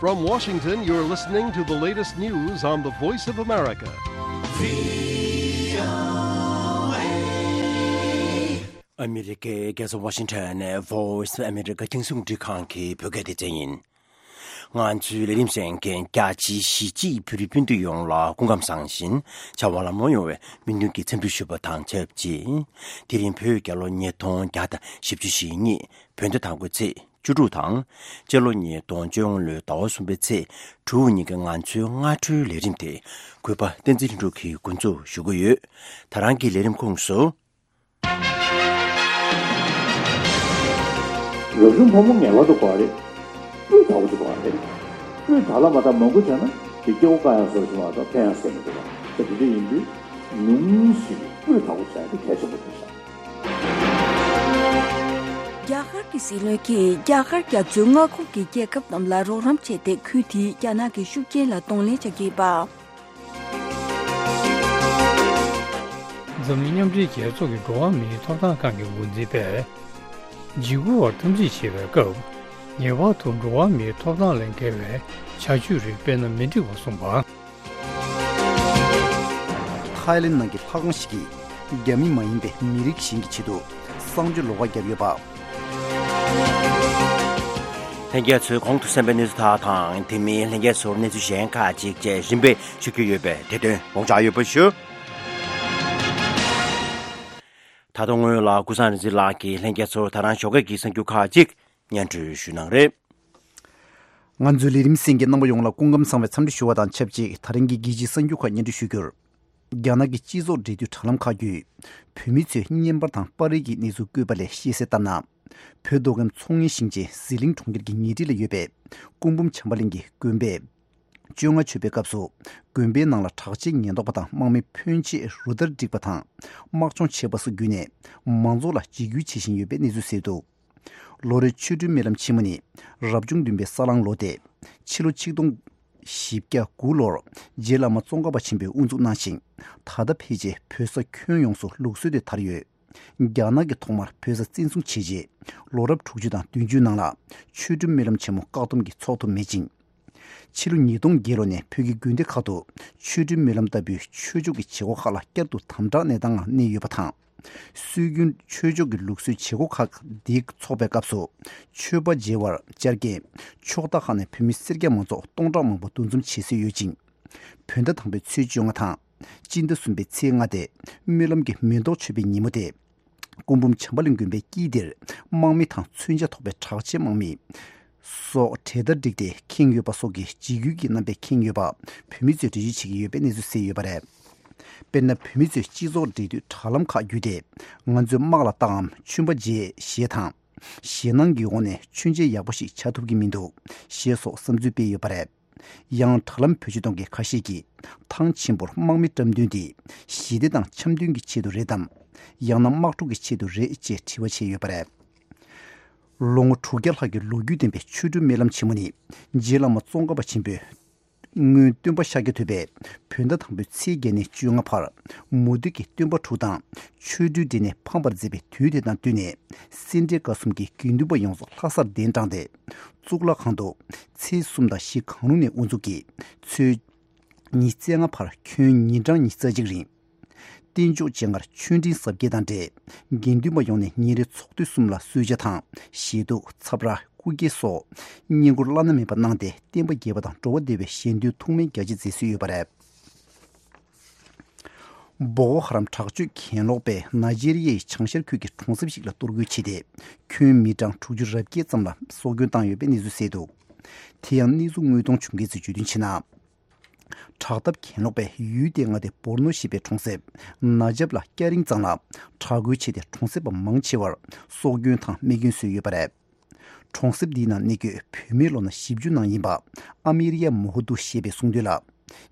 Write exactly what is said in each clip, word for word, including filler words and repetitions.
From Washington, you're listening to the latest news on the Voice of America. ཨ་མི་རི་ཀའི་རྒྱལ་ས་ཝ་ཤིང་ཊོན་ནས་Voice of America་རྒྱང་སྲིང་རླུང་འཕྲིན་ཁང་གི་བོད་སྐད་སྡེ་ཚན་ཡིན། ང་ཚོའི་ལས་རིམ་གསན་མཁན་རྒྱ་ཆེའི་གཞིས་བྱེས་བོད་རིགས་སྤུན་ཟླ་ཡོངས་ལ་སྐུ་ཁམས་བཟང་ཞིང་བྱ་བ་ལམ་ལྷོང་ཡོང་བའི་སྨོན་འདུན་གྱི་འཚམས་འདྲི་ཞུ་བ་དང་ཆབས་ཅིག་དེ་རིང་བོད་རྒྱལ་ལོ་ཉིས་སྟོང་བརྒྱ་དང་བཞི་བཅུ་ཞེ་གཉིས་བོད་ཟླ་དང་པོའི་ཚེས་བཅུ་དྲུག་དང་། སྤྱི་ལོ་ཉིས་སྟོང་བཅོ་ལྔ་ལོའི་ཟླ་བ་གསུམ་པའི་ཚེས་དྲུག་ཉིན་གྱི་ང་ཚོའི་སྔ་དྲོའི་ལས་རིམ་དེ་གུས་པ་བསྟན་འཛིན་ལྷུན་གྲུབ་ཀྱིས་འགོ་འཛུགས་ཞུ་གི་ཡོད། ད་རང་གི་ལས་རིམ་ཁོངས་སུ། རབ་བྱུང་ཕོ་མོ་ངེས་པར་དུ་དགོས་པ་རེད། སྤུས་དག་པོ་ཅིག་དགོས་པ་རེད། སྤུས་དག་ལ་མ་དག་མང་པོ་བྱས་ན་དེ་སྐྱེ་བོ་དཀར་ཡང་བཟོ་ཞིག་མ་གཏོགས་ཕན་ཡང་སེམས་མི་འདུག་པ། དེ་འདྲ་ཡིན་དུས་ཉུང་ཤས་ཀྱིས་སྤུས་དག་པོ་བྱས་ཏེ་གལ་ཆེན་པོ་རེད་ཤག་རྒྱ་གར་གྱི་སྲིད་བློན་གྱིས་རྒྱ་གར་རྒྱ་མཚོའི་མངའ་ཁོངས་ཀྱི་རྒྱལ་ཁབ་རྣམས་ལ་རོགས་རམ་བྱས་ཏེ་ཁུལ་དེའི་རྒྱ་ནག་གི་ཤུགས་རྐྱེན་ལ་གདོང་ལེན་བྱ་རྒྱུ་ཡིན་པ། འཛམ་གླིང་མཉམ་འབྲེལ་རྒྱལ་ཚོགས་ཀྱི་འགྲོ་བ་མིའི་ཐོབ་ཐང་ཁང་གི་འགོ་འཛིན་པས། འཇིགས་སྐུལ་བར་འཐབ་འཛིང་བྱེད་པའི་སྐབས། ངེས་པར་དུ་འགྲོ་བ་མིའི་ཐོབ་ཐང་ལས་འགལ་བའི་བྱ་སྤྱོད་རིགས་སྤེལ་ན་མི་འགྲིག་པ་གསུངས་པ། ཐའི་ལེན་ནང་གི་ལྷ་ཁང་ཞིག་གིས་རྒྱ་མི་མ་ཡིན་པའི་མི་རིགས་གཞན་གྱི་ཆེད་དུ་གསང་སྤྱོད་ལོགས་ཀ་བརྒྱབ་ཡོད་པ། ལྷན་རྒྱས་ཚོས་གོང་དུ་གསན་པའི་གནས་ཚུལ་དག་དང་། དེ་མིན་ལྷན་རྒྱས་ཚོར་གནས་ཚུལ་གཞན་ཁག་ཅིག་བཅས་རིམ་པས་ཞུ་རྒྱུ་ཡོད་པས་དེ་དོན་དགོངས་འཇགས་ཡོད་པ་ཞུ། ད་དུང་སྔོན་ལ་ཀུན་བཟང་རིག་འཛིན་ལགས་ཀྱིས་ལྷན་རྒྱས་ཚོར་ད་རང་ཞོགས་ཀས་ཀྱི་གསར་འགྱུར་ཁག་ཅིག་སྙན་སྒྲོན་ཞུ་གནང་རེད། ང་ཚོའི་ལས་རིམ་གསན་མཁན་རྣམ་པ་ཡོངས་ལ་སྐུ་ཁམས་བཟང་བའི་འཚམས་འདྲི་ཞུ་བ་དང་ཆབས་ཅིག་ད་རིང་གི་རྒྱལ་སྤྱིའི་གསར་འགྱུར་ཁག་སྙན་སྒྲོན་ཞུ་རྒྱུར། རྒྱ་ནག་གི་སྤྱི་ཚོགས་འབྲེལ་མཐུད་དྲ་ལམ་ཁག་བརྒྱུད། བོད་མི་ཚོས་བརྙན་པར་དང་པར་རིས་ཀྱི་གནས་ཚུལ་བཀོད་པ་ལས་ཤེས་གསལ་ལྟར་ན། བོད་མདོ་ཁམས་མཚོ་སྔོན་ཞིང་ཆེན་ཟི་ལིང་གྲོང་ཁྱེར་གྱི་ཉེ་འཁྲིས་ལ་ཡོད་པའི་སྐུ་འབུམ་བྱམས་པ་གླིང་གི་དགོན་པས། བཅོ་ལྔ་མཆོད་པའི་སྐབས་སུ། དགོན་པའི་ནང་ལ་དྲག་ཆས་ཉེན་རྟོག་པ་དང་དམག་མི་ཕོན་ཆེ་རུ་སྟར་བསྒྲིགས་པ་དང་། དམག་སྦྱོང་བྱས་པ་སོགས་བརྒྱུད་ནས། མང་ཚོགས་ལ་འཇིགས་སྐུལ་བྱེད་བཞིན་ཡོད་པའི་གནས་ཚུལ་གསལ་འདུག་ལོ་རེར་ཆོ་འཕྲུལ་སྨོན་ལམ་ཆེན་མོ་ནི། རབ་བྱུང་བདུན་པའི་ས་གླང་ལོ་སྟེ། ཕྱི་ལོ་ཆིག་སྟོང་བཞི་བརྒྱ་དགུ་ལོར་རྗེ་བླ་མ་ཙོང་ཁ་པ་ཆེན་པོས་དབུ་འཛུགས་གནང་ཞིང་། ད་ལྟ་ཕལ་ཆེར་བོད་ས་ཁྱོན་ཡོངས་སུ་ལུགས་སྲོལ་དེ་དར་ཡོད། རྒྱ་ནག་གིས་ཐོག་མར་བོད་ས་བཙན་བཟུང་བྱས་རྗེས། ལོ་རབས་དྲུག་ཅུ་དང་བདུན་ཅུའི་ནང་ལ་ཆོ་འཕྲུལ་སྨོན་ལམ་ཆེན་མོ་བཀག་སྡོམ་གྱིས་འཚོགས་ཐུབ་མེད་ཅིང་། ཕྱི་ལོ་ཉིས་སྟོང་བརྒྱད་ལོ་ནས་བོད་ཀྱི་དགོན་སྡེ་ཁག་ཏུ་ཆོ་འཕྲུལ་སྨོན་ལམ་ལྟ་བུའི་ཆོས་ཕྱོགས་ཀྱི་བྱེད་སྒོ་ཁག་ལ་བསྐྱར་དུ་དམ་དྲག་གནས་སྟངས་ངང་གནས་ཡོད་པ་དང་། སྲོལ་རྒྱུན་ཆོས་ཕྱོགས་ཀྱི་ལུགས་སྲོལ་བྱེད་སྒོ་ཁག་འདི་འཚོགས་པའི་སྐབས་སུ། མཆོད་པ་མཇལ་བར་བཅར་མཁན་ཕྱོགས་མཐའ་ཁག་ནས་བོད་མི་སེར་སྐྱ་མང་ཚོགས་སྟོང་ཕྲག་མང་པོ་འདུ་འཛོམས་བྱེད་སྲོལ་ཡོད་ཅིང་། བོད་ཟླ་དང་པོའི་ཚེས་བཅོ་ལྔ་དང་། སྤྱི་ཟླ་གསུམ་པའི་ཚེས་ལྔ་སྟེ། སྨོན་ལམ་གྱི་མེ་ཏོག་མཆོད་པའི་ཉིན་མོ་སྟེ། སྐུ་འབུམ་བྱམས་པ་གླིང་དགོན་པའི་དཀྱིལ་འདིར། དམག་མི་དང་མཚོན་ཆ་ཐོགས་པའི་དྲག་ཆས་དམག་མི། སོགས་གྲལ་སྟར་བསྒྲིགས་ཏེ་ཁེངས་ཡོད་པ་སོགས་ཀྱི་འཇིགས་སྐུལ་གྱི་རྣམ་པས་ཁེངས་ཡོད་པ། བོད་མི་ཚོས་འགྲེལ་བརྗོད་བྱེད་ཀྱི་ཡོད་པའི་གནས་ཚུལ་གསལ་ཡོད་པ་རེད། དཔེར་ན། བོད་མི་ཚོས་སྤྱི་ཚོགས་འབྲེལ་མཐུད་དྲ་ལམ་ཁག་བརྒྱུད་དེ། ང་ཚོས་དམག་ལ་བཏང་ངམ་མཆོད་པ་མཇལ་ཞེས་དང་། ཞེད་སྣང་གི་འོག་ནས་མཆོད་མཇལ་ཡག་པོ་ཞིག་བྱ་ཐུབ་ཀྱི་མི་འདུག་ཞེས་སོགས་བསམ་ཚུལ་སྤེལ་ཡོད་པ་རེད། ཡང་། དྲ་ལམ་བེད་སྤྱོད་གཏོང་མཁན་ཁ་ཤས་ཀྱིས། ཐང་ཆེན་པོར་དམག་མི་བཀྲམ་དོན་དེ། ཞི་བདེ་དང་འཆམ་མཐུན་གྱི་ཆེད་དུ་རེད་དམ། ཡང་ན་དམག་འཁྲུག་གི་ཆེད་དུ་རེད་ཅེས་དྲི་བ་བྱས་ཡོད་པ་རེད། ལོ་ངོ་དྲུག་བརྒྱ་ལྷག་གི་ལོ་རྒྱུས་ལྡན་པའི་ཆོ་འཕྲུལ་སྨོན་ལམ་ཆེན་མོ་ནི། རྗེ་བླ་མ་ཙོང་ཁ་པ་ཆེན་པོས། སྔོན་སྟོན་པ་ཤཱཀྱ་ཐུབ་པས་བོད་ཟླ་དང་པོའི་ཚེས་བརྒྱད་ནས་བཅོ་ལྔ་བར་མུ་སྟེགས་ཀྱི་སྟོན་པ་དྲུག་དང་ཆོ་འཕྲུལ་འགྲན་ནས་ཕམ་པར་མཛད་པའི་དུས་དེ་དང་བསྟུན་ནས་སེ་འབྲས་དགའ་གསུམ་གྱི་དགེ་འདུན་པ་ཡོངས་སུ་ལྷ་སར་གདན་དྲངས་ཏེ། གཙུག་ལག་ཁང་དུ་ཚེས་གསུམ་དང་བཞི་གང་རུང་ནས་དབུ་འཛུགས་ཀྱིས་ཚེས་ཉི་ཤུ་རྩ་ལྔ་བར་ཁྱོན་ཉིན་གྲངས་ཉི་ཤུ་རྩ་གཅིག་རིང་། རྟེན་མཆོག་སྤྱན་སྔར་ཆོས་འབྲེལ་ཟབ་རྒྱས་དང་འབྲེལ། དགེ་འདུན་པ་ཡོངས་ནས་ཉིན་རེའི་ཚོགས་དུས་གསུམ་ལ་གསོལ་ཇ་དང་ཞལ་ཏོག་ཚབ་ར་སྐུ་འགྱེད་སོགས་བསྙེན་བཀུར་བླ་ན་མེད་པ་གནང་སྟེ་བསྟན་པ་རྒྱས་པ་དང་འགྲོ་བ་བདེ་བའི་ཞལ་འདོན་ཐུགས་སྨོན་རྒྱ་ཆེ་མཛད་སྲོལ་ཡོད་པ་རེད། བོ་ཀོ་ཧ་རམ་དྲག་སྤྱོད་གྱེན་ལོག་པས་ནཱི་ཇེ་རི་ཡའི་བྱང་ཤར་ཁུལ་གྱི་གྲོང་གསེབ་ཞིག་ལ་གཏོར་རྒོལ་བྱས་ཏེ། ཁྱོན་མི་གྲངས་དྲུག་ཅུ་རེ་བརྒྱད་ཙམ་ལ་སྲོག་སྐྱོན་བཏང་ཡོད་པའི་གནས་ཚུལ་གསལ་འདུག་དེ་ཡང་གནས་ཚུལ་དངོས་མཐོང་བྱུང་མཁན་ཚོས་བརྗོད་དོན་བྱས་ན། དྲག་འཐབ་གྱེན་ལོག་པས་ཡུལ་དེའི་མངའ་སྡེ་བོར་ནོ་ཞེས་པའི་གྲོང་གསེབ་ནཱ་ཇབ་ལ་སྐྱ་རེངས་གཙང་ལ་དྲག་རྒོལ་བྱས་ཏེ། གྲོང་གསེབ་པ་མང་ཆེ་བར་སྲོག་སྐྱོན་དང་རྨས་སྐྱོན་བཟོས་ཡོད་པ་རེད། གྲོང་གསེབ་འདིའི་ནང་གནས་འཁོད་བོད་མིའི་ལོ་ན་བཞི་བཅུ་ནང་ཡིན་པ། ཨ་མེ་རི་ཡ་མོ་ཧོ་དུ་ཞེས་པས་གསུངས་དོན་ལ།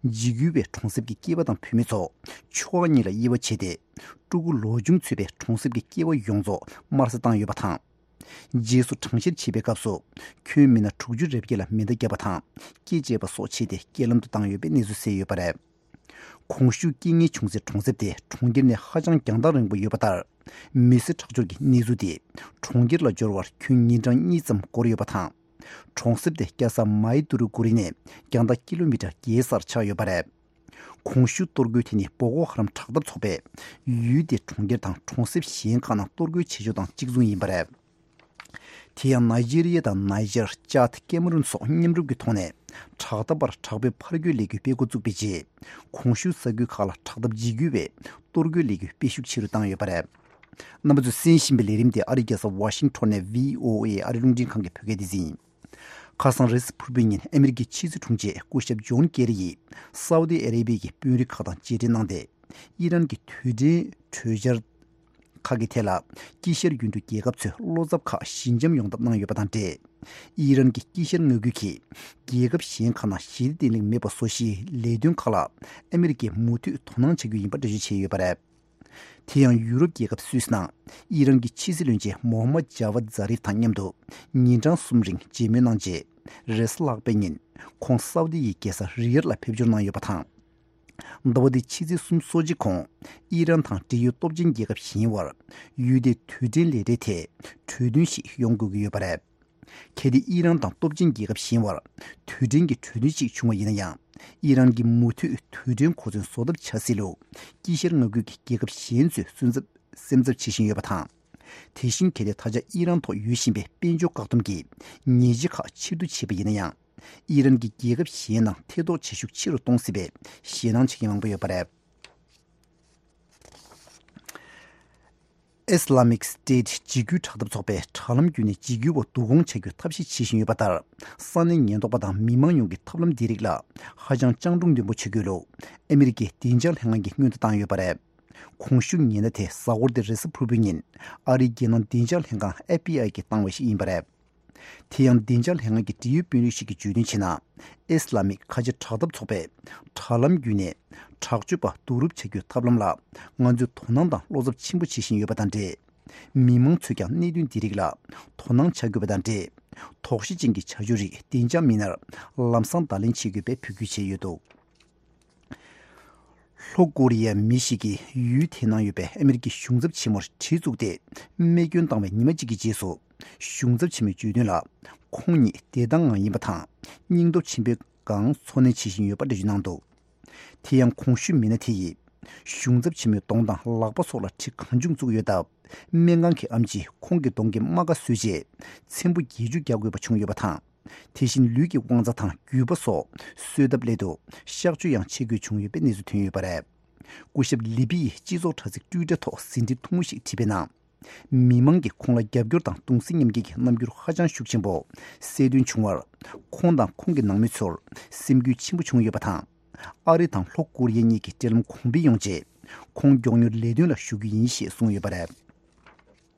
འཇིགས་སྐུལ་བས་གྲོང་གསེབ་ཀྱི་སྐྱེས་པ་དང་བུད་མེད་ཚོ་ཕྱོགས་ཁག་གཉིས་ལ་དབྱེ་བ་ཕྱེ་སྟེ། ཕྲུ་གུ་ལོ་ཆུང་ཚུད་པའི་གྲོང་གསེབ་ཀྱི་སྐྱེས་པ་ཡོངས་རྫོགས་དམར་གསོད་བཏང་ཡོད་པ་དང་། རྗེས་སུ་དྲག་གནོན་བྱེད་པའི་སྐབས་སུ། ཁྱོན་མི་སྣ་དྲུག་ཅུ་རེ་བརྒྱད་ལ་མེ་མདའ་བརྒྱབ་པ་དང་། སྐེ་བཅད་པ་སོགས་བྱས་ཏེ། རྐྱེན་ལམ་དུ་བཏང་ཡོད་པའི་གནས་ཚུལ་གསལ་ཡོད་པ་རེད། གོང་ཞུས་རྐྱེན་ངན་བྱུང་སའི་གྲོང་གསེབ་དེ་གྲོང་ཁྱེར་ནས་ཧ་ཅང་རྒྱང་ཐག་རིང་པོ་ཡོད་པ་ལྟར། མི་སེར་ཁྲག་སྦྱོར་གྱི་གནས་ཚུལ་དེ། གྲོང་ཁྱེར་ལ་འབྱོར་བར་ཁྱོན་ཉིན་གྲངས་གཉིས་ཙམ་འགོར་ཡོད་པ་དང་ གྲོང་གསེབ་དེ་རྒྱལ་ས་མའི་ཏུ་རུ་ཀུ་རི་ནས་རྒྱང་ཐག་ཀི་ལོ་མི་ཊར་བརྒྱད་སར་ཆགས་ཡོད་པ་རེད། གོང་ཞུས་གཏོར་རྒོལ་དེ་ནི་བོ་ཀོ་ཧ་རམ་དྲག་འཐབ་ཚོགས་པས་ཡུལ་དེའི་གྲོང་ཁྱེར་དང་གྲོང་གསེབ་གཞན་ཁག་ནང་གཏོར་རྒོལ་བྱེད་ཕྱོགས་དང་གཅིག་མཚུངས་ཡིན་པ་རེད། དེ་ཡང་ནཱི་ཇེ་རི་ཡ་དང་ནཱི་ཇར། ཅཱད། ཀེ་མ་རུན་སོགས་མཉམ་རུབ་ཀྱི་ཐོག་ནས་དྲག་འཐབ་པར་དྲག་པོའི་ཕར་རྒོལ་ལས་འགུལ་སྤེལ་འགོ་བཙུགས་པའི་རྗེས། གོང་ཞུས་ས་ཁུལ་ཁག་ལ་དྲག་འཐབ་འཇིགས་སྐུལ་བའི་གཏོར་རྒོལ་ལས་འགུལ་སྤེལ་ཤུགས་ཆེ་རུ་བཏང་ཡོད་པ་རེད། རྣམ་པ་ཚོས་གསན་བཞིན་པའི་ལས་རིམ་དེ་ཨ་རིའི་རྒྱལ་ས་ཝ་ཤིང་ཊོན་ནས་བྷི་ཨོ་ཨེ་ཨ་རིའི་རླུང་འཕྲིན་ཁང་གི་བོད་སྐད་སྡེ་ཚན་ཡིན། ཁ་སང་རེས་གཟའ་ཕུར་བུའི་ཉིན་ཨ་མི་རི་ཀའི་ཕྱི་སྲིད་དྲུང་ཆེ་སྐུ་ཞབས་ཇོན་ཀེ་རི་ཡིས་སའུ་ཏི་ཨ་རེ་བྷི་ཡའི་དཔོན་རིགས་ཁག་དང་མཇལ་འཕྲད་གནང་སྟེ། ཨི་རན་གྱི་དུས་དྲན་གྲོས་འཆར་ཁག་གི་ཐད་ལ་དཀྱིལ་ཤར་ཡུལ་གྲུ་རྒྱལ་ཁབ་ཚོས་བློ་འཚབ་ཁག་ཞི་འཇམ་ཡོང་ཐབས་གནང་ཡོད་པ་དང་འབྲེལ། ཨི་རན་གྱི་དཀྱིལ་ཤར་མངའ་ཁུལ་གྱི་རྒྱལ་ཁབ་གཞན་ཁག་ནང་ཞི་བདེ་བརྟན་ལྷིང་མེད་པ་བཟོ་གཞིའི་ལས་དོན་ཁག་ལ་ཨ་མི་རི་ཀས་མུ་མཐུད་དོ་སྣང་བྱ་རྒྱུ་ཡིན་པ་འགྲེལ་བརྗོད་བྱས་ཡོད་པ་རེད། དེ་ཡང་ཡུ་རོབ་རྒྱལ་ཁབ་སུད་སི་ནང་ཨི་རན་གྱི་ཕྱི་སྲིད་བློན་ཆེན་མོ་ཧམ་མད་ཇཱ་ཝད་ཛཱ་རིབ་དང་མཉམ་དུ་ཉིན་གྲངས་གསུམ་རིང་མཇལ་མོལ་གནང་རྗེས། རེས་གཟའ་ལྷག་པའི་ཉིན་ཁོང་སའུ་ཏི་ཡི་རྒྱལ་ས་རི་ཡར་ལ་ཕེབས་འབྱོར་གནང་ཡོད་པ་དང་། ཟླ་བ་འདིའི་ཕྱི་ཚེས་གསུམ་སོ་གཅིག་གོང་ཨི་རན་དང་འབྲེལ་ཡོད་སྟོབས་ཆེན་རྒྱལ་ཁབ་གཞན་བར་ཡུལ་དེའི་དུས་དྲན་ལས་གྲྭའི་ཐད་གྲོས་མཐུན་ཞིག་ཡོང་དགོས་ཀྱི་ཡོད་པ་རེད། གལ་ཏེ་ཨི་རན་དང་སྟོབས་ཆེན་རྒྱལ་ཁབ་གཞན་བར་དུས་དྲན་གྱི་གྲོས་མཐུན་ཞིག་བྱུང་བ་ཡིན་ན་ཡང་། ཨི་རན་གྱིས་མུ་མཐུད་དུས་དྲན་གོ་མཚོན་བཟོ་ཐབས་བྱ་སྲིད་ལུགས་དཀྱིལ་ཤར་མངའ་ཁུལ་གྱི་རྒྱལ་ཁབ་གཞན་ཚོས་སེམས་འཚབ་སེམས་འཚབ་བྱེད་བཞིན་ཡོད་པ་དང་། དེ་བཞིན་གལ་ཏེ་ད་ཆ་ཨི་རན་ཐོག་ཡོད་བཞིན་པའི་དཔལ་འབྱོར་བཀག་སྡོམ་གྱི་ཉེས་ཆད་ཁག་ཕྱིར་བསྡུ་བྱས་པ་ཡིན་ན་ཡང་། ཨི་རན་གྱིས་རྒྱལ་ཁབ་གཞན་ནང་ཐེ་གཏོགས་བྱེད་ཤུགས་ཆེ་རུ་གཏོང་སྲིད་པའི་ཞེད་སྣང་བྱེད་མཁན་མང་པོ་ཡོད་པ་རེད། Islamic State འཇིགས་སྐུལ་དྲག་འཐབ་ཚོགས་པས་དྲ་ལམ་བརྒྱུད་ནས་འཇིགས་སྐུལ་བ་བསྡུ་སྐོང་བྱ་རྒྱུའི་ཐབས་ཤེས་བྱེད་བཞིན་ཡོད་པ་ལྟར། ས་གནས་ཉེན་རྟོག་པ་དང་མི་མང་ཡོངས་ཀྱིས་ཐབས་ལམ་འདི་རིགས་ལ་ཧ་ཅང་སྤྱང་གྲུང་ལྡན་པོ་བྱེད་དགོས་ལུགས་ཨ་མི་རི་ཀའི་བདེ་འཇགས་ལྷན་ཁང་གིས་སྔོན་དུ་བཏང་ཡོད་པ་རེད། གོང་ཞུས་ཉེན་བརྡ་དེ་གཟའ་འཁོར་འདིར་རེས་གཟའ་ཕུར་བུའི་ཉིན་ཨ་རིའི་རྒྱལ་ནང་བདེ་འཇགས་ལྷན་ཁང་F B I གིས་བཏང་བ་ཞིག་ཡིན་པ་རེད། དེ་ཡང་བདེ་འཇགས་ལྷན་ཁང་གི་འབྲེལ་ཡོད་དཔོན་རིགས་ཤིག་གིས་བརྗོད་དོན་བྱས་ན། ཨིས་ལ་མིག་ཁ་ཆེ་དྲག་འཐབ་ཚོགས་པས་དྲ་ལམ་བརྒྱུད་ནས་དྲག་སྤྱོད་པ་བསྡུ་རུབ་བྱ་རྒྱུའི་ཐབས་ལམ་ལ་ང་ཚོས་དོ་སྣང་དང་བློ་འཚབ་ཆེན་པོ་བྱེད་བཞིན་ཡོད་པ་དང་འབྲེལ། མི་མང་ཚོས་ཀྱང་གནད་དོན་འདི་རིགས་ལ་དོ་སྣང་བྱ་དགོས་པ་དང་འབྲེལ། དོགས་གཞི་ཅན་གྱི་བྱ་སྤྱོད་རིགས་བདེ་འཇགས་མི་སྣར་ལམ་སང་བརྡ་ལན་བྱེད་དགོས་པའི་འབོད་སྐུལ་བྱས་ཡོད་འདུག་ལྷོ་ཀོ་རི་ཡའི་མི་ཞིག་གིས་ཡུལ་དེའི་ནང་ཡོད་པའི་ཨ་མི་རི་ཀའི་གཞུང་ཚབ་ཆེན་མོར་གྲི་བཙུགས་ཏེ་རྨས་སྐྱོན་བཏང་བའི་ཉི་མ་གཅིག་གི་རྗེས་སུ། གཞུང་ཚབ་ཆེན་མོས་བརྗོད་དོན་ལ། ཁོང་ཉིད་བདེ་ཐང་ངང་ཡིན་པ་དང་། སྙིང་སྟོབས་ཆེན་པོའི་སྒང་འཚོ་གནས་བྱེད་བཞིན་ཡོད་པ་འགྲེལ་བརྗོད་གནང་འདུག་དེ་ཡང་གོང་ཞུས་མི་སྣ་དེ་ཡིས། གཞུང་ཚབ་ཆེན་མོའི་གདོང་དང་ལག་པ་སོགས་ལ་གྲི་གང་བྱུང་བཙུགས་ཡོད་སྟབས། སྨན་ཁང་གི་ཨེམ་ཆིས་ཁོང་གི་གདོང་གི་རྨ་ཁ་བཟོས་རྗེས། ཚེམ་བུ་བརྒྱད་ཅུ་རྒྱག་དགོས་པ་བྱུང་ཡོད་པ་དང་། དེ་བཞིན་ལུས་ཀྱི་དབང་རྩ་དང་རྒྱུས་པ་སོགས་གསོས་ཐབས་སླད་དུ་གཤག་བཅོས་ཡང་བྱེད་དགོས་བྱུང་ཡོད་པའི་གནས་ཚུལ་ཐོན་ཡོད་པ་རེད། སྐུ་ཞབས་ལི་པི་ཡིས་སྤྱི་ཚོགས་དྲ་ཚིགས་ཊུའི་ཊར་ཐོག་ཟིན་བྲིས་ཐུང་ངུ་ཞིག་བྲིས་པའི་ནང་། མི་མང་གིས་ཁོང་ལ་རྒྱབ་སྐྱོར་དང་གདུང་སེམས་མཉམ་སྐྱེད་ཀྱི་རྣམ་འགྱུར་ཧ་ཅང་ཤུགས་ཆེན་པོ་གསལ་སྟོན་བྱུང་བར། ཁོང་དང་ཁོང་གི་ནང་མི་ཚོར་སེམས་འགུལ་ཆེན་པོ་བྱུང་ཡོད་པ་དང་། ཨ་རི་དང་ལྷོ་ཀོ་རི་ཡ་གཉིས་ཀྱི་འབྲེལ་ལམ་གོང་འཕེལ་ཡོང་ཆེད། ཁོང་མགྱོགས་མྱུར་ལས་དོན་ལ་ཞུགས་རྒྱུ་ཡིན་ཞེས་གསུངས་ཡོད་པ་རེད།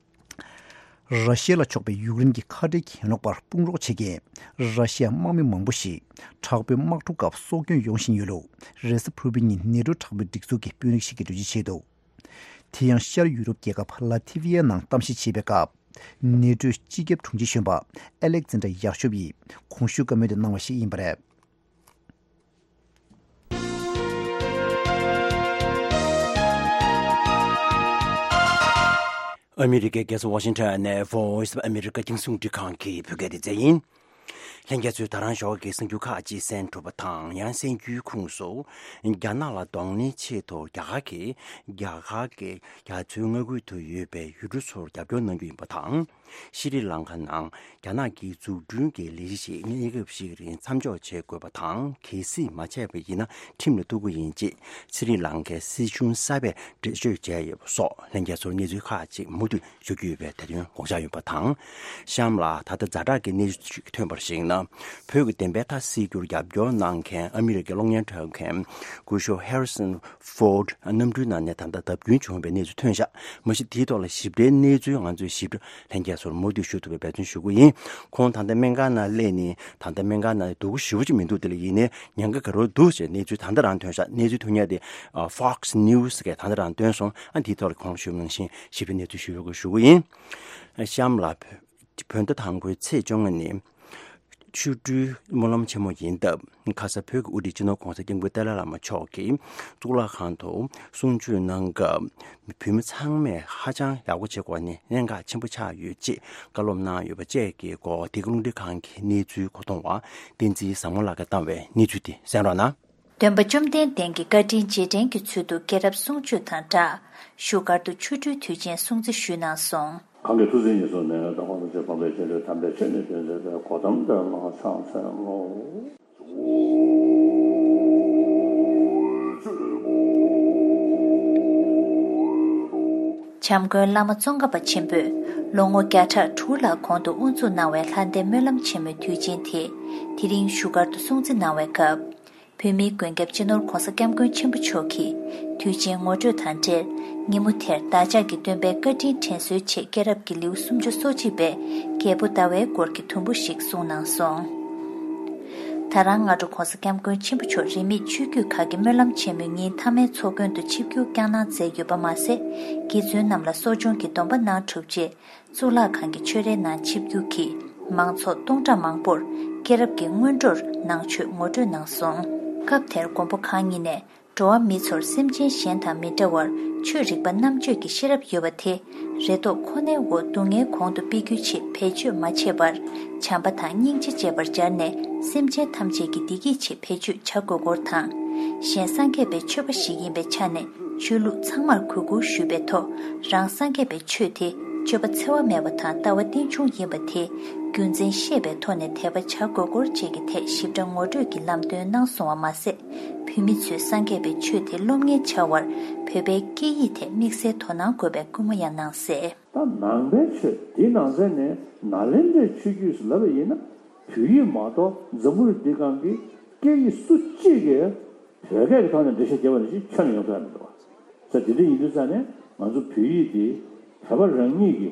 ར་ཤི་ཡ་ལ་ཕྱོགས་པའི་ཡུཀ་རེན་གྱི་ཁ་བྲལ་གྱི་ཡན་ལག་པར་དཔུང་རོགས་བྱེད་མཁན་ར་ཤི་ཡ་དམག་མི་མང་པོ་ཞིག་དྲག་པོའི་དམག་འཁྲུག་སྐབས་སྲོག་སྐྱོན་ཡོང་བཞིན་ཡོད་ལུགས་རེས་གཟའ་ཕུར་བུའི་ཉིན་ནེ་ཊོ་དྲག་པོའི་སྒྲིག་འཛུགས་ཀྱི་དཔོན་རིགས་ཤིག་གིས་འགྲེལ་བརྗོད་བྱས་འདུག་དེ་ཡང་ཤར་ཡུ་རོབ་རྒྱལ་ཁབ་ལ་ཐི་བི་ཡ་ནང་གཏམ་བཤད་བྱེད་པའི་སྐབས། ནེ་ཊོའི་སྤྱི་ཁྱབ་དྲུང་ཆེ་གཞོན་པ་ཨ་ལེག་ཛན་ཌྲ་ཡག་ཤོབ་ཡིས་གོང་ཞུས་བཀའ་མོལ་དུ་གནང་བ་ཞིག་ཡིན་པ་རེད། ཨ་མི་རི་ཀའི་རྒྱལ་ས་ཝ་ཤིང་ཊོན་ནས་Voice of America རྒྱང་སྲིང་རླུང་འཕྲིན་ཁང་གི་བོད་སྐད་སྡེ་ཚན་ཡིན། ལྷན་རྒྱས་ཚོས་ད་རང་ཞོགས་ཀྱི་གསར་འགྱུར་ཁག་ཅིག་གསན་གྲུབ་པ་དང་། ཡང་གསར་འགྱུར་ཁུངས་སུ། རྒྱ་ནག་ལ་གདོང་ལེན་ཆེད་དུ་རྒྱ་གར་གྱིས། རྒྱ་གར་གྱིས་རྒྱ་མཚོའི་མངའ་ཁུལ་དུ་ཡོད་པའི་ཡུལ་གྲུ་ཚོར་རྒྱབ་སྐྱོར་གནང་རྒྱུ་ཡིན་པ་དང་། ཤྲི་ལང་ཀ་ནང་རྒྱ་ནག་གི་འཛུགས་སྐྲུན་གྱི་ལས་གཞི་ཞིག་གནས་སྐབས་ཤིག་རིང་མཚམས་འཇོག་བྱེད་དགོས་པ་དང་། གལ་སྲིད་མ་བྱས་པ་ཡིན་ན་ཁྲིམས་ལ་གཏུག་གི་ཡིན་ཅེས་ཤྲི་ལང་ཀའི་སྲིད་གཞུང་གསར་པས་འགྲེལ་བརྗོད་བྱས་ཡོད་པ་སོགས་ལྷན་རྒྱས་ཚོར་གནས་ཚུལ་ཁག་ཅིག་མུ་མཐུད་ཞུ་རྒྱུ་ཡོད་པའི་དེ་དོན་དགོངས་འཇགས་ཡོད་པ་དང་། གཤམ་ལ་ད་ལྟ་ཛ་དྲག་གི་གནས་ཚུལ་ཞིག་ཐོན་པར་གཞིགས་ན། བོད་ཀྱི་བདེན་པའི་མཐའ་གསལ་རྒྱུར་རྒྱབ་སྐྱོར་གནང་མཁན་ཨ་མི་རི་ཀའི་གློག་བརྙན་འཁྲབ་མཁན་སྐུ་ཞབས་Harrison Ford གནམ་གྲུའི་ནང་ནས་ད་ལྟ་བརྡབ་སྐྱོན་བྱུང་བའི་གནས་ཚུལ་ཐོན་ཤག་མ་གཞི་དེའི་ཐོག་ལ་ཞིབ་ཕྲའི་གནས་ཚུལ་ང་ཚོས་ཞིབ་ཕྲ་ལྷན་རྒྱས་ཚོར་མུ་མཐུད་ཞུ་ཐུབ་པའི་འབད་བརྩོན་ཞུ་གི་ཡིན། ཁོང་ད་ལྟ་སྨན་ཁང་ནང་སླེབས་ནས་ད་ལྟ་སྨན་ཁང་ནང་སྡུག་པོ་ཞེ་པོ་ཅིག་མི་འདུག་དེ་ལ་ཡིན་ནའི་ཉེན་ཁ་ག་རེ་འདུག་ཅེས་གནས་ཚུལ་ད་ལྟ་རང་ཐོན་ཤག་གནས་ཚུལ་ཐོན་ཡག་དེ་ཨ། Fox News གིས་ད་ལྟ་རང་བཏོན་སོང་། ཨ། འདིའི་ཐོག་ལ་གོང་ཞུས་ནང་བཞིན་ཞིབ་ཕྲའི་གནས་ཚུལ་ཞུ་དགོས་ཞུ་གི་ཡིན། གཤམ་ལ། བོད་ཟླ་དང་པོའི་ཚེས་བཅོ་ལྔ་ནི། ཆོ་འཕྲུལ་སྨོན་ལམ་ཆེན་མོ་ཡིན་སྟབས། ཁ་ས་བོད་ཀྱི་དབུ་ཁྲིད་སྤྱི་ནོར་༧གོང་ས་༧སྐྱབས་མགོན་ཏཱ་ལའི་བླ་མ་མཆོག་གིས་གཙུག་ལག་ཁང་དུ་གསུང་ཆོས་གནང་སྐབས། བོད་མི་ཚང་མས་ཧ་ཅང་ཡག་པོ་བྱེད་དགོས་ནི་གནད་འགག་ཆེན་པོ་ཆགས་ཡོད་ཅེས་བཀའ་སློབ་གནང་ཡོད་པ་བཅས་ཀྱི་སྐོར། བདེ་སྐྱིད་རླུང་འཕྲིན་ཁང་གི་གནས་ཚུལ་གོ་བསྡུར་བ་བསྟན་འཛིན་བཟང་མོ་ལགས་ཀྱིས་བཏང་བའི་གནས་ཚུལ་དེ་གསན་རོགས་གནང་། སྟོན་པ་བཅོམ་ལྡན་འདས་ཀྱི་བཀའ་དྲིན་རྗེས་དྲན་གྱི་ཚུལ་དུ་སྐྱེས་རབས་གསུང་ཆོས་དང་སྦྲགས། བཞུགས་སྒར་དུ་ཆོ་འཕྲུལ་དུས་ཆེན་སྲུང་བརྩི་ཞུས་གནང་སོང་། གང་གི་ཐུགས་བརྩེ་ཉེར་བཟུང་ནས། དང་པོ་ཐམས་ཅད་གོང་འཕེལ་ཆེན་པོའི་དམ་པའི་ཆོས་ནི་སྟོན་མཛད་པའི་གོ་ཏམ་དེ་ལ་ཕྱག་འཚལ་ལོ། བྱམས་མགོན་བླ་མ་ཙོང་ཁ་པ་ཆེན་པོས་ལོ་ངོ་བརྒྱ་ཕྲག་དྲུག་ལྷག་གོང་དུ་དབུ་འཛུགས་གནང་བའི་ལྷ་ལྡན་སྨོན་ལམ་ཆེན་མོའི་དུས་ཆེན་དེ་དེ་རིང་བཞུགས་སྒར་དུ་སྲུང་བརྩི་གནང་བའི་སྐབས། བོད་མིའི་མགོན་སྐྱབས་སྤྱི་ནོར་༧གོང་ས་༧སྐྱབས་མགོན་ཆེན་པོ་མཆོག་གིས་དུས་ཆེན་ངོ་སྤྲོད་དང་འབྲེལ། ཉིན་མོ་དེར་བདག་ཅག་གི་སྟོན་པའི་བཀའ་དྲིན་དྲན་གསོའི་ཆེད་སྐྱེས་རབས་ཀྱི་ལེའུ་སུམ་ཅུ་སོ་གཅིག་པའི་རྒྱལ་པོ་ཟླ་བའི་སྐོར་གྱི་དུམ་བུ་ཞིག་གསུངས་གནང་སོང་། ད་རང་སྔ་དྲོ་༧གོང་ས་༧སྐྱབས་མགོན་ཆེན་པོ་མཆོག་རིས་མེད་ཆོས་བརྒྱུད་ཁག་གི་སྨོན་ལམ་ཆེན་མོའི་ཉིན་མཐའ་མའི་ཚོགས་མགོན་དུ་ཆིབས་བསྒྱུར་བསྐྱངས་གནང་མཛད་ཡོད་པ་མ་ཟད། དགེ་བཙུན་རྣམས་ལ་གསོ་སྦྱོང་གི་སྡོམ་པ་གནང་གྲུབ་རྗེས། གཙུག་ལག་ཁང་གི་ཆོས་རའི་ནང་ཆིབས་བསྒྱུར་གྱིས་མང་ཚོགས་སྟོང་ཕྲག་མང་པོར་སྐྱེས་རབས་ཀྱི་སྔོན་འགྲོར་གནང་ཆོས་ངོ་སྤྲོད་གནང་སོང་། སྐབས་དེར་མགོན་པོ་གང་ཉིད་ནས་འགྲོ་བ་མི་ཚོར་སེམས་ཅན་གཞན་དང་མི་འདྲ་བར་ཆོས་རིག་པ་རྣམ་དཔྱོད་ཀྱི་ཤེས་རབ་ཡོད་པ་དེ་རེ་དོགས་ཁོ་ནའི་འོག་སྡུག་བསྔལ་གོང་དུ་སྤེལ་རྒྱུའི་ཆེད་བེད་སྤྱོད་མ་བྱས་པར་བྱམས་པ་དང་སྙིང་རྗེ་བྱེད་པར་སྦྱར་ནས་སེམས་ཅན་ཐམས་ཅད་ཀྱི་བདེ་སྐྱིད་ཆེད་བེད་སྤྱོད་བྱ་དགོས་སྐོར་དང་། གཞན་སངས་རྒྱས་པའི་ཆོས་པ་ཞིག་ཡིན་པའི་ཆ་ནས། ཆོས་ལུགས་ཚང་མར་གུས་བཀུར་ཞུས་པའི་ཐོག་རང་སངས་རྒྱས་པའི་ཆོས་དེ་སྤྱོད་པ་འཚེ་བ་མེད་པ་དང་ལྟ་བ་རྟེན་འབྱུང་ཡིན་པ་དེ་རྒྱུ་མཚན་ཤེས་པའི་ཐོག་ནས་དད་པ་བྱ་དགོས་སྐོར་བཅས་ཀྱི་ཐད་ཞིབ་ཕྲ་ངོ་སྤྲོད་ཀྱི་ལམ་སྟོན་གནང་སོང་བ་མ་ཟད། བོད་མི་ཚོས་སངས་རྒྱས་པའི་ཆོས་དེ་སློབ་གཉེར་བྱ་བར་བོད་པའི་སྐད་ཡིག་ཐད་དམིགས་བསལ་དོ་སྣང་དགོས་པའི་སྐུལ་མ་ཡང་གནང་གསལ། ད་ནང་པའི་ཆོས་དེའི་ནང་ཚན་ནས་ནཱ་ལེནྡྲའི་ཆོས་བརྒྱུད་ཟེར་ལབ་པ་ཡིན་ན། བོད་ཡིག་མ་གཏོགས་འཛམ་བུ་གླིང་འདི་སྒང་གི་སྐད་ཡིག་སུ་གཅིག་གིས་བོད་སྐད་ཀྱི་ཐོག་ནས་འགྲེལ་བཤད་བརྒྱབ་པ་ནང་བཞིན་ཁྱོན་ནས་ཡོང་ཐུབ་ཡ་མི་འདུག་བ། ས་དེ་འདྲ་ཡིན་དུས་ཙང་ནས་ང་ཚོ་བོད་ཡིག་འདི་བོད་པ་རང་ཉིད་ཀྱི་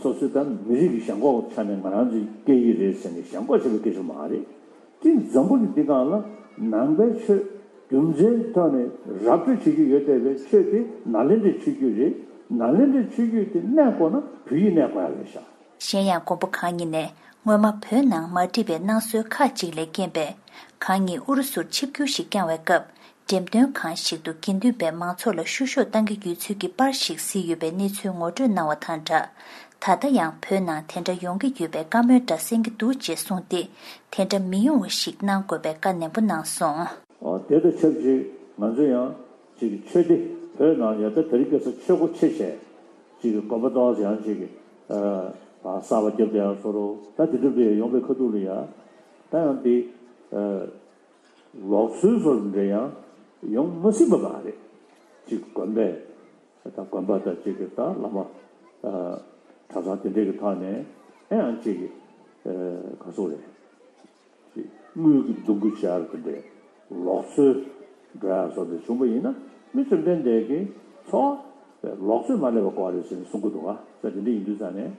སོ་སོའི་ད་མི་རིགས་ཀྱི་ཞེན་ཁོག་ཆ་ནས་ང་རང་ཚོའི་སྐད་ཡིག་རེད་ཟེར་ནས་ཞེན་ཁོག་བྱེད་པའི་སྐད་ཆ་མ་རེད། དེ་འཛམ་བུ་གླིང་འདི་སྒང་ལ་ནང་པའི་ཆོས་རྒྱུ་མཚན་ཐོག་ནས་ར་སྤྲོད་བྱེད་ཀྱི་ཡོད་བསྡད་པའི་ཆོས་དེ་ནཱ་ལེནྡྲའི་ཆོས་བརྒྱུད་རེད། ནཱ་ལེནྡྲའི་ཆོས་བརྒྱུད་དེ་གནས་དགོས་ན་བོད་ཡིག་གནས་དགོས་ཡ་རེད་ཤག། གཞན་ཡང་མགོན་པོ་གང་ཉིད་ནས་སྔོན་མ་བོད་ནང་མ་འགྲིག་པའི་སྣང་ཟོལ་ཁག་ཅིག་ལས་རྐྱེན་པས། གང་ཉིད་ཨུ་རུ་སུར་ཆིབས་བསྒྱུར་ཞིག་བསྐྱངས་བའི་སྐབས། འགྲེམས་སྟོན་ཁང་ཞིག་ཏུ་དགེ་འདུན་པས་མང་ཚོགས་ལ་བཤུ་གཞོག་བཏང་གི་ཡོད་ཚུལ་གྱི་པར་ཞིག་གཟིགས་ཡོད་པའི་གནས་ཚུལ་ངོ་སྤྲོད་གནང་བ་དང་སྦྲགས། ད་ལྟ་ཡང་བོད་ནང་དེ་འདྲ་ཡོང་གི་ཡོད་པའི་བཀའ་མོལ་འདྲ་གསན་གྱི་འདུག་ཅེས་གསུངས་ཏེ། དེ་འདྲ་མི་ཡོང་བ་ཞིག་གནང་དགོས་པའི་བཀའ་ནན་པོ་གནང་སོང་། ཨོ། དེ་དང་ཆབས་ཅིག་ང་ཚོ་ཡང་ཅིག་ཆོས་སྡེ་བོད་ནང་ཡང་ད་དེ་རིང་ཁ་སང་ཆོས་སྒོ་ཕྱེ་བྱས་ཅིག་དགོན་པ་ཏོག་ཙམ་ཡང་ཅིག་ཨ་གསར་པ་བརྒྱབ་བསྡད་ཡ་བཟོ་འདྲ། ད་དེ་འདྲ་འདྲ་ཡོང་བའི་ཁ་ཐུག་ལ་ཡ་ད་ཡང་དེ་ཨ་ལུགས་སྲོལ་བཟོ་འདྲ་ཡང་ཡོང་མ་སྲིད་པ་མ་རེད། ཅིག་དགོན་པས་ད་དགོན་པ་དང་ཅིག་གི་ད་བླ་མ་ཨ་གྲྭ་ཚང་དེ་འདྲ་གི་ཐོག་ནས་ཨེ་ཡང་ཅིག་གི་ཨ་ག་ཚོད་རེད། དངུལ་གྱི་འདུ་འགོད་བྱས་པ་དེ་འདྲའི་ལུགས་སྲོལ་འགྲོ་ཡག་བཟོ་འདྲ་བྱུང་བ་ཡིན་ན། མི་བཅོམ་ལྡན་འདས་ཀྱིས་འཚོ་བ་ལུགས་སྲོལ་མ་སླེབས་པ་དགོས་རེད་ཟེར་ནས་གསུང་གི་འདུག་ག། ས་དེ་འདྲ་ཡིན་དུས་ཙང་ནས་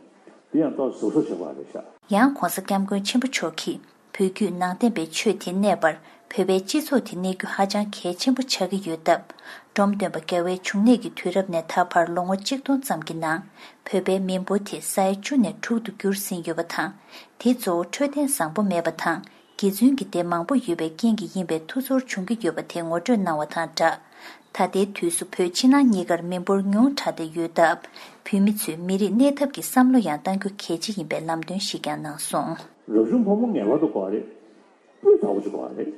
དེ་ཡང་ཏོག་ཙམ་གཟབ་གཟབ་བྱེད་དགོས་རེད་ཤག། ཡང་༧གོང་ས་༧སྐྱབས་མགོན་ཆེན་པོ་མཆོག་གིས་བོད་བརྒྱུད་ནང་བསྟན་པའི་ཆོས་དེ་གནས་པར་བོད་པའི་སྤྱི་ཚོགས་དེ་གནས་རྒྱུ་ཧ་ཅང་གལ་ཆེན་པོ་ཆགས་ཀྱི་ཡོད་སྟབས། འབྲོམ་སྟོན་པ་རྒྱལ་བའི་འབྱུང་གནས་ཀྱི་དུས་རབས་ནས་ད་བར་ལོ་ངོ་གཅིག་སྟོང་ཙམ་གྱི་ནང་བོད་པའི་མི་འབོར་དེ་ས་ཡ་བཅུ་ནས་དྲུག་ཏུ་གྱུར་ཟིན་ཡོད་པ་དང་། དེ་གཙོ་བོ་འཕྲོད་བསྟེན་བཟང་པོ་མེད་པ་དང་། དགེ་བཙུན་གྱི་སྡེ་མང་པོ་ཡོད་པའི་རྐྱེན་གྱིས་ཡིན་པའི་ཐུགས་ཚོར་བྱུང་གི་ཡོད་པ་དེ་ངོ་སྤྲོད་གནང་བ་དང་སྦྲགས། ད་ལྟའི་དུས་སུ་བོད་ཕྱི་ནང་གཉིས་ཀར་མི་འབོར་ཉུང་དྲགས་ཏེ་ཡོད་སྟབས། བོད་མི་ཚོས་མི་རིགས་གནས་ཐབས་ཀྱི་བསམ་བློ་ཡང་གཏང་རྒྱུ་གལ་ཆེ་ཡིན་པའི་ལམ་སྟོན་ཞིག་ཀྱང་གནང་སོང་། རབ་བྱུང་ཕོ་མོ་ངེས་པར་དུ་དགོས་པ་རེད། སྤུས་དག་པོ་ཅིག་དགོས་པ་རེད།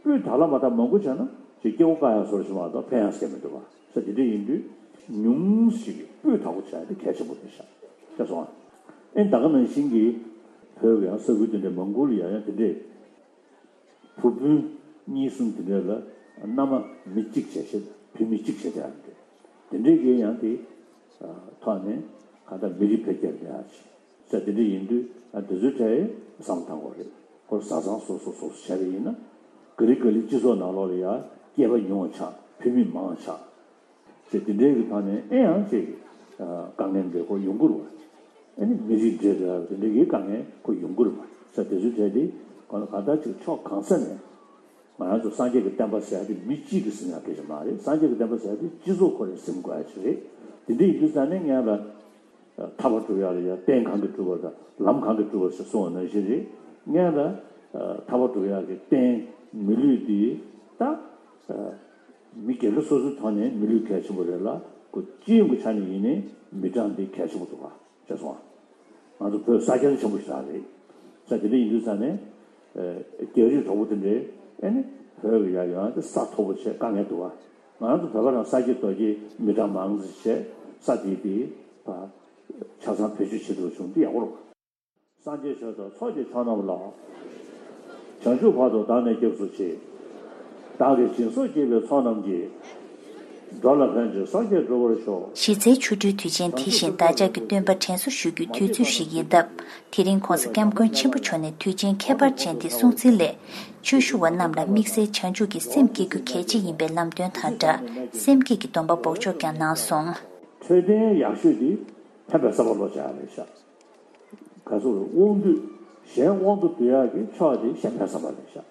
སྤུས་དག་ལ་མ་དག་མང་པོ་བྱས་ན་ཅིག་སྐྱེ་བོ་དཀའ་ཡག་བཟོ་འདྲ་ཞིག་མ་གཏོགས་ཕན་ཡག་ཟེར་མི་འདུག་བ། ས་དེ་འདྲ་ཡིན་དུས་ཉུང་ཞིག་སྤུས་དག་པོ་བྱ་ཡག་དེ་གལ་ཆེན་པོ་རེད་ཤག། ཤེས་སོང་ཨ། ཨེ་ད་ག་ནང་བཞིན་གྱི་བོད་ཀྱི་ཡང་ས་ཁུལ་དེ་འདྲའི་མང་པོ་ལ་ཡང་ཡང་དེ་འདྲའི་བུ་སྤུན་གཉིས་གསུམ་དེ་འདྲ་ལ་མནའ་མ་མི་གཅིག་བྱས་བྱས་བུད་མེད་གཅིག་བྱས་བྱས་ཡང་དེ་དེ་འདྲའི་གི་ཡང་དེ་ཐོག་ནས་གང་ལྟར་མི་རིགས་འཕེལ་རྒྱས་འགྲོ་ཡག་ཅིག་ས་དེ་འདྲ་ཡིན་དུས་ཨ་དེ་ཚོའི་གྲས་བསམ་བློ་གཏང་དགོས་རེད། ཁོ་བཟའ་ཚང་སོ་སོ་སོ་སོ་བྱས་པ་ཡིན་ན་ག་ལེ་ག་ལེ་སྤྱི་ཚོགས་ནང་ལོགས་ལ་ཡང་སྐྱེས་པ་ཉུང་བ་ཆགས། བུད་མེད་མང་བ་ཆགས། ཅེས་དེ་འདྲའི་གི་ཐོག་ནས་ཨེ་ཡང་ཅིག་དཀའ་ངལ་འདྲ་ཁོ་ཡོང་གི་རེད་བ། ཨ་ནི་མི་རིགས་འདྲེས་འདྲ་དེ་འདྲའི་གི་དཀའ་ངལ་ཁོ་ཡོང་གི་རེད་བ། ས་དེ་ཚོའི་གྲས་དེ་གང་ལ་གང་ལྟར་ཅིག་ཕྱོགས་གང་ས་ནས་ང་རང་ཚོ་སངས་རྒྱས་ཀྱི་བསྟན་པ་ཟེར་ཡ་དེ་མི་གཅིག་གིས་ཟིན་ཡ་སྐད་ཆ་མ་རེད། སངས་རྒྱས་ཀྱི་བསྟན་པ་ཟེར་ཡ་དེ་སྤྱི་ཚོགས་ཁོ་རང་ཟིན་དགོས་ཡ་ཅིག་རེད། དེ་འདྲ་ཡིན་དུས་ཙང་ནས་ངས་ལ་ཐར་པ་སྒྲུབ་ཡ་ལ་ཡ་རྟེན་གང་གིས་སྒྲུབ་པ་དང་ལམ་གང་གིས་སྒྲུབ་པ་ཟེར་གསུངས་པ་ནང་བཞིན་རེད། སྔོན་ལ་ཐར་པ་སྒྲུབ་ཡག་གི་རྟེན་མི་ལུས་འདི་ད་མི་སྒེར་སོ་སོའི་ཐོག་ནས་མི་ལུས་གལ་ཆེན་པོ་རེད་ལ། ཁོ་སྤྱི་ཡོངས་ཀྱི་ཆ་ནས་ཡིན་ནའི་མི་གྲངས་འདི་གལ་ཆེན་པོ་འདུག་ག། ཤེས་སོང་ང་། ང་ཚོ་བོད་ས་ཁྱོན་ཆེན་པོ་ཞིག་རང་རེད། ས་དེ་འདྲ་ཡིན་དུས་ཙང་ནས་རྒྱ་རིགས་གྲོགས་པོ་དེ་འདྲས་ཨེ་ནི་བོད་ཀྱི་ཡ་ཡོང་དེ་ས་མཐོ་པོ་བྱས་དཀའ་ངལ་འདུག་ག། ང་ཚོ་བོད་པ་རང་ས་སྐྱེས་རྡོ་སྐྱེས་མི་གྲངས་མང་ཙམ་བྱས་ས་དེ་དེ་ཆ་ཚང་བེད་སྤྱོད་བྱེད་ཐུབ་བྱུང་འདི་ཡག་པོ་རེད། སངས་རྒྱས་ཆོས་དང་ཚོགས་ཀྱི་མཆོག་རྣམས་ལ། བྱང་ཆུབ་བར་དུ་བདག་ནི་སྐྱབས་སུ་མཆི། བདག་གིས་སྦྱིན་སོགས་བགྱིས་པའི་ཚོགས་རྣམས་ཀྱིས། འགྲོ་ལ་ཕན་ཕྱིར་སངས་རྒྱས་འགྲུབ་པར་ཤོག། གཞི་རྩའི་ཆོ་འཕྲུལ་དུས་ཆེན་དེ་བཞིན་བདག་ཅག་གི་སྟོན་པ་དྲན་གསོ་ཞུ་རྒྱུའི་དུས་ཚོད་ཞིག་ཡིན་སྟབས། དེ་རིང་༸གོང་ས་༸སྐྱབས་མགོན་ཆེན་པོ་མཆོག་ནས་དུས་ཆེན་ཁྱད་པར་ཅན་འདི་སྲུང་བརྩི་སླད། ཆོས་ཞུ་བ་རྣམས་ལ་དམིགས་བསལ་བྱང་ཆུབ་ཀྱི་སེམས་བསྐྱེད་རྒྱུ་གལ་ཆེ་ཡིན་པའི་ལམ་སྟོན་དང་སྦྲགས་སེམས་བསྐྱེད་ཀྱི་སྡོམ་པ་འབོགས་ཆོག་ཀྱང་གནང་སོང་། འཕྲོད་བསྟེན་ཡག་ཤོས་འདི་ཕན་པའི་བསམ་པ་བློ་བྱ་ཡག་རེད་ཤག། ག་ཚོད་དབང་སྡུད་གཞན་དབང་དུ་སྡུད་ཡག་གི་ཕྱོགས་དེ་གཞན་ཕན་བསམ་པ་རེད་ཤག།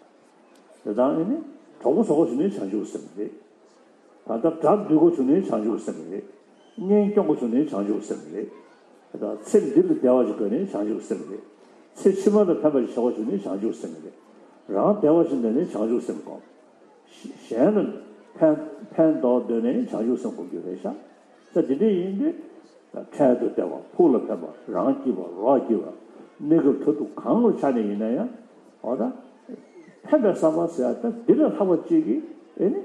དེ་དང་ཨེ་ནི་གྲོགས་པོ་བཟོ་དགོས་བྱུང་ནས་བྱང་ཆུབ་སེམས་རེད། ད་ལྟ་དགྲ་འདུལ་དགོས་བྱུང་ནས་བྱང་ཆུབ་སེམས་རེད། གཉེན་སྐྱོང་དགོས་བྱུང་ནས་བྱང་ཆུབ་སེམས་རེད། དེ་དང་ཚེ་འདི་ལ་བདེ་བ་ཞིག་དགོས་ནས་བྱང་ཆུབ་སེམས་རེད། ཚེ་ཕྱི་མ་ལ་ཕན་པ་ཞིག་བྱ་དགོས་བྱུང་ནས་བྱང་ཆུབ་སེམས་རེད། རང་བདེ་བ་ཞིག་འདོད་ནས་བྱང་ཆུབ་སེམས་དགོས། གཞན་ལ་ཕན་ཕན་ཐོགས་འདོད་ནས་བྱང་ཆུབ་སེམས་སྒོམ་རྒྱུ་རེད་ཤག། ས་དེ་འདྲ་ཡིན་དུས་འཕྲལ་དུ་བདེ་བ་ཕུགས་ལ་ཕན་པ་རང་སྐྱིད་པ་རོགས་སྐྱིད་པ་གནས་སྐབས་མཐར་ཐུག་གང་གི་ཆ་ནས་ཡིན་ན་ཡང་འོ་ད་ཕན་པའི་བསམ་པ་ཟེར་ཡ་ད་འདི་ལས་ལྷག་པ་གཅིག་གིས་ཨེ་ནི་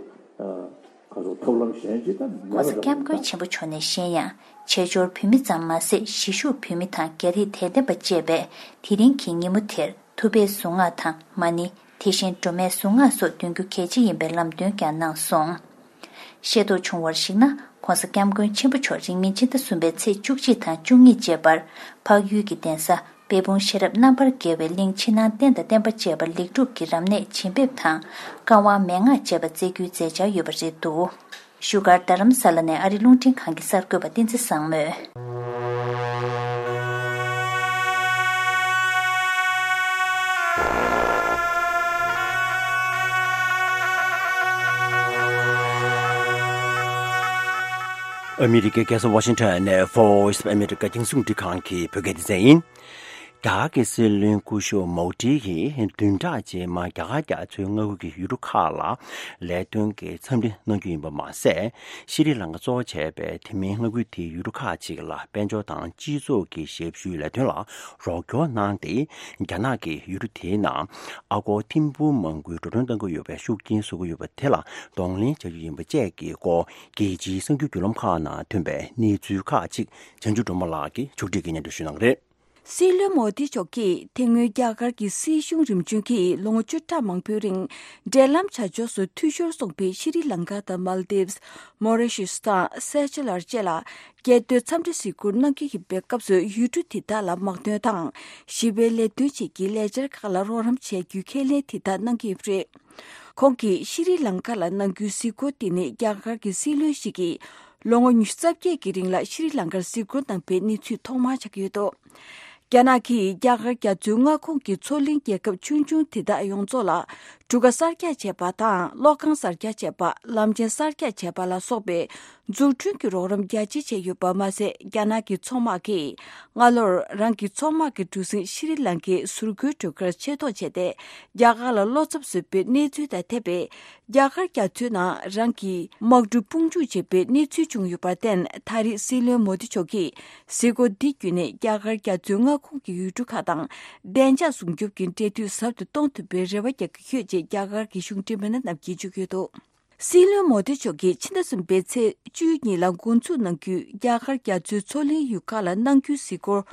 ག་ཚོད་ཐབས་ལམ་གཞན་གཅིག་ད་མེད་༸གོང་ས་༸སྐྱབས་མགོན་ཆེན་པོ་མཆོག་ནས་གཞན་ཡང་བྱེས་འབྱོར་བོད་མི་ཙམ་མ་ཟད་གཞིས་བཞུགས་བོད་མི་དང་རྒྱ་རིགས་དད་ལྡན་པ་བཅས་པས་དེ་རིང་གི་ཉིན་མོ་དེར་ཐུབ་པའི་གཟུངས་སྔགས་དང་མ་ཎི། དེ་བཞིན་སྒྲོལ་མའི་གཟུངས་སྔགས་སོགས་འདོན་རྒྱུ་གལ་ཆེ་ཡིན་པའི་ལམ་སྟོན་ཀྱང་གནང་སོང་། ཤེས་རྟོགས་བྱུང་བར་གཞིགས་ན། ༸གོང་ས་༸སྐྱབས་མགོན་ཆེན་པོ་མཆོག་རིང་མིན་ཕྱི་ཟླ་གསུམ་པའི་ཚེས་བཅུ་གཅིག་དང་བཅུ་གཉིས་བཅས་པར་འཕགས་ཡུལ་གྱི་གདན་ས་དཔལ་སྤུངས་ཤེས་རབ་རྣམ་པར་རྒྱལ་བའི་གླིང་ཕྱི་ནང་རྟེན་དང་བརྟེན་པ་བཅས་པ་ལེགས་གྲུབ་ཀྱི་རབ་གནས་བྱིན་འབེབས་དང་བཀའ་དབང་མན་ངག་བཅས་པ་སྩལ་རྒྱུའི་མཛད་འཆར་ཡོད་པ་རེད་འདུག། བཞུགས་སྒར་རྡ་རམ་ས་ལ་ནས་ཨ་རི་རླུང་འཕྲིན་ཁང་གི་གསར་འགོད་པ་བསྟན་འཛིན་བཟང་མོས། ཨ་མི་རི་ཀའི་རྒྱལ་ས་ཝ་ཤིང་ཊོན་ནས་Voice of America་རྒྱང་སྲིང་རླུང་འཕྲིན་ཁང་གི་བོད་སྐད་སྡེ་ཚན་ཡིན། རྒྱ་གར་གྱི་སྲིད་བློན་སྐུ་ཞབས་མོ་དྷི་ཡིས་བདུན་ཕྲག་རྗེས་མར་རྒྱ་གར་རྒྱ་མཚོའི་མངའ་ཁུལ་གྱི་ཡུལ་གྲུ་ཁག་ལ་ལས་དོན་གྱི་འཚམས་འདྲི་གནང་རྒྱུ་ཡིན་པ་མ་ཟད། ཤྲི་ལང་ཀ་གཙོ་བོ་བྱས་པའི་དེ་མིན་མངའ་ཁུལ་དེའི་ཡུལ་གྲུ་ཁག་ཅིག་ལ་དཔལ་འབྱོར་དང་སྤྱི་ཚོགས་ཀྱི་ཞབས་ཞུའི་ལས་དོན་ལ་རོགས་སྐྱོར་གནང་སྟེ། རྒྱ་ནག་གིས་ཡུལ་གྲུ་དེའི་ནང་ཨ་སྒོར་ཐེར་འབུམ་མང་པོའི་འགྲོ་གྲོན་གཏང་གི་ཡོད་པའི་ཤུགས་རྐྱེན་བཟོ་གི་ཡོད་པ་དེ་ལ་གདོང་ལེན་བྱ་རྒྱུ་ཡིན་པ་བཅས་ཀྱི་སྐོར་རྒྱལ་སྤྱིའི་གསར་འགྱུར་བརྒྱུད་ལམ་ཁག་ནང་ཐོན་པའི་གནས་ཚུལ་ཁག་ཅིག་བྱང་ཆུབ་སྒྲོལ་མ་ལགས་ཀྱིས་ཕྱོགས་སྒྲིག་གིས་སྙན་སྒྲོན་ཞུ་གནང་གི་རེད། སྲིད་བློན་མོ་དི་མཆོག་གིས་དེ་སྔོན་རྒྱ་གར་གྱི་སྲིད་གཞུང་རིམ་བྱོན་གྱིས་ལོ་ངོ་བཅུ་ཕྲག་མང་པོའི་རིང་འབྲེལ་ལམ་བྱ་ཕྱོགས་སུ་འཐུས་ཤོར་སོང་པའི་ཤྲི་ལང་ཀ་དང་མཱལ་དིབས། མོ་རི་ཤི་སི་དང་སེ་ཅལ་བཅས་ལ་རྒྱལ་དོན་འཚམས་འདྲི་གཟིགས་སྐོར་གནང་གི་ཡོད་པའི་སྐབས་སུ་ཡུལ་གྲུ་དེ་དག་ལ་དམག་དོན་དང་ཞི་བའི་ལས་དོན་བཅས་ཀྱི་ལས་འཆར་ཁག་ལ་རོགས་རམ་བྱས་རྒྱུའི་ཁས་ལེན་དེ་དག་གནང་གི་ཡོད་པ་རེད། ཁོང་གིས་ཤྲི་ལང་ཀ་ལ་གནང་རྒྱུའི་གཟིགས་སྐོར་དེ་ནི་རྒྱ་གར་གྱི་སྲིད་བློན་ཞིག་གིས་ལོ་ངོ་ཉི་ཤུ་རྩ་བརྒྱད་ཀྱི་རིང་ལ་ཤྲི་ལང་ཀར་གཟིགས་སྐོར་གནང་པའི་གནས་ཚུལ་ཐོག་མར་ཆགས་ཀྱི་ཡོད་འདུག། རྒྱ་ནག་གིས་རྒྱ་གར་རྒྱ་མཚོའི་མངའ་ཁོངས་ཀྱི་མཚོ་གླིང་རྒྱལ་ཁབ་ཆུང་ཆུང་དེ་དག་ཡོངས་རྫོགས་ལ་གྲུ་ཁ་གསར་རྒྱག་བྱས་པ་དང་གློག་ཁང་གསར་རྒྱག་བྱས་པ། ལམ་ཆེན་གསར་རྒྱག་བྱས་པ་ལ་སོགས་པའི་འཛུགས་སྐྲུན་གྱི་རོགས་རམ་རྒྱ་ཆེ་བྱས་ཡོད་པ་མ་ཟད། རྒྱ་ནག་གི་མཚོ་དམག་གིས་སྔ་ལོར་རང་གི་མཚོ་དམག་གི་གྲུ་གཟིངས་ཤྲི་ལང་ཀའི་ཟུར་འགོའི་གྲུ་ཁར་ཆེད་གཏོང་བྱས་ཏེ། རྒྱ་གར་ལ་བློ་འཚབ་བཟོས་པའི་གནས་ཚུལ་དང་འཐད་པའི་རྒྱ་གར་རྒྱ་མཚོའི་ནང་རང་གི་དམག་གྲུ་དཔུང་འཇུག་བྱས་པའི་གནས་ཚུལ་བྱུང་ཡོད་པར་བརྟེན། ད་རེས་སྲིད་བློན་མོ་དི་མཆོག་གིས་གཟིགས་སྐོར་འདི་བརྒྱུད་ནས་རྒྱ་གར་རྒྱ་མཚོའི་མངའ་ཁོངས་ཀྱི་ཡུལ་གྲུ་ཁག་དང་བདེ་འཇགས་སྲུང་སྐྱོབ་ཀྱི་འབྲེལ་མཐུད་ཟབ་ཏུ་གཏོང་ཐུབ་པའི་རེ་བ་རྒྱག་གི་ཡོད་ཅེས་རྒྱ་གར་གྱི་གཞུང་འབྲེལ་མི་སྣ་རྣམས་ཀྱིས་བརྗོད་ཀྱི་ཡོད་འདུག། སྲིད་བློན་མོ་དི་མཆོག་གིས་ཕྱི་ཟླ་གསུམ་པའི་ཚེས་བཅུ་གཉིས་ལ་འགོ་འཛུགས་གནང་རྒྱུའི་རྒྱ་གར་རྒྱ་མཚོའི་མཚོ་གླིང་ཡུལ་ཁག་ལ་གནང་རྒྱུའི་གཟིགས་སྐོར་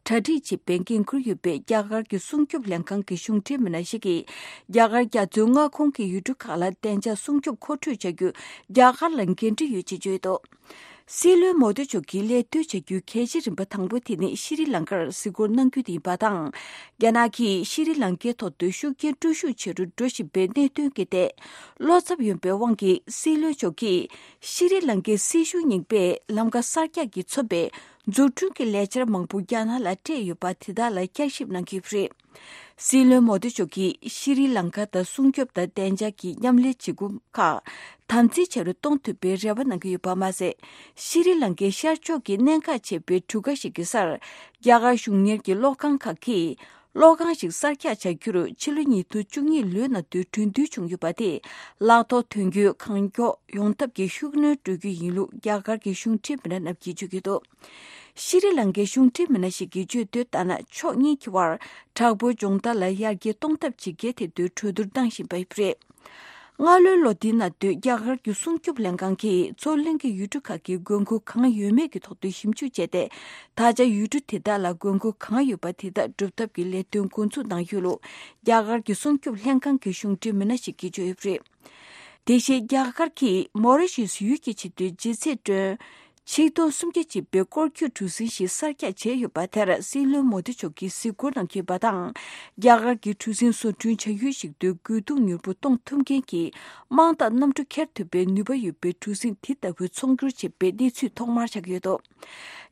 གྲ་སྒྲིག་བྱེད་པའི་འགན་འཁུར་ཡོད་པའི་རྒྱ་གར་གྱི་སྲུང་སྐྱོབ་ལྷན་ཁང་གི་གཞུང་འབྲེལ་མི་སྣ་ཞིག་གིས། རྒྱ་གར་རྒྱ་མཚོའི་མངའ་ཁོངས་ཀྱི་ཡུལ་གྲུ་ཁག་ལ་བདེ་འཇགས་སྲུང་སྐྱོབ་མཁོ་སྤྲོད་བྱ་རྒྱུ་རྒྱ་གར་ལ་འགན་འཁྲི་ཡོད་ཅེས་བརྗོད་འདུག། སྲིད་བློན་མོ་དི་མཆོག་གིས་ལས་དོན་བྱ་རྒྱུའི་གལ་ཆེའི་རིམ་པ་དང་པོ་དེ་ནི་ཤྲི་ལང་ཀར་གཟིགས་སྐོར་གནང་རྒྱུ་དེ་ཡིན་པ་དང་། རྒྱ་ནག་གིས་ཤྲི་ལང་ཀའི་ཐོག་ཏུ་ཤུགས་རྐྱེན་སྤྲོད་ཤུགས་ཆེ་རུ་འགྲོ་བཞིན་པའི་གནད་དོན་གྱི་ཐད་བློ་འཚབ་ཡོད་པའི་དབང་གིས། སྲིད་བློན་མཆོག་གིས་ཤྲི་ལང་ཀའི་སྲིད་གཞུང་རྙིང་པས་ལམ་ཁ་གསར་རྒྱག་གིས་མཚོན་པའི་འཛུགས་སྐྲུན་གྱི་ལས་འཆར་མང་པོ་རྒྱ་ནག་ལ་སྤྲད་ཡོད་པ་དེ་དག་ལ་བསྐྱར་ཞིབ་གནང་གི་ཡོད་པ་རེད། སྲིད་བློན་མོ་དི་མཆོག་གིས་ཤྲི་ལང་ཀ་དང་སྲུང་སྐྱོབ་དང་བདེ་འཇགས་ཀྱི་མཉམ་ལས་བྱེད་སྒོ་ཁག་དམ་འཛིན་བྱ་རུ་གཏོང་ཐུབ་པའི་རེ་བ་གནང་གི་ཡོད་པ་མ་ཟད། ཤྲི་ལང་ཀའི་ཤར་ཕྱོགས་ཀྱི་གནད་འགག་ཆེ་བའི་གྲུ་ཁ་ཞིག་གི་སར་རྒྱ་གར་གཞུང་གཉེར་གྱི་གློག་ཁང་ཁག་གིས་ གློག་ཁང་ཞིག་གསར་རྒྱག་བྱ་རྒྱུར་ཕྱི་ལོ་ཉིས་སྟོང་བཅུ་གཉིས་ལོའི་ནང་དུ་གྲོས་མཐུན་བྱུང་ཡོད་པ་དེ་གླ་གཏོང་དོན་འཁྱོལ་གང་མགྱོགས་ཡོང་ཐབས་ཀྱི་ཤུགས་སྣོན་སྤྲོད་རྒྱུ་ཡིན་ལུགས་རྒྱ་གར་གྱི་གཞུང་འབྲེལ་མི་སྣ་རྣམས་ཀྱིས་བརྗོད་ཀྱི་འདུག་ཤྲི་ལང་ཀའི་གཞུང་འབྲེལ་མི་སྣ་ཞིག་གིས་བརྗོད་དོན་ལྟར་ན། ཕྱོགས་གཉིས་ཀྱི་དབར་དྲག་པོའི་སྦྱོང་བརྡར་ལ་ཡར་རྒྱས་གཏོང་ཐབས་བྱེད་གལ་ཐད་དུ་གྲོས་བསྡུར་གནང་བཞིན་པ་ཡིན་པ་རེད། སྔ་ལོའི་ལོ་འདིའི་ནང་དུ་རྒྱ་གར་གྱི་སྲུང་སྐྱོབ་ལྷན་ཁང་གིས་མཚོ་གླིང་གི་ཡུལ་གྲུ་ཁག་གི་དགོས་མཁོ་གང་ཡོད་མེད་ཀྱི་ཐོག་ཏུ་ཞིབ་འཇུག་བྱས་ཏེ། ད་ཆ་ཡུལ་གྲུ་དེ་དག་ལ་དགོས་མཁོ་གང་ཡོད་པ་དེ་དག་སྒྲུབ་ཐབས་ཀྱི་ལས་དོན་འགོ་འཛུགས་གནང་ཡོད་ལུགས་རྒྱ་གར་གྱི་སྲུང་སྐྱོབ་ལྷན་ཁང་གི་གཞུང་འབྲེལ་མི་སྣ་ཞིག་གིས་བརྗོད་ཡོད་པ་རེད། དེ་བཞིན་རྒྱ་གར་གྱིས་མོ་རི་ཤི་སི་ཡུལ་གྱི་ཆེད་དུ་ལྗིད་ཚད་ཊོན་ཆིག་སྟོང་སུམ་བརྒྱ་ཅིག་པའི་སྐོར་སྐྱོད་གྲུ་གཟིངས་ཤིག་གསར་རྒྱག་བྱས་ཡོད་པ་དེར་སྲིད་བློན་མོ་དི་མཆོག་གིས་གཟིགས་སྐོར་གནང་གི་ཡོད་པ་དང་། རྒྱ་གར་གྱི་གྲུ་གཟིངས་བཟོ་སྐྲུན་བྱ་ཡུལ་ཞིག་ཏུ་རྒོལ་རྡུང་མྱུར་པོ་གཏོང་ཐུབ་མཁན་གྱི་དམངས་དང་གནམ་གྲུ་འཁྱེར་ཐུབ་པའི་ནུས་པ་ཡོད་པའི་གྲུ་གཟིངས་དེ་ལྟ་བུ་ཚོང་སྒྱུར་བྱེད་པའི་གནས་ཚུལ་ཐོག་མར་ཆགས་ཡོད་འདུག་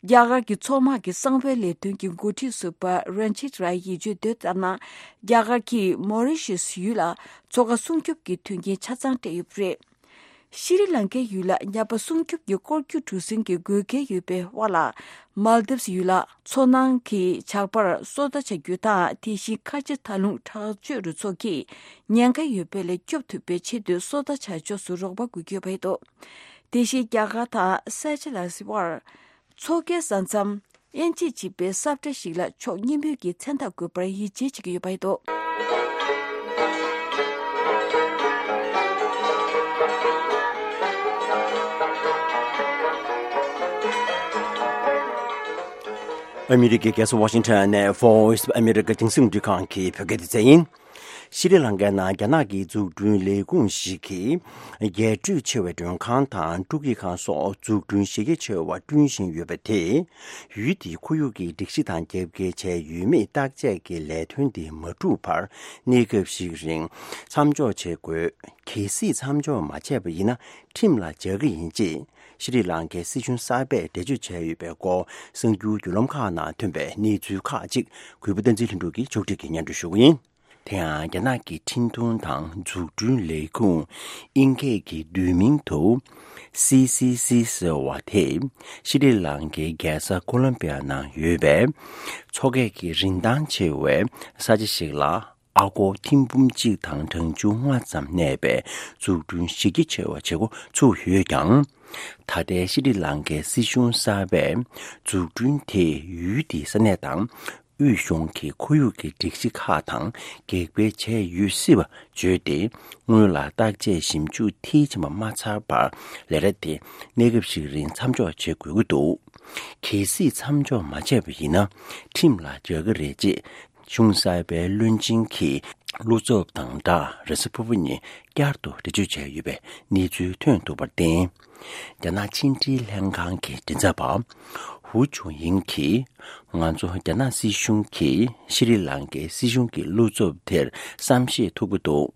རྒྱ་གར་གྱི་མཚོ་དམག་གི་གསང་བའི་ལས་དོན་གྱི་འགོ་ཁྲིད་ཟུར་པ་རན་ཆིད་རའི་ཡིས་བརྗོད་དོན་ལྟར་ན། རྒྱ་གར་གྱིས་མོ་རི་ཤི་སི་ཡུལ་ལ་མཚོ་ཁ་སྲུང་སྐྱོབ་ཀྱི་མཐུན་རྐྱེན་ཆ་ཚང་སྤྲད་ཡོད་པ་རེད། ཤྲི་ལང་ཀའི་ཡུལ་ལ་ཉ་པ་སྲུང་སྐྱོབ་ཀྱི་སྐོར་སྐྱོད་གྲུ་གཟིངས་ཀྱི་དགོས་གལ་ཡོད་པའི་དབར་ལ། མཱལ་དིབས་ཡུལ་ལ་མཚོ་ནང་གི་ཇག་པར་སོ་ལྟ་བྱ་རྒྱུ་དང་། དེ་བཞིན་ཁ་ཆེ་མཐའ་ལྷུང་དྲག་སྤྱོད་རུ་ཚོགས་ཀྱིས་ཉེན་ཁ་ཡོད་པ་ལས་སྐྱོབ་ཐུབ་པའི་ཆེད་དུ་སོ་ལྟ་བྱ་ཕྱོགས་སུ་རོགས་པ་དགོས་ཀྱི་ཡོད་པ་རེད་འདུག་དེ་བཞིན་རྒྱ་གར་དང་སེ་ཤེལ་ལ་སི་དབར་མཚོ་ཁའི་ས་མཚམས་དབྱེ་འབྱེད་བྱེད་པའི་ས་ཁྲ་ཞིག་ལ་ཕྱོགས་གཉིས་པོས་ཀྱི་མཚན་རྟགས་འགོད་པར་ཡིད་ཆེས་བྱེད་ཀྱི་ཡོད་པ་རེད་འདུག་ཨ་མི་རི་ཀའི་རྒྱལ་ས་ཝ་ཤིང་ཊོན་ནས་Voice of America་རྒྱང་སྲིང་རླུང་འཕྲིན་ཁང་གི་བོད་སྐད་སྡེ་ཚན་ཡིན། ཤྲི་ལང་ཀའི་ནང་རྒྱ་ནག་གི་འཛུགས་སྐྲུན་ལས་ཁུངས་ཤིག་གིས། རྒྱས་སྤྲོས་ཆེ་བའི་མགྲོན་ཁང་དང་སྤྲོ་སྐྱིད་ཁང་སོགས་འཛུགས་སྐྲུན་གཞི་རྒྱ་ཆེ་བ་བསྐྲུན་བཞིན་ཡོད་པ་དེས། ཡུལ་དེའི་ཁོར་ཡུག་གི་སྒྲིག་གཞི་དང་རྒྱབ་འགལ་བྱས་ཡོད་མེད་བརྟག་དཔྱད་ཀྱི་ལས་དོན་དེ་མ་གྲུབ་བར་གནས་སྐབས་ཤིག་རིང་མཚམས་འཇོག་བྱེད་དགོས། གལ་སྲིད་མཚམས་འཇོག་མ་བྱས་པ་ཡིན་ན་ཁྲིམས་ལ་འཇགས་ཀྱི་ཡིན་ཅེས་ཤྲི་ལང་ཀའི་སྲིད་གཞུང་གསར་པས་འགྲེལ་བརྗོད་བྱས་ཡོད་པའི་སྐོར་གསར་འགྱུར་བརྒྱུད་ལམ་ཁག་ནང་ཐོན་པའི་གནས་ཚུལ་ཁག་ཅིག་གུས་པ་བསྟན་འཛིན་ལྷུན་གྲུབ་ཀྱིས་ཕྱོགས་སྒྲིག་གིས་སྙན་སྒྲོན་ཞུ་གི་ཡིན། དེ་ཡང་རྒྱ་ནག་གི་འཕྲིན་གཏོང་དང་འཛུགས་སྐྲུན་ལས་ཁུངས་ཨིན་སྐད་ཀྱི་བསྡུས་མིང་དུ་སི་སི་སི་ཟེར་བ་དེས་ཤྲི་ལང་ཀའི་རྒྱལ་ས་ཀོ་ལམ་པི་ཡ་ནང་ཡོད་པའི་མཚོ་སྐས་ཀྱི་རིན་ཐང་ཆེ་བའི་ས་ཆ་ཞིག་ལ་ཨ་སྒོར་ཐེར་འབུམ་གཅིག་དང་གྲངས་ཆུང་ལྔ་ཙམ་གནས་པའི་འཛུགས་སྐྲུན་གཞི་རྒྱ་ཆེ་བ་བྱེད་འགོ་ཚུགས་ཡོད་ཀྱང་། ད་ལྟའི་ཤྲི་ལང་ཀའི་སྲིད་གཞུང་གསར་པས་འཛུགས་སྐྲུན་དེས་ཡུལ་དེའི་ས་གནས་དང་། དབུས་གཞུང་གི་ཁོར་ཡུག་གི་སྒྲིག་གཞི་ཁག་དང་འགལ་འབྲེལ་བྱས་ཡོད་སྲིད་པ་བརྗོད་དེ། སྔོན་ལ་བརྟག་དཔྱད་ཞིབ་འཇུག་མཐིལ་ཕྱིན་པ་མ་ཚར་བར་ལས་གྲྭ་དེ་གནས་སྐབས་ཤིག་རིང་མཚམས་འཇོག་བྱེད་དགོས་ཀྱི་འདུག་གལ་སྲིད་མཚམས་འཇོག་མ་བྱས་པ་ཡིན་ན་ཁྲིམས་ལ་འཇགས་ཀྱི་རེད་ཅེས་གཞུང་གསར་པའི་བློན་ཆེན་གྱི་བློ་འཚབ་དང་སྦྲགས་རེས་གཟའ་ཕུར་བུ་ཉིན་བསྐྱར་དུ་འགྲེལ་བརྗོད་བྱས་ཡོད་པའི་གནས་ཚུལ་ཐོན་འདུག་པར་བརྟེན། རྒྱ་ནག་ཕྱི་འབྲེལ་ལྷན་ཁང་གི་མགྲིན་ཚབ་པ་ཧུ་ཆུང་ཡིང་གིས། ང་ཚོ་རྒྱ་ནག་སྲིད་གཞུང་གིས་ཤྲི་ལང་ཀའི་སྲིད་གཞུང་གི་བློ་འཚབ་དེར་བསམ་ཤེས་ཐུབ་ཀྱི་འདུག་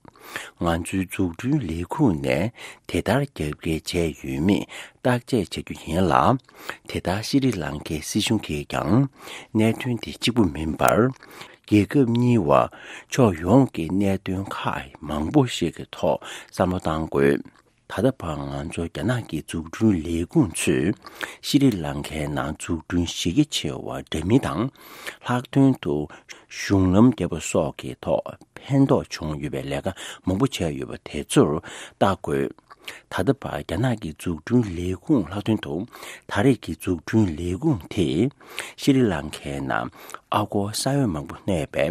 ང་ཚོའི་འཛུགས་སྐྲུན་ལས་ཁུངས་ནས་དེ་ལྟར་རྒྱབ་འགལ་བྱས་ཡོད་མེད་བརྟག་དཔྱད་བྱ་རྒྱུ་ཡིན་ལ། དེ་ལྟར་ཤྲི་ལང་ཀའི་སྲིད་གཞུང་གིས་ཀྱང་གནད་དོན་དེ་གཅིག་པུ་མིན་པར། རྒྱལ་ཁབ་གཉིས་བར་ཕྱོགས་ཡོངས་ཀྱི་གནད་དོན་ཁག་མང་པོ་ཞིག་གི་ཐོག་བསམ་བློ་གཏང་དགོས། ད་ལྟ་བར་ང་ཚོ་རྒྱ་ནག་གི་འཛུགས་སྐྲུན་ལས་ཁུངས་ཚོས་ཤྲི་ལང་ཀའི་ནང་འཛུགས་སྐྲུན་གཞི་རྒྱ་ཆེ་བ་འདྲ་མིན་དང་། ལྷག་དོན་དུ་གཞུང་ལམ་བརྒྱབ་པ་སོགས་ཀྱི་ཐོག་ཕན་ཐོགས་བྱུང་ཡོད་པའི་ལས་ཀ་མང་པོ་བྱས་ཡོད་པ་དེ་ཚོར་བལྟ་དགོས། ད་ལྟ་བར་རྒྱ་ནག་གི་འཛུགས་སྐྲུན་ལས་ཁུངས་ལྷག་དོན་དུ་ད་རེས་ཀྱི་འཛུགས་སྐྲུན་ལས་ཁུངས་དེས་ཤྲི་ལང་ཀའི་ནང་ཨ་སྒོར་ས་ཡ་མང་པོ་གནས་པའི་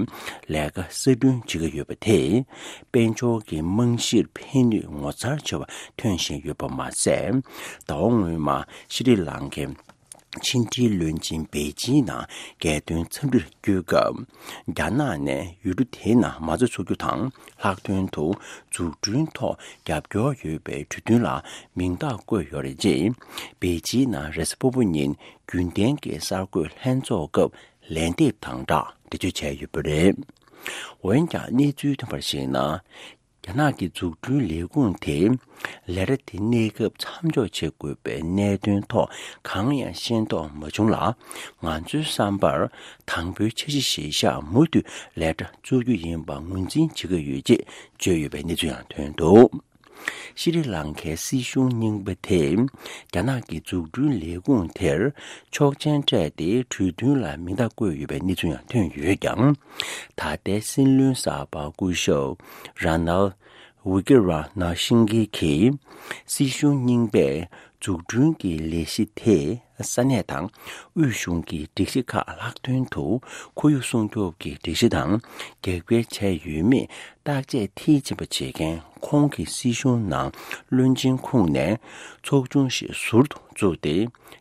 ལས་ཀ་གསར་སྐྲུན་བྱེད་ཀྱི་ཡོད་པ་དེས་དཔལ་འབྱོར་གྱི་རྨང་གཞིར་ཕན་ནུས་ངོ་མཚར་ཆེ་བ་ཐོན་བཞིན་ཡོད་པ་མ་ཟད། ཟླ་བ་སྔོན་མ་ཤྲི་ལང་ཀའི་ཕྱི་འབྲེལ་བློན་ཆེན་པེ་ཅིན་ནང་རྒྱལ་དོན་འཚམས་འདྲིར་བསྐྱོད་སྐབས། རྒྱ་ནག་ནས་ཡུལ་གྲུ་དེའི་ནང་མ་རྩ་འཛུགས་རྒྱུ་དང་། ལྷག་དོན་དུ་འཛུགས་སྐྲུན་ཐོག་རྒྱབ་སྐྱོར་ཡོད་པའི་གྲོས་མཐུན་ལ་མིང་རྟགས་བཀོད་ཡོད་རེད་ཅེས། པེ་ཅིན་ནང་རེས་གཟའ་ཕུར་བུ་ཉིན་རྒྱུན་ལྡན་གྱི་གསར་འགོད་ལྷན་ཚོགས་སྐབས་ལན་འདེབས་དང་སྦྲགས་འགྲེལ་བརྗོད་བྱས་ཡོད་པ་རེད། འོན་ཀྱང་གནས་ཚུལ་ཐོན་པར་གཞིགས་ན། རྒྱ་ནག་གི་འཛུགས་སྐྲུན་ལས་ཁུངས་དེས་ལས་གྲྭ་དེ་གནས་སྐབས་མཚམས་འཇོག་བྱེད་དགོས་པའི་གནད་དོན་ཐོག་གང་ཡང་ཤེས་རྟོགས་མ་བྱུང་ལ། ང་ཚོའི་བསམ་པར་དང་པོའི་འཆར་གཞི་གཞིར་བཞག་མུ་མཐུད་ལས་གྲྭ་བཙུགས་རྒྱུ་ཡིན་པ་ངོས་འཛིན་བྱེད་ཀྱི་ཡོད་ཅེས་བརྗོད་ཡོད་པའི་གནས་ཚུལ་ཡང་ཐོན་འདུག་ཤྲི་ལང་ཀའི་སྲིད་གཞུང་རྙིང་པ་དེས་རྒྱ་ནག་གི་འཛུགས་སྐྲུན་ལས་ཁུངས་དེར་ཆོག་མཆན་སྤྲད་དེ་གྲོས་མཐུན་ལ་མིང་རྟགས་བཀོད་ཡོད་པའི་གནས་ཚུལ་ཡང་ཐོན་ཡོད་ཀྱང་། ད་ལྟའི་སྲིད་བློན་གསར་པ་སྐུ་ཞབས་ར་ནལ་ཝི་ཀི་ར་ན་ཤིང་གི་གིས་སྲིད་གཞུང་རྙིང་པས་འཛུགས་སྐྲུན་གྱི་ལས་གཞི་དེས་ས་གནས་དང་དབུས་གཞུང་གི་སྒྲིག་གཞི་ཁག་ལྷག་དོན་དུ་ཁོར་ཡུག་སྲུང་སྐྱོབ་ཀྱི་སྒྲིག་གཞི་དང་རྒྱབ་འགལ་བྱས་ཡོད་མེད་བརྟག་དཔྱད་མཐིལ་ཕྱིན་པ་བྱེད་མཁན་ཁོང་གི་སྲིད་གཞུང་ནང་བློན་ཆེན་ཁོངས་ནས་ཚོགས་ཆུང་ཞིག་ཟུར་དུ་བཙུགས་ཏེ།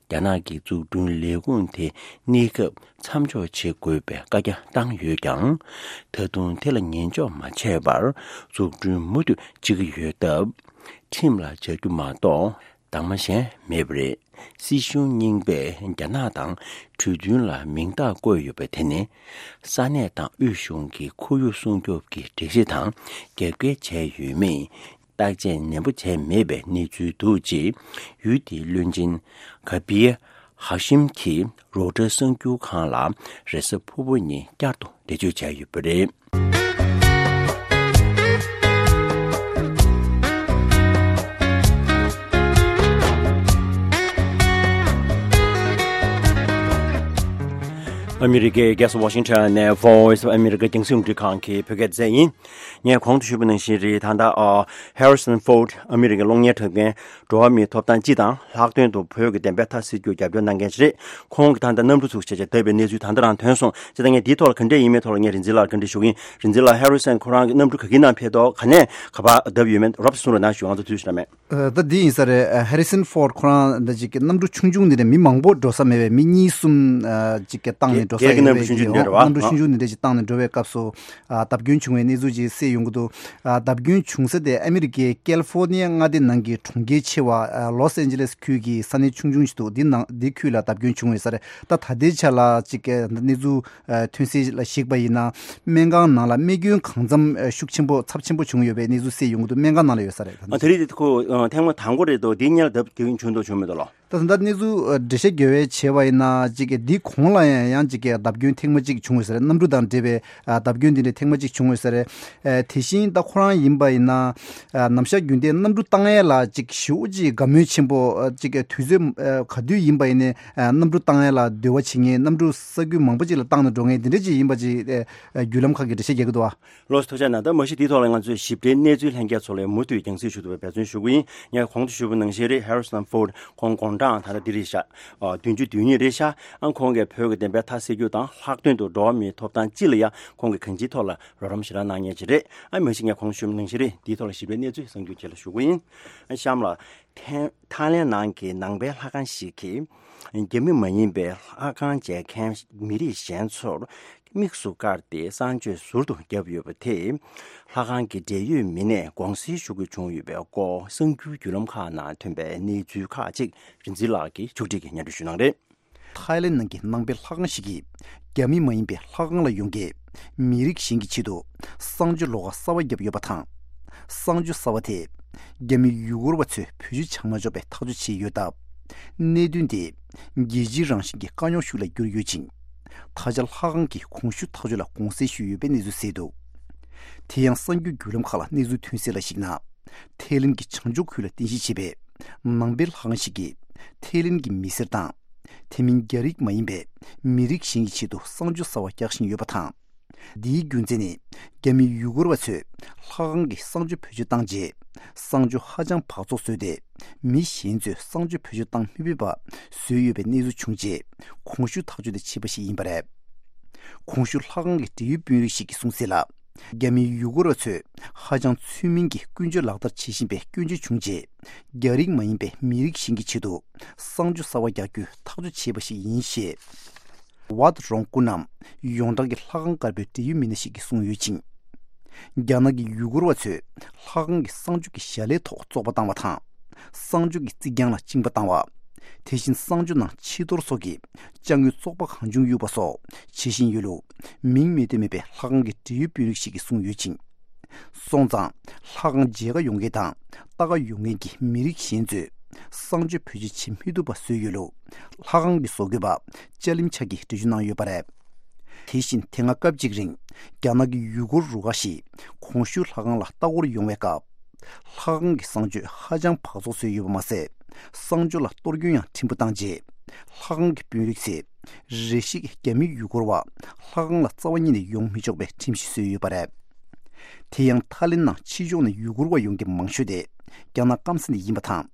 རྒྱ་ནག་གི་འཛུགས་སྐྲུན་ལས་ཁུངས་དེ་གནས་སྐབས་མཚམས་འཇོག་བྱེད་དགོས་པའི་བཀའ་རྒྱ་བཏང་ཡོད་ཀྱང་། ད་དུང་དེ་ལ་ཉན་འཇོག་མ་བྱས་པར་འཛུགས་སྐྲུན་མུ་མཐུད་བྱེད་ཀྱི་ཡོད་སྟབས། ཁྲིམས་ལ་བྱ་རྒྱུ་མ་གཏོགས་གདམ་ག་གཞན་མེད་པ་རེད། སྲིད་གཞུང་རྙིང་པས་རྒྱ་ནག་དང་གྲོས་མཐུན་ལ་མིང་རྟགས་བཀོད་ཡོད་པ་དེ་ནི། ས་གནས་དང་དབུས་གཞུང་གི་ཁོར་ཡུག་སྲུང་སྐྱོབ་ཀྱི་སྒྲིག་གཞི་དང་རྒྱབ་འགལ་བྱས་ཡོད་མེད་བརྟག་དཔྱད་ནན་པོ་བྱས་མེད་པའི་གནས་ཚུལ་འདུག་ཅེས་ཡུལ་དེའི་བློན་ཆེན་ག་པི་ཧ་ཤིམ་གྱིས་རོའི་ཊར་གསར་འགྱུར་ཁང་ལ་རེས་གཟའ་ཕུར་བུ་ཉིན་བསྐྱར་དུ་འགྲེལ་བརྗོད་བྱས་ཡོད་པ་རེད། ཨ་མི་རི་ཀའི་རྒྱལ་ས་ཝ་ཤིང་ཊོན་ནས་Voice of America་རྒྱང་སྲིང་རླུང་འཕྲིན་ཁང་གི་བོད་སྐད་སྡེ་ཚན་ཡིན། ངས་གོང་དུ་ཞུས་པ་ནང་བཞིན་རེད། ད་ལྟ་ཨ་Harrison Ford་ཨ་མི་རི་ཀའི་གློག་བརྙན་འཁྲབ་མཁན་འགྲོ་བ་མིའི་ཐོབ་ཐང་སྤྱི་དང་ལྷག་དོན་དུ་བོད་ཀྱི་བདེན་པའི་མཐའ་གསལ་རྒྱུར་རྒྱབ་སྐྱོར་གནང་མཁན་ཞིག་རེད། ཁོང་གིས་ད་ལྟ་གནམ་གྲུ་ཚུགས་བྱས་བྱས་བརྡབས་པའི་གནས་ཚུལ་ད་ལྟ་རང་ཐོན་སོང་། བྱས་ཙང་ངས་འདིའི་ཐོག་ལ་ག་འདྲས་ཡིན་མིན་ཐོག་ལ་ངས་རིག་འཛིན་ལགས་ལ་བཀའ་འདྲི་ཞུ་གི་ཡིན། རིག་འཛིན་ལགས། Harrison་ཁོ་རང་གི་གནམ་གྲུ་ག་གི་ནང་ཕེབས་ཐོག་ག་ནས་ག་པར་བརྡབས་ཡོད་མེད་རོབ་ཙམ་གསུང་རོགས་གནང་ཞུ། ང་ཚོ་དུས་ཚོད་རག་མེད། ཨ། ད་འདི་ཡིན་ས་རེད། ཨ། Harrison Ford་ཁོ་རང་འདི་ཅིག་གི་གནམ་གྲུ་ཆུང་ཆུང་འདི་ནས་མི་མང་པོ་འགྲོ་ས་མེད་པའི་མི་གཉིས་གསུམ་ཨ་ཅིག་གི་བཏང་ནས་འགྲོ་ས་ཡོད་པའི་གི་གནམ་གྲུ་ཆུང་ཆུང་འདི་རེད་བ། གནམ་གྲུ་ཆུང་ཆུང་འདི་འདྲ་ཅིག་བཏང་ནས་འགྲོ་བའི་སྐབས་སུ་ཨ་བརྡབ་སྐྱོན་བྱུང་བའི་གནས་ཚུལ་ཅིག་གསལ་ཡོང་གི་འདུག་ཨ། བརྡབ་སྐྱོན་བྱུང་ས་དེ་ཨ་མི་རི་ཀའི་ཀལ་ཧྥོར་ནི་ཡ་མངའ་སྡེ་ནང་གི་གྲོང་ཁྱེར་ཆེ་བ་ཨ་ལོས་ཨན་ཇི་ལེས་ཁུལ་གྱི་ས་གནས་ཆུང་ཆུང་ཞིག་འདུག་འདི་ནང་འདི་ཁུལ་ལ་བརྡབ་སྐྱོན་བྱུང་ཡོད་ས་རེད། ད་ད་ལྟའི་ཆ་ལ་ཅིག་གི་གནས་ཚུལ་ཨ་ཐོན་གསལ་ལ་གཞིགས་པ་ཡིན་ན། སྨན་ཁང་ནང་ལ་རྨས་སྐྱོན་གང་འཚམ་ཨ་ཤུགས་ཆེན་པོ་ཚབས་ཆེན་པོ་བྱུང་ཡོད་པའི་གནས་ཚུལ་གསལ་ཡོང་གི་འདུག་སྨན་ཁང་ནང་ལ་ཡོད་ས་རེད། ཨ། དེ་རིང་འདི་ཁོ་ཨ་ཐེངས་མ་དང་པོ་རེད་འདུག་འདི་སྔོན་ལ་བརྡབ་སྐྱོན་བྱུང་འདུག་བྱུང་མེད་འདུག་ལོ། ད་ད་ལྟ་གནས་ཚུལ་ཨ་འགྲེལ་བཤད་རྒྱབ་པ་བྱས་པ་ཡིན་ན། ཅིག་གི་འདི་གོང་ལ་ཡང་ཡང་ཅིག་གི་བརྡབ་སྐྱོན་ཐེངས་མ་གཅིག་བྱུང་ཡོད་ས་རེད། གནམ་གྲུ་དང་འབྲེལ་བའི་ཨ་བརྡབ་སྐྱོན་འདི་འདྲ་ཐེངས་མ་གཅིག་བྱུང་ཡོད་ས་རེད། ཨ། དེ་བཞིན་ད་ཁོ་རང་ཡིན་པ་ཡིན་ན། ཨ། ནམ་ཞག་རྒྱུན་ལྡན་གནམ་གྲུ་བཏང་ཡས་ལ་ཅིག་ཞེ་པོ་ཅིག་དགའ་མོས་ཆེན་པོ་ཨ་ཅིག་གི་དུས་ཚོད་ཨ་ག་དུས་ཡིན་པ་ཡིན་ནའི་ཨ་གནམ་གྲུ་བཏང་ཡས་ལ་འདོད་པ་བྱེད་མཁན། གནམ་གྲུ་ས་ཁུལ་མང་པོ་ཅིག་ལ་བཏང་ནས་འགྲོ་མཁན་འདི་འདྲ་ཅིག་ཡིན་པ་ཅིག་ཨ་བརྒྱུད་ལམ་ཁག་གིས་འགྲེལ་བཤད་རྒྱག་གི་འདུག་བ། ལགས་སོ། ཐུགས་རྗེ་གནང་། ད་མ་གཞི་འདིའི་ཐོག་ལ་ང་ཚོས་ཞིབ་ཕྲའི་གནས་ཚུལ་ལྷན་རྒྱས་ཚོ་ལ་མུ་མཐུད་རྒྱང་སྲིང་ཞུ་ཐུབ་པའི་འབད་བརྩོན་ཞུ་གི་ཡིན། ངས་གོང་དུ་ཞུས་པ་ནང་བཞིན་རེད། Harrison Ford་ཁོང་དགུང་གྲངས་ད་ལྟ་འདི་རེད་ཤག་ཨ། བདུན་ཅུ་དོན་གཉིས་རེད་ཤག་ཨ། ཁོང་གིས་བོད་ཀྱི་བདེན་པའི་མཐའ་གསལ་རྒྱུ་དང་ལྷག་དོན་དུ་འགྲོ་བ་མིའི་ཐོབ་ཐང་སྤྱི་ལ་ཡང་ཁོང་གིས་གང་ཅིའི་ཐོག་ལ་རོགས་རམ་ཞེ་དྲག་གནང་མཁན་ཅིག་རེད། ཨ། མ་གཞི་ངས་གོང་དུ་ཞུས་པ་ནང་བཞིན་རེད། འདིའི་ཐོག་ལ་ཞིབ་ཕྲའི་གནས་ཚུལ་གསར་འགྱུར་རྗེས་ལ་ཞུ་གི་ཡིན། ཨ། གཤམ་ལ། ཐན། ཐའི་ལེན་ནང་གི་ནང་པའི་ལྷ་ཁང་ཞིག་གིས་རྒྱ་མི་མ་ཡིན་པའི་ལྷ་ཁང་མཇལ་མཁན་མི་རིགས་གཞན་ཚོར་དམིགས་སུ་བཀར་ཏེ་གསང་སྤྱོད་ཟུར་དུ་བརྒྱབ་ཡོད་པ་དེས་ལྷ་ཁང་གི་འབྲེལ་ཡོད་མི་སྣས་དགོངས་སེལ་ཞུ་དགོས་བྱུང་ཡོད་པའི་སྐོར་གསར་འགྱུར་བརྒྱུད་ལམ་ཁག་ནང་ཐོན་པའི་གནས་ཚུལ་ཁག་ཅིག་རིག་འཛིན་ལགས་ཀྱིས་ཕྱོགས་སྒྲིག་གིས་སྙན་སྒྲོན་ཞུ་གནང་རེད། ཐའི་ལེན་ནང་གི་ནང་པའི་ལྷ་ཁང་ཞིག་གིས་རྒྱ་མི་མ་ཡིན་པའི་ལྷ་ཁང་ལ་ཡོང་མཁན་མི་རིགས་གཞན་གྱི་ཆེད་དུ་གསང་སྤྱོད་ལོགས་ཀ་གསར་པ་བརྒྱབ་ཡོད་པ་དང་། གསང་སྤྱོད་གསར་པ་དེས་རྒྱ་མི་ཡུ་གུར་བ་ཚོས་བེད་སྤྱོད་བྱ་མ་ཆོག་པའི་ཐག་གཅོད་བྱས་ཡོད་སྟབས། གནད་དོན་དེ་རྒྱལ་སྤྱིའི་རང་བཞིན་གྱི་དཀའ་རྙོག་ཤིག་ལ་གྱུར་ཡོད་ཅིང་། ད་ཆ་ལྷ་ཁང་གིས་གོང་ཞུས་ཐག་གཅོད་ལ་དགོངས་སེལ་ཞུས་ཡོད་པའི་གནས་ཚུལ་གསལ་འདུག་དེ་ཡང་གསར་འགྱུར་བརྒྱུད་ལམ་ཁག་ལ་གནས་ཚུལ་ཐོན་གསལ་ལ་གཞིགས་ན། ཐའི་ལེན་གྱི་བྱང་ཕྱོགས་ཁུལ་ལ་རྟེན་གཞི་བྱས་པའི་ནང་པའི་ལྷ་ཁང་ཞིག་གིས་ཐའི་ལེན་གྱི་མི་སེར་དང་། དེ་མིན་རྒྱ་རིགས་མ་ཡིན་པའི་མི་རིགས་གཞན་གྱི་ཆེད་དུ་གསང་སྤྱོད་གསར་པ་རྒྱག་བཞིན་ཡོད་པ་དང་། འདིའི་རྒྱུ་མཚན་ནི་རྒྱ་མི་ཡུ་གུར་བ་ཚོས་ལྷ་ཁང་གི་གསང་སྤྱོད་བེད་སྤྱོད་བཏང་རྗེས། གསང་སྤྱོད་ཧ་ཅང་འབག་བཙོག་བཟོས་ཏེ། མི་གཞན་ཚོས་གསང་སྤྱོད་བེད་སྤྱོད་བཏང་མི་ཕོད་པ་བཟོས་ཡོད་པའི་གནས་ཚུལ་བྱུང་རྗེས། གོང་ཞུས་ཐག་གཅོད་དེ་བྱས་པ་ཞིག་ཡིན་པ་རེད། གོང་ཞུས་ལྷ་ཁང་གི་འབྲེལ་ཡོད་དཔོན་རིགས་ཤིག་གིས་གསུངས་གསལ་ལ། རྒྱ་མི་ཡུ་གུར་བ་ཚོས་ཧ་ཅང་ཚུལ་མིན་གྱི་ཀུན་སྤྱོད་ལག་བསྟར་བྱེད་བཞིན་པའི་སྐྱོན་བརྗོད་བྱུང་རྗེས། རྒྱ་རིགས་མ་ཡིན་པའི་མི་རིགས་གཞན་གྱི་ཆེད་དུ་གསང་སྤྱོད་གསར་པ་རྒྱག་རྒྱུའི་ཐག་གཅོད་བྱས་པ་ཞིག་ཡིན་ཞེས། ཝཱད་རོང་སྐུ་རྣམ་ཡོངས་གྲགས་ཀྱི་ལྷ་ཁང་དཀར་པོའི་འབྲེལ་ཡོད་མི་སྣ་ཞིག་གིས་གསུངས་ཡོད་ཅིང་། རྒྱ་ནག་གི་ཡུ་གུར་བ་ཚོས་ལྷ་ཁང་གི་གསང་སྤྱོད་ཀྱི་བྱ་ལས་ཐོག་བཙོག་པ་བཏང་བ་དང་། གསང་སྤྱོད་ཀྱི་རྩིག་གྱང་ལ་གཅིན་པ་བཏང་བ། དེ་བཞིན་གསང་སྤྱོད་ནང་ཕྱི་གཏོར་སོགས་ཀྱི་ཅ་དངོས་བཙོག་པ་གང་བྱུང་གཡུགས་པ་སོགས་བྱེད་བཞིན་ཡོད་ལུགས། མིང་མེད་དུ་མེད་པའི་ལྷ་ཁང་གི་འབྲེལ་ཡོད་དཔོན་རིགས་ཤིག་གིས་གསུངས་ཡོད་ཅིང་། སོང་ཙང་། ལྷ་ཁང་མཇལ་ཁ་ཡོང་མཁན་དང་ལྟ་ག་ཡོང་མཁན་གྱི་མི་རིགས་གཞན་ཚོས་གསང་སྤྱོད་བེད་སྤྱོད་བྱེད་མི་ཐུབ་པ་བཟོས་ཡོད་ལུགས། ལྷ་ཁང་གི་བཟོ་བཀོད་པ་ཅཱ་ལིམ་ཆ་གིས་འགྲེལ་བརྗོད་གནང་ཡོད་པ་རེད། དེ་བཞིན་དེ་སྔ་སྐབས་གཅིག་རིང་རྒྱ་ནག་གི་ཡུ་གུར་རུ་ཁག་ཞིག་གོང་ཞུས་ལྷ་ཁང་ལ་ལྟ་སྐོར་ཡོང་བའི་སྐབས། ལྷ་ཁང་གི་གསང་སྤྱོད་ཧ་ཅང་འབག་བཙོག་བཟོས་ཡོད་པ་མ་ཟད། གསང་སྤྱོད་ལ་གཏོར་སྐྱོན་ཡང་ཕྲན་བུ་བཏང་རྗེས། ལྷ་ཁང་གི་དཔོན་རིགས་ཚོས་རེ་ཞིག་རྒྱ་མི་ཡུ་གུར་བ་ལྷ་ཁང་ལ་རྩ་བ་ཉིད་ནས་ཡོང་མི་ཆོག་པའི་ཁྲིམས་གཞི་བཟོས་ཡོད་པ་རེད། དེ་ཡང་ཐའི་ལེན་ནང་ཕྱི་ཕྱོགས་ནས་ཡུ་གུར་བ་ཡོང་མཁན་མང་ཤོས་དེ་རྒྱ་ནག་སྐམ་ས་ནས་ཡིན་པ་དང་།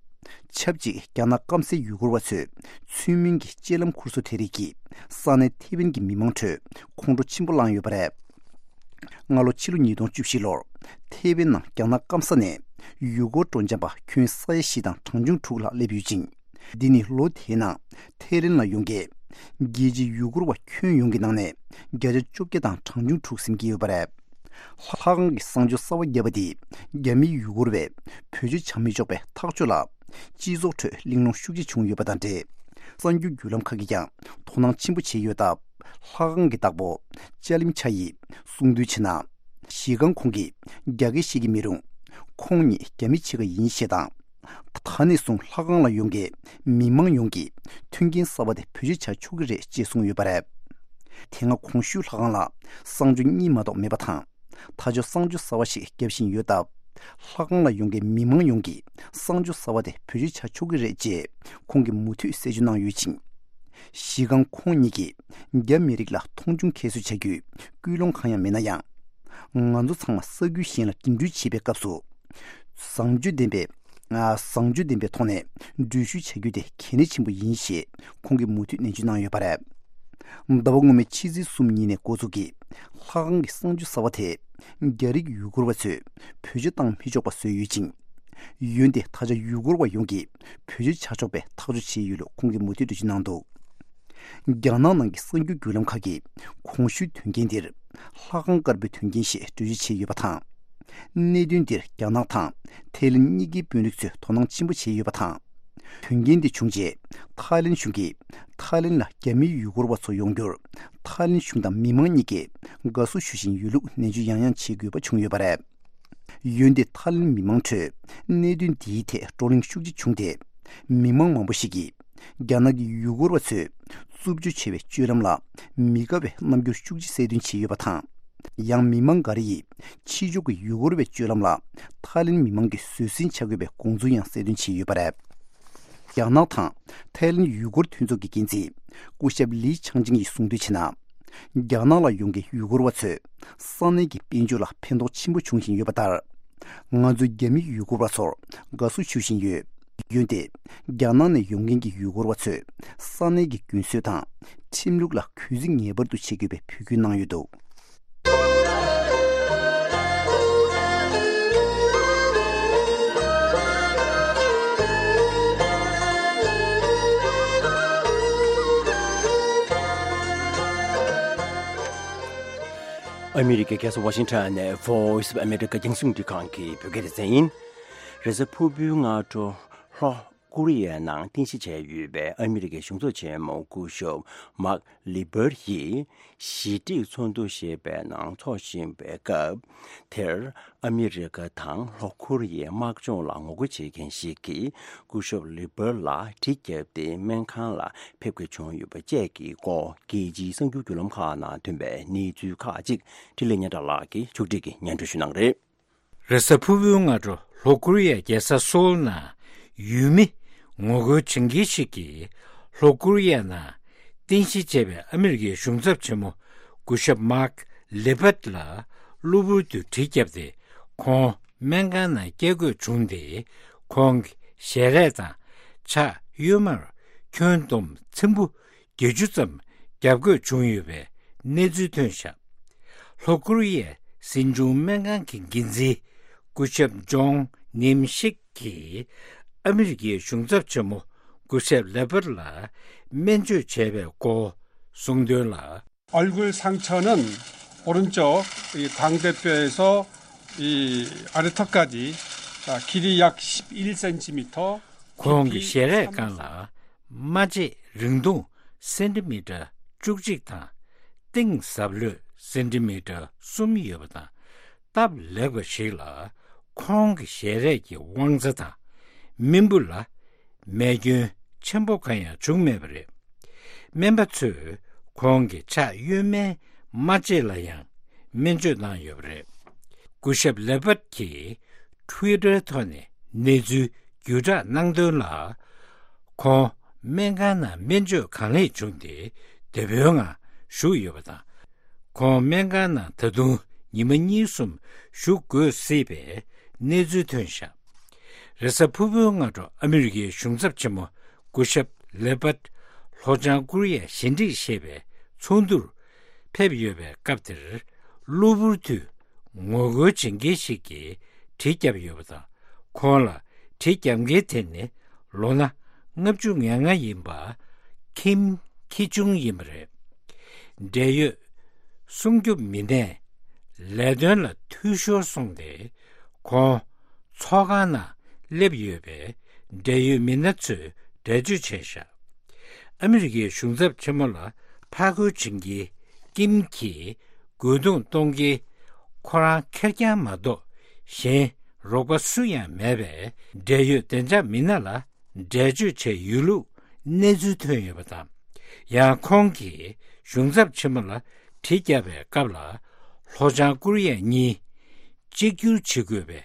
ཆབས་ཅིག་རྒྱ་ནག་སྐམ་སའི་ཡུ་གུར་བ་ཚོས་ཚུལ་མིན་གྱི་སྤྱོད་ལམ་ཁུར་སོ་དེ་རིགས་ཀྱིས་ས་གནས་ཐེ་ཝན་གྱི་མི་མང་ཁྲོད་ཁོང་ཁྲོ་ཆེན་པོ་བསླངས་ཡོད་པ་རེད། སྔ་ལོ་ཕྱི་ལོ་ཉིས་སྟོང་བཅུ་བཞི་ལོར་ཐེ་ཝན་ནང་རྒྱ་ནག་སྐམ་ས་ནས་ཡུ་གུར་སྤྲོ་འཆམ་པ་ཁྱོན་ས་ཡ་བཞི་དང་གྲངས་ཆུང་དྲུག་ལྷག་སླེབས་ཡོད་ཅིང་། འདི་ནི་ལོ་དེའི་ནང་ཐའི་ལེན་ལ་ཡོང་མཁན་རྒྱལ་སྤྱིའི་ཡུ་གུར་བ་ཁྱོན་ཡོངས་ཀྱི་ནང་ནས་བརྒྱ་ཆ་བཅོ་བརྒྱད་དང་གྲངས་ཆུང་དྲུག་ཟིན་གྱི་ཡོད་པ་རེད། ལྷ་ཁང་གི་གསང་སྤྱོད་གསར་བ་བརྒྱབ་པ་འདིས་རྒྱ་མིའི་ཡུ་གུར་བས་བེད་སྤྱོད་བྱ་མི་ཆོག་པའི་ཐག་གཅོད་ལ་སྤྱི་ཚོགས་ཁྲོད་གླེང་སློང་ཤུགས་ཆེ་བྱུང་ཡོད་པ་དང་འབྲེལ། གསར་འགྱུར་བརྒྱུད་ལམ་ཁག་གིས་ཀྱང་དོ་སྣང་ཆེན་པོ་བྱས་ཡོད་སྟབས། ལྷ་ཁང་གི་བདག་པོ་ཅཱ་ལིམ་ཆ་ཡིས་གསུངས་དོན་བྱས་ན། གཞི་རྐང་ཁོང་གིས་རྒྱ་སྐད་ཤེས་ཀྱི་མི་རུང་། ཁོང་ཉིད་རྒྱ་མི་ཕྱེད་ཀ་ཡིན་ཞེས་དང་། ད་ནས་བཟུང་ལྷ་ཁང་ལ་ཡོང་མཁན་མི་མང་ཡོངས་ཀྱིས་མཐུན་རྐྱེན་གསར་པ་དེ་བེད་སྤྱོད་བྱ་ཆོག་གི་རེད་ཅེས་གསུངས་ཡོད་པ་རེད། དེ་སྔ་གོང་ཞུས་ལྷ་ཁང་ལ་གསང་སྤྱོད་གཉིས་མ་གཏོགས་མེད་པ་དང་། ད་ཆོ་གསང་སྤྱོད་གསར་བ་ཞིག་བརྒྱབ་བཞིན་ཡོད་སྟབས། ལྷ་ཁང་ལ་ཡོང་མཁན་མི་མང་ཡོངས་ཀྱིས་གསང་སྤྱོད་གསར་བ་དེ་བེད་སྤྱོད་བྱ་ཆོག་གི་རེད་ཅེས་ཁོང་གིས་མུ་མཐུད་གསལ་བརྗོད་གནང་ཡོད་ཅིང་། གཞི་རྐང་ཁོང་ཉིད་ཀྱིས་རྒྱ་མི་རིགས་ལ་མཐོང་ཆུང་ཁྱད་གསོད་བྱ་རྒྱུའི་ཀུན་སློང་གང་ཡང་མེད་ན་ཡང་། ང་ཚོ་ཚང་མ་ས་ཁུལ་གཞན་ལ་འགྲིམ་འགྲུལ་བྱེད་པའི་སྐབས་སུ། བཟང་སྤྱོད་ལྡན་པའི། ཨ། བཟང་སྤྱོད་ལྡན་པའི་ཐོག་ནས་འགྲུལ་བཞུད་བྱ་རྒྱུ་དེ་གལ་གནད་ཆེན་པོ་ཡིན་ཞེས་ཁོང་གིས་མུ་མཐུད་ནན་བརྗོད་གནང་ཡོད་པ་རེད། ཟླ་བ་སྔོན་མའི་ཕྱི་ཚེས་གསུམ་ཉིན་ནས་འགོ་འཛུགས་ཀྱིས་ལྷ་ཁང་གི་གསང་སྤྱོད་གསར་བ་དེ་རྒྱ་རིགས་ཡུ་གུར་བ་ཚོས་བེད་སྤྱོད་བཏང་མི་ཆོག་པ་བཟོས་ཡོད་ཅིང་། འོན་ཏེ་ད་ཆ་ཡུ་གུར་བ་ཡོངས་ཀྱིས་བེད་སྤྱོད་བྱ་ཆོག་པའི་ཐག་གཅོད་བྱས་ཡོད་ལུགས་ཁོང་གིས་མུ་མཐུད་འགྲེལ་བརྗོད་གནང་འདུག། རྒྱ་ནག་ནང་གི་གསར་འགྱུར་བརྒྱུད་ལམ་ཁག་གིས་གོང་ཞུས་དོན་རྐྱེན་འདིར་ལྷ་ཁང་དཀར་པོའི་དོན་རྐྱེན་ཞེས་འགྲེལ་བརྗོད་བྱས་ཡོད་པ་དང་། གནད་དོན་འདིར་རྒྱ་ནག་དང་ཐའི་ལེན་གཉིས་ཀའི་དཔོན་རིགས་ཚོས་དོ་སྣང་ཆེན་པོ་བྱས་ཡོད་པ་དང་། དོན་རྐྱེན་འདི་བྱུང་རྗེས་ཐའི་ལེན་གཞུང་གིས་ཐའི་ལེན་ལ་རྒྱ་མིའི་ཡུ་གུར་བ་ཚོ་ཡོང་རྒྱུར་ཐའི་ལེན་གཞུང་དང་མི་མང་གཉིས་ཀས་དགའ་བསུ་ཞུ་བཞིན་ཡོད་ལུགས་ནན་བརྗོད་ཡང་ཡང་བྱེད་དགོས་པ་བྱུང་ཡོད་པ་རེད། འོན་ཏེ་ཐའི་ལེན་མི་མང་ཁྲོད་གནད་དོན་འདིའི་ཐད་བགྲོ་གླེང་ཤུགས་ཆེ་བྱུང་སྟེ། མི་མང་མང་པོ་ཞིག་གིས་རྒྱ་ནག་གི་ཡུ་གུར་བ་ཚོས་རྩུབ་སྤྱོད་ཆེ་བའི་སྤྱོད་ལམ་ལ་མི་དགའ་བའི་རྣམ་འགྱུར་ཤུགས་ཆེ་གསལ་སྟོན་བྱས་ཡོད་པ་དང་། ཡང་མི་མང་འགའ་རེ་ཡིས་ཕྱི་ཕྱོགས་ཀྱི་ཡུ་གུར་བའི་སྤྱོད་ལམ་ལ་ཐའི་ལེན་མི་མང་གིས་བཟོད་བསྲན་བྱ་དགོས་པའི་དགོངས་ཚུལ་ཡང་གསལ་སྟོན་བྱས་ཡོད་པ་རེད། རྒྱ་ནག་དང་ཐའི་ལེན་ཡུ་གུར་མཐུན་ཚོགས་ཀྱི་འགན་འཛིན་སྐུ་ཞབས་ལི་ཆང་ཅིང་ཡིས་གསུངས་དོན་བྱས་ན། རྒྱ་ནག་ལ་ཡོང་མཁན་ཡུ་གུར་བ་ཚོས་ས་གནས་ཀྱི་དཔལ་འབྱོར་ལ་ཕན་ཐོགས་ཆེན་པོ་འབྱུང་བཞིན་ཡོད་པ་ལྟར། ང་ཚོས་རྒྱ་མི་ཡུ་གུར་བ་ཚོར་དགའ་བསུ་ཞུ་བཞིན་ཡོད། འོན་ཏེ། རྒྱ་ནག་ནས་ཡོང་མཁན་གྱི་ཡུ་གུར་བ་ཚོས་ས་གནས་ཀྱི་རྒྱུན་སྲོལ་དང་ཁྲིམས་ལུགས་ལ་གུས་བརྩི་ངེས་པར་དུ་བྱེད་དགོས་པའི་འབོད་སྐུལ་གནང་ཡོད་འདུག། ཨ་མི་རི་ཀའི་རྒྱལ་ས་ཝ་ཤིང་ཊོན་ནས་Voice of America རྒྱང་སྲིང་རླུང་འཕྲིན་ཁང་གི་བོད་སྐད་སྡེ་ཚན་ཡིན། རེས་གཟའ་ཕུར་བུའི་སྔ་དྲོ་ལྷོ་ཀོ་རི་ཡའི་ནང་རྟེན་གཞི་བྱས་ཡོད་པའི་ཨ་མི་རི་ཀའི་གཞུང་ཚབ་ཆེན་མོ་སྐུ་ཞབས་མཱག་ལི་པར་ཡིས་ཞི་འགྲིག་ཚོགས་འདུ་ཞེས་པའི་ནང་ཚོགས་བཞིན་པའི་སྐབས་དེར། ཨ་མི་རི་ཀ་དང་ལྷོ་ཀོ་རི་ཡའི་དམག་སྦྱོང་ལ་ངོ་རྒོལ་བྱེད་མཁན་ཞིག་གིས་སྐུ་ཞབས་ལི་པར་ལ་གྲི་བརྒྱབ་སྟེ་སྨན་ཁང་ལ་ཕེབས་དགོས་བྱུང་ཡོད་པ་བཅས་ཀྱི་སྐོར་རྒྱལ་སྤྱིའི་གསར་འགྱུར་བརྒྱུད་ལམ་ཁག་ནང་ཐོན་པའི་གནས་ཚུལ་ཁག་ཅིག་འཕྲིན་ལས་སྙན་གྲགས་ལགས་ཀྱིས་ཕྱོགས་སྒྲིག་གིས་སྙན་སྒྲོན་ཞུ་གནང་གི་རེད། རེས་གཟའ་ཕུར་བུའི་སྔ་དྲོ་ལྷོ་ཀོ་རི་ཡའི་རྒྱལ་ས་སོའུལ་ནང་ཡུལ་མི་ངོ་རྒོལ་བྱེད་མཁན་ཞིག་གིས་ལྷོ་ཀོ་རི་ཡ་ནང་རྟེན་གཞི་བྱས་པའི་ཨ་མི་རི་ཀའི་གཞུང་ཚབ་ཆེན་མོ་སྐུ་ཞབས་མཱག་ལེ་བྷད་ལ་གློ་བུར་དུ་གྲི་བརྒྱབ་སྟེ་ཁོང་སྨན་ཁང་ནང་བསྐྱལ་དགོས་བྱུང་སྟེ། ཁོང་གི་ཞལ་རས་དང་ཕྱག་གཡོན་མར་ཁྱོན་བསྡོམས་ཚེམ་བུ་བརྒྱད་ཅུ་ཙམ་བརྒྱབ་དགོས་བྱུང་ཡོད་པའི་གནས་ཚུལ་ཐོན་བཞག། ལྷོ་ཀོ་རི་ཡའི་སྲིད་འབྱུང་སྨན་ཁང་གི་འགན་འཛིན་སྐུ་ཞབས་ཇོང་ནིམ་ཤིག་གིས་ཨ་མི་རི་ཀའི་གཞུང་ཚབ་ཆེན་མོ་སྐུ་ཞབས་ལེ་པར་ལ་སྨན་བཅོས་བྱས་པའི་སྐོར་གསུངས་དོན་ལ། 얼굴 상처는 오른쪽 이 광대뼈에서 이 아래턱까지 자, 길이 약 십일 센티미터, ཁོང་གི་ཞལ་རས་སྒང་ལ་རྨ་རྗེས་རིང་ཐུང་སེན་ཏི་མི་ཊར་བཅུ་གཅིག་དང་། གཏིང་ཟབ་ལྷོད་སེན་ཏི་མི་ཊར་གསུམ་ཡོད་པ་དང་། སྟབས་ལེགས་པ་ཞིག་ལ་ཁོང་གི་ཞལ་རས་ཀྱི་དབང་རྩ་དང་། རྨེན་བུ་ལ་རྨས་སྐྱོན་ཆེན་པོ་གང་ཡང་བྱུང་མེད་པ་རེད། སྨན་པ་ཚོས་ཁོང་གི་ཕྱག་གཡོན་མའི་རྨ་རྗེས་ལ་ཡང་སྨན་བཅོས་གནང་ཡོད་པ་རེད། སྐུ་ཞབས་ལེ་པར་གྱིས་ Twitter་ཐོག་ནས་གནས་ཚུལ་བརྒྱུད་བསྒྲགས་གནང་དོན་ལ། ཁོང་སྨན་ཁང་ནང་སྨན་བཅོས་གང་ལེགས་བྱུང་སྟེ་བདེ་པོའི་ངང་བཞུགས་ཡོད་པ་དང་། ཁོང་སྨན་ཁང་ནང་ད་དུང་ཉི་མ་གཉིས་གསུམ་བཞུགས་དགོས་སྲིད་པའི་གནས་ཚུལ་ཐོན་བཞག་རེས་གཟའ་ཕུར་བུའི་སྔ་དྲོ་ཨ་མི་རི་ཀའི་གཞུང་ཚབ་ཆེན་མོ་སྐུ་ཞབས་ལེ་པད་ལྷོ་བྱང་ཀོ་རི་ཡ་ཞི་འགྲིག་ཞེས་པའི་ཚོགས་འདུར་ཕེབས་ཡོད་པའི་སྐབས་དེར། གློ་བུར་དུ་ངོ་རྒོལ་བྱེད་མཁན་ཞིག་གིས་གྲི་བརྒྱབ་ཡོད་པ་དང་། ཁོང་ལ་གྲི་བརྒྱབ་མཁན་དེ་ནི་ལོ་ན་ལྔ་བཅུ་ང་ལྔ་ཡིན་པ་ཁིམ་ཁི་ཆུང་ཡིན་པ་རེད། འབྲེལ་ཡོད་སྲུང་སྐྱོབ་མི་སྣས་ལས་དོན་ལ་འཐུས་ཤོར་སོང་སྟེ། ཁོང་ཚོགས་ཁང་ནང་སླེབས་ཡོད་པའི་འབྲེལ་ཡོད་མི་སྣ་ཚོས་འགྲེལ་བརྗོད་བྱས་བཞག་ཨ་མི་རི་ཀའི་གཞུང་ཚབ་ཆེན་མོ་ལ་ཕར་རྒོལ་བྱེད་མཁན་ཀིམ་གྱིས་རྒོལ་རྡུང་གཏོང་མཁན་ཁོ་རང་ཁེར་རྐྱང་མ་གཏོགས་གཞན་རོགས་པ་སུ་ཡང་མེད་པས། འབྲེལ་ཡོད་བདེ་འཇགས་མི་སྣ་ལ་འགྲེལ་བརྗོད་བྱས་ཡོད་ལུགས་གནས་ཚུལ་ཐོན་ཡོད་པ་དང་། ཡང་ཁོང་གིས་གཞུང་ཚབ་ཆེན་མོ་ལ་གྲི་བརྒྱབ་པའི་སྐབས་ལ་ལྷོ་བྱང་ཀོ་རི་ཡ་གཉིས་གཅིག་གྱུར་བྱེད་དགོས་པའི་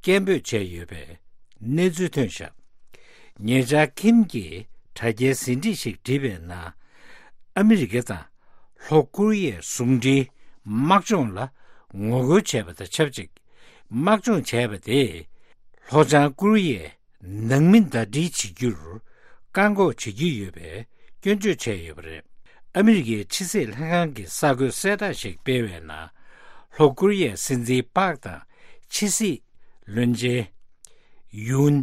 སྐད་འབོད་བྱས་ཡོད་པའི་གནས་ཚུལ་ཐོན་བཞག་ཉེ་ཆར་ཁིམ་གྱིས་དྲ་རྒྱའི་ཟིན་བྲིས་ཤིག་བྲིས་པའི་ནང་། ཨ་མི་རི་ཀ་དང་ལྷོ་ཀོ་རི་ཡའི་ཟུང་འབྲེལ་དམག་སྦྱོང་ལ་ངོ་རྒོལ་བྱས་པ་དང་ཆབས་ཅིག་དམག་སྦྱོང་བྱས་པ་དེས་ལྷོ་བྱང་ཀོ་རི་ཡའི་ནང་མི་ཟླ་སྒྲིལ་བྱེད་རྒྱུར་བཀག་འགོག་བྱེད་ཀྱི་ཡོད་པའི་སྐྱོན་བརྗོད་བྱས་ཡོད་པ་རེད། ཨ་མི་རི་ཀའི་ཕྱི་སྲིད་ལྷན་ཁང་གི་གསར་འགོད་གསལ་བསྒྲགས་ཤིག་སྤེལ་བའི་ནང་། ལྷོ་ཀོ་རི་ཡའི་སྲིད་འཛིན་པཱག་དང་ཕྱི་སྲིད་བློན་ཆེན་ཡུན་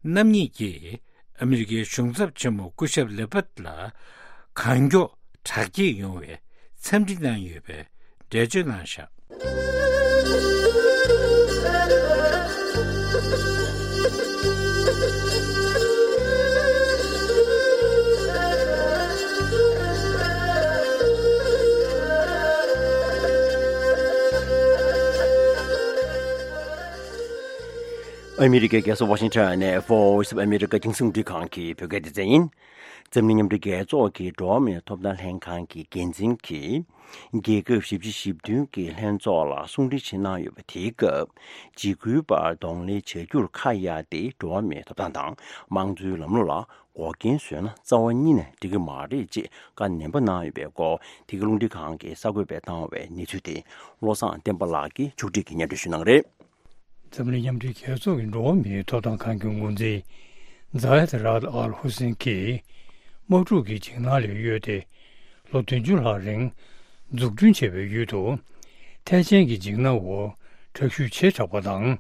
རྣམ་གཉིས་ཀྱིས་ཨ་མི་རི་ཀའི་གཞུང་ཚབ་ཆེན་མོ་སྐུ་ཞབས་ལེ་པད་ལ་གང་མགྱོགས་དྲག་སྐྱེད་ཡོང་བའི་འཚམས་འདྲི་གནང་ཡོད་པའི་འགྲེལ་བརྗོད་གནང་བཞག་ཨ་མི་རི་ཀའི་རྒྱལ་ས་ཝ་ཤིང་ཊོན་ནས་Voice of America་རྒྱང་སྲིང་རླུང་འཕྲིན་ཁང་གི་བོད་སྐད་སྡེ་ཚན་ཡིན། འཛམ་གླིང་མཉམ་འབྲེལ་རྒྱལ་ཚོགས་ཀྱི་འགྲོ་བ་མིའི་ཐོབ་ཐང་ལྷན་ཁང་གི་འགན་འཛིན་གྱིས། རྒྱལ་ཁབ་བཞི་བཅུ་ཞེ་བདུན་གྱི་ལྷན་ཚོགས་ལ་གསུང་འཕྲིན་ཞིག་གནང་ཡོད་པ་དེའི་སྐབས། འཇིགས་སྐུལ་པར་གདོང་ལེན་བྱ་རྒྱུར་ཁ་གཡར་ཏེ། འགྲོ་བ་མིའི་ཐོབ་ཐང་དང་དམངས་གཙོའི་ལམ་ལུགས་ལ་འགོག་རྐྱེན་བཟོས་ན་རྩ་བ་ཉིད་ནས་འགྲིག་གི་མ་རེད་ཅེས་བཀའ་ནན་པོ་གནང་ཡོད་པའི་སྐོར། དེ་གའི་རླུང་འཕྲིན་ཁང་གིས་གསར་འགོད་པས་བཏང་བའི་གནས་ཚུལ་དེ། བློ་བཟང་བསྟན་པ་ལགས་ཀྱིས་ཕྱོགས་སྒྲིག་གིས་སྙན་སྒྲོན་ཞུ་གནང་གི་རེད། འཛམ་གླིང་མཉམ་འབྲེལ་རྒྱལ་ཚོགས་ཀྱི་འགྲོ་བ་མིའི་ཐོབ་ཐང་ཁང་གི་འགོ་འཛིན་ཛ་ཡད་ར་ཨད་ཨལ་ཧུ་སེན་གྱིས་དམག་འཁྲུག་གི་འཇིགས་སྣང་ལས་གཡོལ་ཏེ། ལོ་བདུན་ཅུ་ལྷག་རིང་འཛུགས་སྐྲུན་བྱས་པའི་ཡུལ་དུ། ཐལ་ཆེན་གྱི་འཇིགས་སྣང་འོག་དྲག་ཤུགས་ཆེ་དྲགས་པ་དང་།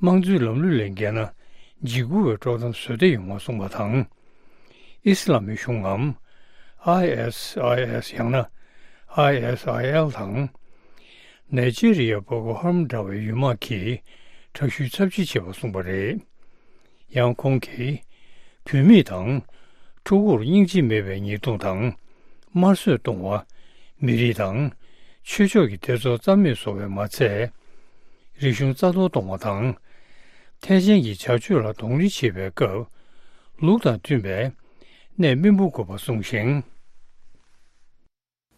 དམངས་གཙོའི་ལམ་ལུགས་ལས་འགལ་ན། འཇིགས་སྐུལ་བའི་དཀྲོག་གཏམ་བཟོ་བདེ་ཡོང་བ་གསུངས་པ་དང་། ཨི་སི་ལ་མི་གཞུང་ངམ། ཨའི་ཨེས་ཨའི་ཨེས་ཡང་ན། ཨའི་ཨེས་ཨའི་ཨེལ་དང་། ནེ་ཇི་རི་ཡའི་བོ་ཀོ་ཧརམ་འདྲ་བའི་ཡུལ་དམག་གིས་དྲག་ཤུགས་ཚབས་ཆེ་བྱས་པ་གསུངས་པ་རེད། ཡང་ཁོང་གིས། བུད་མེད་དང་། ཕྲུ་གུར་སྙིང་རྗེ་མེད་པའི་ཉེས་རྡུང་དང་། དམར་གསོད་གཏོང་བ། མི་རིགས་དང་། ཆོས་ཕྱོགས་ཀྱི་སྡེ་ཚོགས་རྩ་མེད་བཟོ་བས་མ་ཚད། རིག་གཞུང་རྩ་གཏོར་གཏོང་བ་དང་། ཐལ་ཆེན་གྱི་བྱ་སྤྱོད་ལ་གདོང་ལེན་བྱེད་པའི་སྐབས། ལུགས་དང་མཐུན་པའི་གནད་སྨིན་པོ་དགོས་པ་གསུངས་ཤིང་།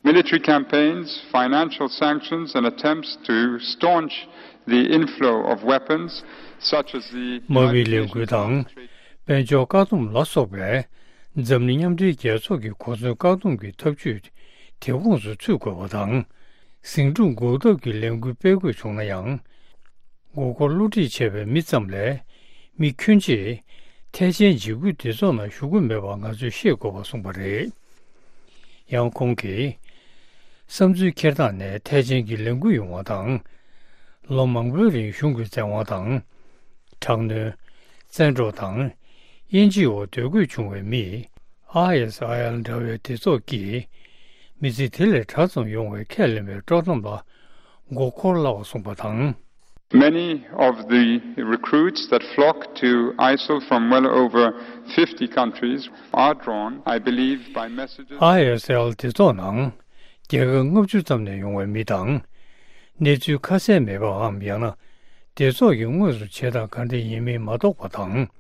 Military campaigns, financial sanctions, and attempts to staunch the inflow of weapons, such as the དམག་མིའི་ལས་འགུལ་དང་། དཔལ་འབྱོར་བཀག་སྡོམ་ལ་སོགས་པའི་འཛམ་གླིང་མཉམ་འབྲེལ་རྒྱལ་ཚོགས་ཀྱི་གོ་མཚོན་བཀག་སྡོམ་གྱི་ཐབས་ཇུས་དེ་ཁོངས་སུ་ཚུད་དགོས་པ་དང་། ཟིང་འཁྲུག་འགོག་ཐབས་ཀྱི་ལས་འགུལ་སྤེལ་དགོས་བྱུང་ན་ཡང་། མགོ་སྐོར་བསླུ་བྲིད་བྱས་པའི་མི་ཙམ་ལས། མི་ཁྱོན་ཆེ་ཐལ་ཆེན་འཇིགས་སྐུལ་སྡེ་ཚོགས་ནང་ཞུགས་ཀྱི་མེད་པ་ང་ཚོས་ཤེས་དགོས་པ་གསུངས་པ་རེད། ཡང་ཁོང་གིས། བསམ་ཚུལ་འཁྱེར་སྟངས་ནས་ཐལ་ཆེན་གྱི་ལས་འགུལ་ཡོང་བ་དང་། ལོ་མང་པོའི་རིང་གཞུང་གི་བཙན་དབང་དང་། དྲག་གནོན། བཙན་འཕྲོག་དང་། དབྱེ་འབྱེད་འོག་སྡོད་དགོས་བྱུང་བའི་མིས། ཨའི་ཨེས་ཨའི་ཨེལ་འདྲ་བའི་སྡེ་ཚོགས་ཀྱིས། མི་ཚེ་དེ་ལས་དྲག་ཙམ་ཡོང་བའི་ཁས་ལེན་པའི་དཀྲོག་གཏམ་ལ་མགོ་འཁོར་སླ་བ་གསུངས་པ་དང་། Many of the recruits that flock to ISIL from well over fifty countries are drawn, I believe, by messages. ཨའི་ཨེས་ཨེལ་སྡེ་ཚོགས་ནང་རྒྱལ་ཁབ་ལྔ་བཅུ་ཙམ་ནས་ཡོང་བའི་མི་དང་། གནས་ཚུལ་ཁ་གསལ་མེད་པའམ་ཡང་ན་སྡེ་ཚོགས་ཀྱིས་དངོས་སུ་བྱེད་སྟངས་ག་འདྲ་ཡིན་མིན་མ་རྟོགས་པ་དང་།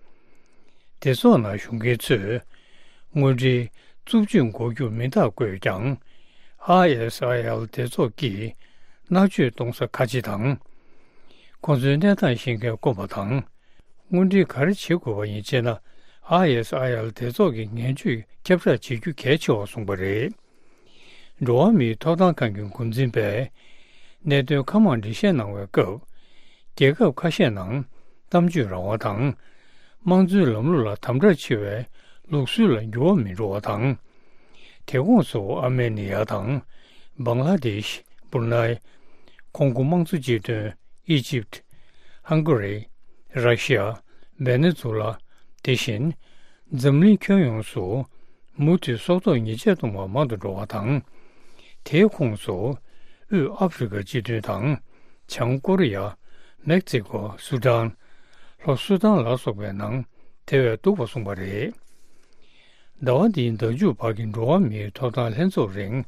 སྡེ་ཚོགས་ནང་ཞུགས་མཁན་ཚོས་དངོས་འབྲེལ་རྩུབ་སྤྱོད་འགོག་རྒྱུར་མིང་རྟགས་བཀོད་ཀྱང་། ཨའི་ཨེས་ཨའི་ཨེལ་སྡེ་ཚོགས་ཀྱིས་མནར་གཅོད་གཏོང་ས་ཁ་ཆེ་དང་། ཁོང་ཚོའི་གནས་སྟངས་ཤེས་མཁན་དཀོན་པ་དང་། དངོས་འབྲེལ་ག་རེ་བྱེད་དགོས་པ་ཡིན་ཅེ་ན། ཨའི་ཨེས་ཨའི་ཨེལ་སྡེ་ཚོགས་ཀྱི་ངན་ཇུས་ཁྱབ་བསྒྲགས་བྱེད་རྒྱུ་གལ་ཆེ་བ་གསུངས་པ་རེད། འགྲོ་བ་མིའི་ཐོབ་ཐང་ཁང་གི་འགོ་འཛིན་པས་གནད་དོན་ཁ་མང་འགྲེལ་བཤད་གནང་བའི་སྐབས། རྒྱལ་ཁབ་ཁ་ཤས་ནང་གཏམ་བརྗོད་རང་དབང་དང་། དམངས་གཙོའི་ལམ་ལུགས་ལ་དམ་དྲག་ཆེ་བའི་ལུགས་སྲོལ་ལ་འགྱུར་བ་མི་འགྲོ་བ་དང་། དེ་ཁོངས་སུ་ཨར་མེ་ནི་ཡ་དང་། བང་ལ་དེཤ། སྦུར་ནའི། ཁོང་ཀོ་དམངས་གཙོ་སྤྱི་མཐུན། ཨི་ཇིབ། ཧང་ག་རི། ར་ཤི་ཡ། ཝེ་ནེ་ཛུ་ལ། དེ་བཞིན་འཛམ་གླིང་ཁྱོན་ཡོངས་སུ་མུ་མཐུད་སྲོག་ཐོག་ཉེས་ཆད་གཏོང་བ་མང་དུ་འགྲོ་བ་དང་། དེའི་ཁོངས་སུ་དབུས་ཨ་ཧྥེ་རི་ཁ་སྤྱི་མཐུན་དང་། བྱང་ཀོ་རི་ཡ། མེག་སི་ཀོ། སུ་ཌན། ལྷོ་སུ་ཌན་ལ་སོགས་པའི་ནང་དེ་བས་སྡུག་པ་གསུངས་པ་རེད། ཟླ་བ་འདིའི་ཟླ་མཇུག་བར་གྱི་འགྲོ་བ་མིའི་ཐོབ་ཐང་ལྷན་ཚོགས་རིང་།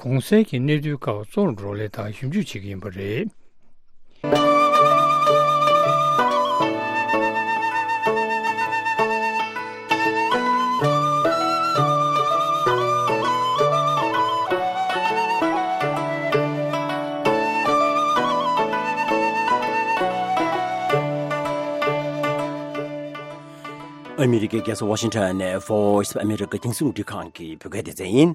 གོང་གསལ་གྱི་གནས་ཚུལ་ཁག་གཙོ་བོར་བགྲོ་གླེང་དང་ཞིབ་འཇུག་བྱེད་ཀྱི་ཡིན་པ་རེད། ཨ་མི་རི་ཀའི་རྒྱལ་ས་ཝ་ཤིང་ཊོན་ནས་Voice of America་རྒྱང་སྲིང་རླུང་འཕྲིན་ཁང་གི་བོད་སྐད་སྡེ་ཚན་ཡིན།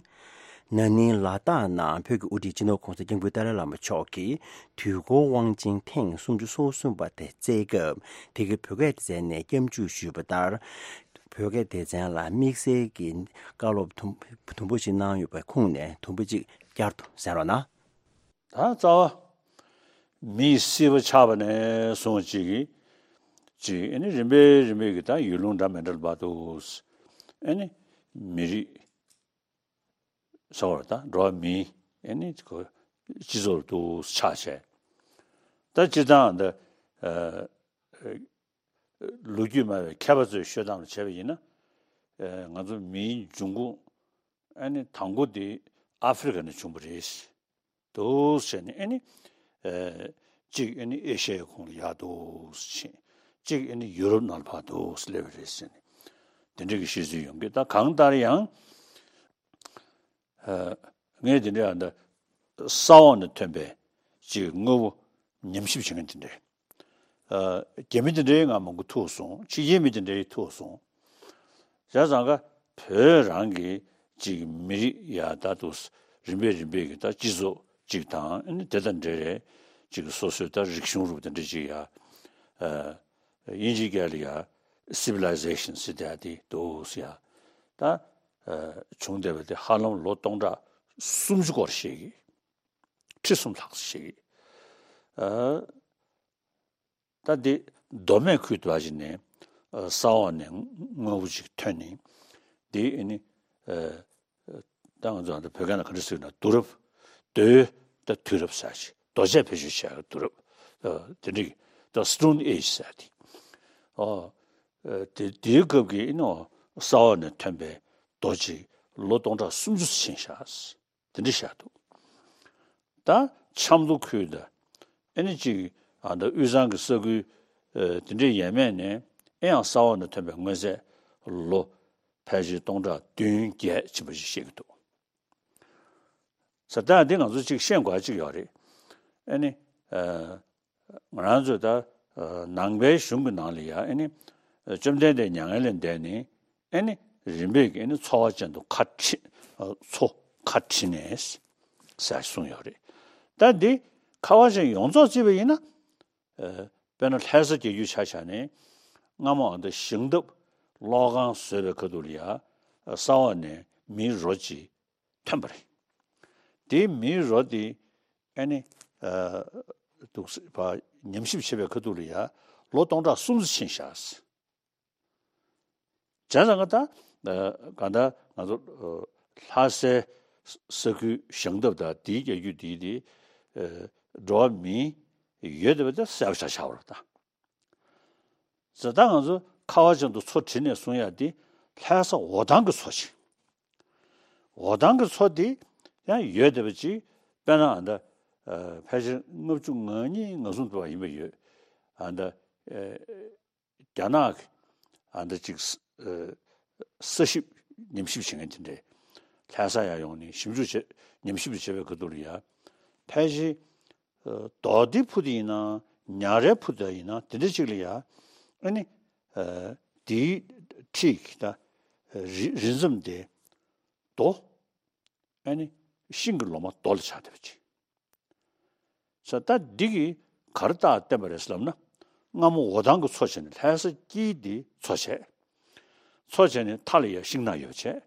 ན་ནིང་ལ་དྭགས་ནང་བོད་ཀྱི་དབུ་ཁྲིད་སྤྱི་ནོར་༸གོང་ས་༸སྐྱབས་མགོན་ཏཱ་ལའི་བླ་མ་མཆོག་གིས་དུས་འཁོར་དབང་ཆེན་ཐེངས་སུམ་ཅུ་སོ་གསུམ་པ་དེ་བསྩལ་སྐབས། དེ་གའི་བོད་སྐད་སྡེ་ཚན་ནས་སྐྱབས་འཇུག་ཞུས་པ་ལྟར། བོད་སྐད་སྡེ་ཚན་ལ་དམིགས་བསལ་གྱི་བཀའ་སློབ་དུམ་དུམ་བུ་ཞིག་གནང་ཡོད་པའི་ཁུངས་ནས་དུམ་བུ་གཅིག་བསྐྱར་དུ་གསན་རོགས་གནང་། ད་རྩ་བ། མིའི་སྲིད་པ་ཆགས་པ་ནས་བཟུང་གཅིག་གིས་གཅིག་ཨ་ནི་རིམ་པས་རིམ་པས་ཀྱི་ད་ཡུལ་ལུང་འདྲ་མི་འདྲ་ལ་བར་དུ། ཨ་ནི་མི་རིགས་ཟེར་བ་ད་འགྲོ་བ་མིའི་ཨ་ནི་ཁོ་སྤྱི་ཚོགས་ལ་དུ་ཆགས་བྱས། ད་སྤྱིར་བཏང་ད་ཨ་ལོ་རྒྱུས་སྨྲ་བའི་མཁས་པ་ཚོས་ཤོད་སྟངས་ལ་བྱས་པ་ཡིན་ན། ཨ་ང་ཚོ་མིའི་འབྱུང་ཁུངས་ཨ་ནི་དང་པོ་དེ་ཨ་ཧྥེ་རི་ཁ་ནས་བྱུང་བ་རེད། འདུག་ཟེར་ནས་ཨ་ནི། ཨེ། གཅིག་ཨ་ནི་ཨེ་ཤ་ཡའི་ཁོངས་ལ་ཡར་འདུག་ཕྱིན། གཅིག་ཨ་ནི་ཡུ་རོབ་ནང་ལ་ཕར་འདུག་སླེབས་པ་རེད་ཟེར་ནས། དེ་འདྲ་གི་བཤད་ཚུལ་ཡོང་གི། ད་གང་ལྟར་ཡང་། ཨ། ངས་དེ་འདྲ་ཡང་ད་ས་འོག་ནས་ཐོན་པའི་གཅིག་དངོས་པོ་ཉམས་ཞིབ་བྱེད་མཁན་དེ་འདྲ། ཨ། རྒྱ་མི་དེ་འདྲའི་ང་མང་པོ་ཐུག་སོང་། ཕྱི་རྒྱལ་མི་དེ་འདྲའི་ཐུག་སོང་། བྱས་ཙང་ཀ་བོད་རང་གི་ཅིག་མི་རིགས་ཡ་ད་དུ་རིམ་པས་རིམ་པས་ཀྱི་ད་སྤྱི་ཚོགས་ཅིག་དང་ཨ་ནི་དེ་དང་འབྲེལ་རེད། ཅིག་སོ་སོའི་ད་རིག་གཞུང་རུ་དེ་འདྲ་ཅིག་ཡ། ཨ། དབྱིན་ཇིའི་སྐད་ལ་ཡ་སི་བི་ལའི་ཟེ་ཤན་ཟེར་དེ་ཡ་དེ་འདུག་ཟེར་ཡ། ད། ཨ། བྱུང་བསྡད་པ་དེ་ཧ་ལམ་ལོ་སྟོང་ཕྲག་སུམ་ཅུ་སྐོར་ཞིག་གི་ཁྲི་གསུམ་ལྷག་ཞིག་གི། ཨ། ད་འདི་མདོ་སྨད་ཁུལ་དུ་བ་ཞིག་ནས་ས་འོག་ནས་དངོས་པོ་ཅིག་ཐོན་ནས། འདི་ཨ་ནི་ད་ང་ཚོ་ཨ་ནི་བོད་སྐད་ནང་ག་འདྲ་ཟེར་ན་དུས་རབས་རྡོའི་ད་དུས་རབས་ཟེར་ཞིག་རྡོ་ཆས་བེད་སྤྱོད་བྱས་དུས་རབས་དེ་འདྲ་ད་Stone Age་ཟེར་དེ། ཨོ། དེ་དེའི་སྐབས་ཀྱི་ཨ་ནི་ས་འོག་ནས་ཐོན་པའི་རྡོ་ཅིག་ལོ་སྟོང་ཕྲག་སུམ་ཅུ་ཕྱིན་བཞག་དེ་འདྲ་བཞག་འདུག་ད་ཆབ་མདོ་ཁུལ་དང་ཨ་ནི་ཅིག་ཨ་ད་དབུས་གཙང་གི་ས་ཁུལ་ཨ་དེ་འདྲའི་ཡས་མས་ནས་ཨེ་ཡང་ས་འོག་ནས་ཐོན་པའི་དངོས་རྫས་ལོ་ཕལ་ཆེར་སྟོང་ཕྲག་བདུན་བརྒྱད་ཕྱིན་པ་ཞིག་བཤད་ཀྱི་འདུག་ས་ད་འདི་ང་ཚོ་ཅིག་ཤེས་དགོས་ཅིག་ཡོད་རེད། ཨ་ནི་ཨ་ང་རང་ཚོས་ད་ཨ་ནང་པའི་གཞུང་གི་ནང་ལ་ཡ་ཨ་ནི་བཅོམ་ལྡན་འདས་མྱ་ངན་ལས་འདས་ནས་ཨ་ནི་རིམ་པས་ཀྱི་ཨ་ནི་ཚོ་བ་ཅན་དུ་ཁ་ཁྲི་ཨ་ཚོ་ཁ་ཁྲི་ནས་ཟེར་གསུངས་ཡོད་རེད། ད་འདི་ཁ་བ་ཅན་ཡོངས་རྫོགས་བརྩིས་པ་ཡིན་ན། ཨ་དཔེར་ན་ལྷ་ས་རྒྱལ་རྒྱུད་ཆ་བཞག་ནས་སྔ་མོ་ཨ་ད་ཞིང་འདབས་གློག་ཁང་བཟོས་པའི་ཁ་ཐུག་ལ་ཡ་ས་འོག་ནས་མིའི་རོ་གཅིག་ཐོན་པ་རེད། དེའི་མིའི་རོ་དེ་ཨ་ནི་ཨ་འདུག་སེ་ཕར་ཉམས་ཞིབ་བྱེད་པའི་ཁ་ཐུག་ལ་ཡ་ལོ་སྟོང་ཕྲག་སུམ་ཅུ་ཕྱིན་བཞག་བྱས་ཙང་ད་ཨ་གང་ལྟར་ང་ཚོ་ཨ་ལྷ་སའི་ས་ཁུལ་ཞིང་འདབས་དང་དེའི་རྒྱལ་རྒྱུད་དེའི་དེ་ཨ་འགྲོ་བ་མིའི་ཡོད་བསྡད་པ་དེ་གསལ་པོ་ཆགས་ཆགས་པ་རེད་ད། ཟེར་ད་ང་ཚོ་ཁ་བ་ཅན་དུ་མཚོ་བྲིས་ནས་གསུང་ཡ་དེ་ལྷ་ས་འོ་ཐང་གི་མཚོ་ཅིག་འོ་ཐང་གི་མཚོ་དེ་ཡང་ཡོད་བསྡད་པ་ཅིག་དཔེར་ན་ཨ་ད་ཨ་ཕལ་ཆེར་ལྔ་བཅུ་ང་གཉིས་ང་གསུམ་དུ་བ་ཡིན་པ་ཡོད། ཨ་ད་ཨ་རྒྱ་ནག་གི་ཨ་ད་ཅིག་ཨ་ས་ཞིབ་ཉམས་ཞིབ་བྱེད་མཁན་དེ་འདྲས་ལྷ་ས་ཡར་ཡོང་ནས་ཞིབ་འཇུག་བྱེད་ཉམས་ཞིབ་བྱེད་པའི་ཁ་ཐུག་ལ་ཡ་ཕལ་ཆེར་ཨ་རྡོ་རྡེ་ཕུ་དེ་ཡིན་ན་ ཉག་རལ་ཕུ་ད་ཡིན་ན་དེ་འདྲ་ཅིག་ལ་ཡ་ཨ་ནི་དེའི་འཁྲིས་ཀྱི་ད་རི་རི་མཚམས་དེ་རྡོ་ཨ་ནི་ཤིང་གི་ལོ་མ་རྡོ་ལ་ཆགས་བསྡད་པ་ཅིག་ས་ད་འདི་གིས་ག་རེ་རྟགས་བསྟན་པ་རེད་ཟེར་ལབ་ན། སྔ་མོ་འོ་ཐང་གི་མཚོ་བྱས་ནས་ལྷ་ས་དཀྱིལ་འདི་མཚོ་བྱས། མཚོ་བྱས་ནས་མཐའ་ལ་ཡ་ཤིང་ནགས་ཡོད་བྱས།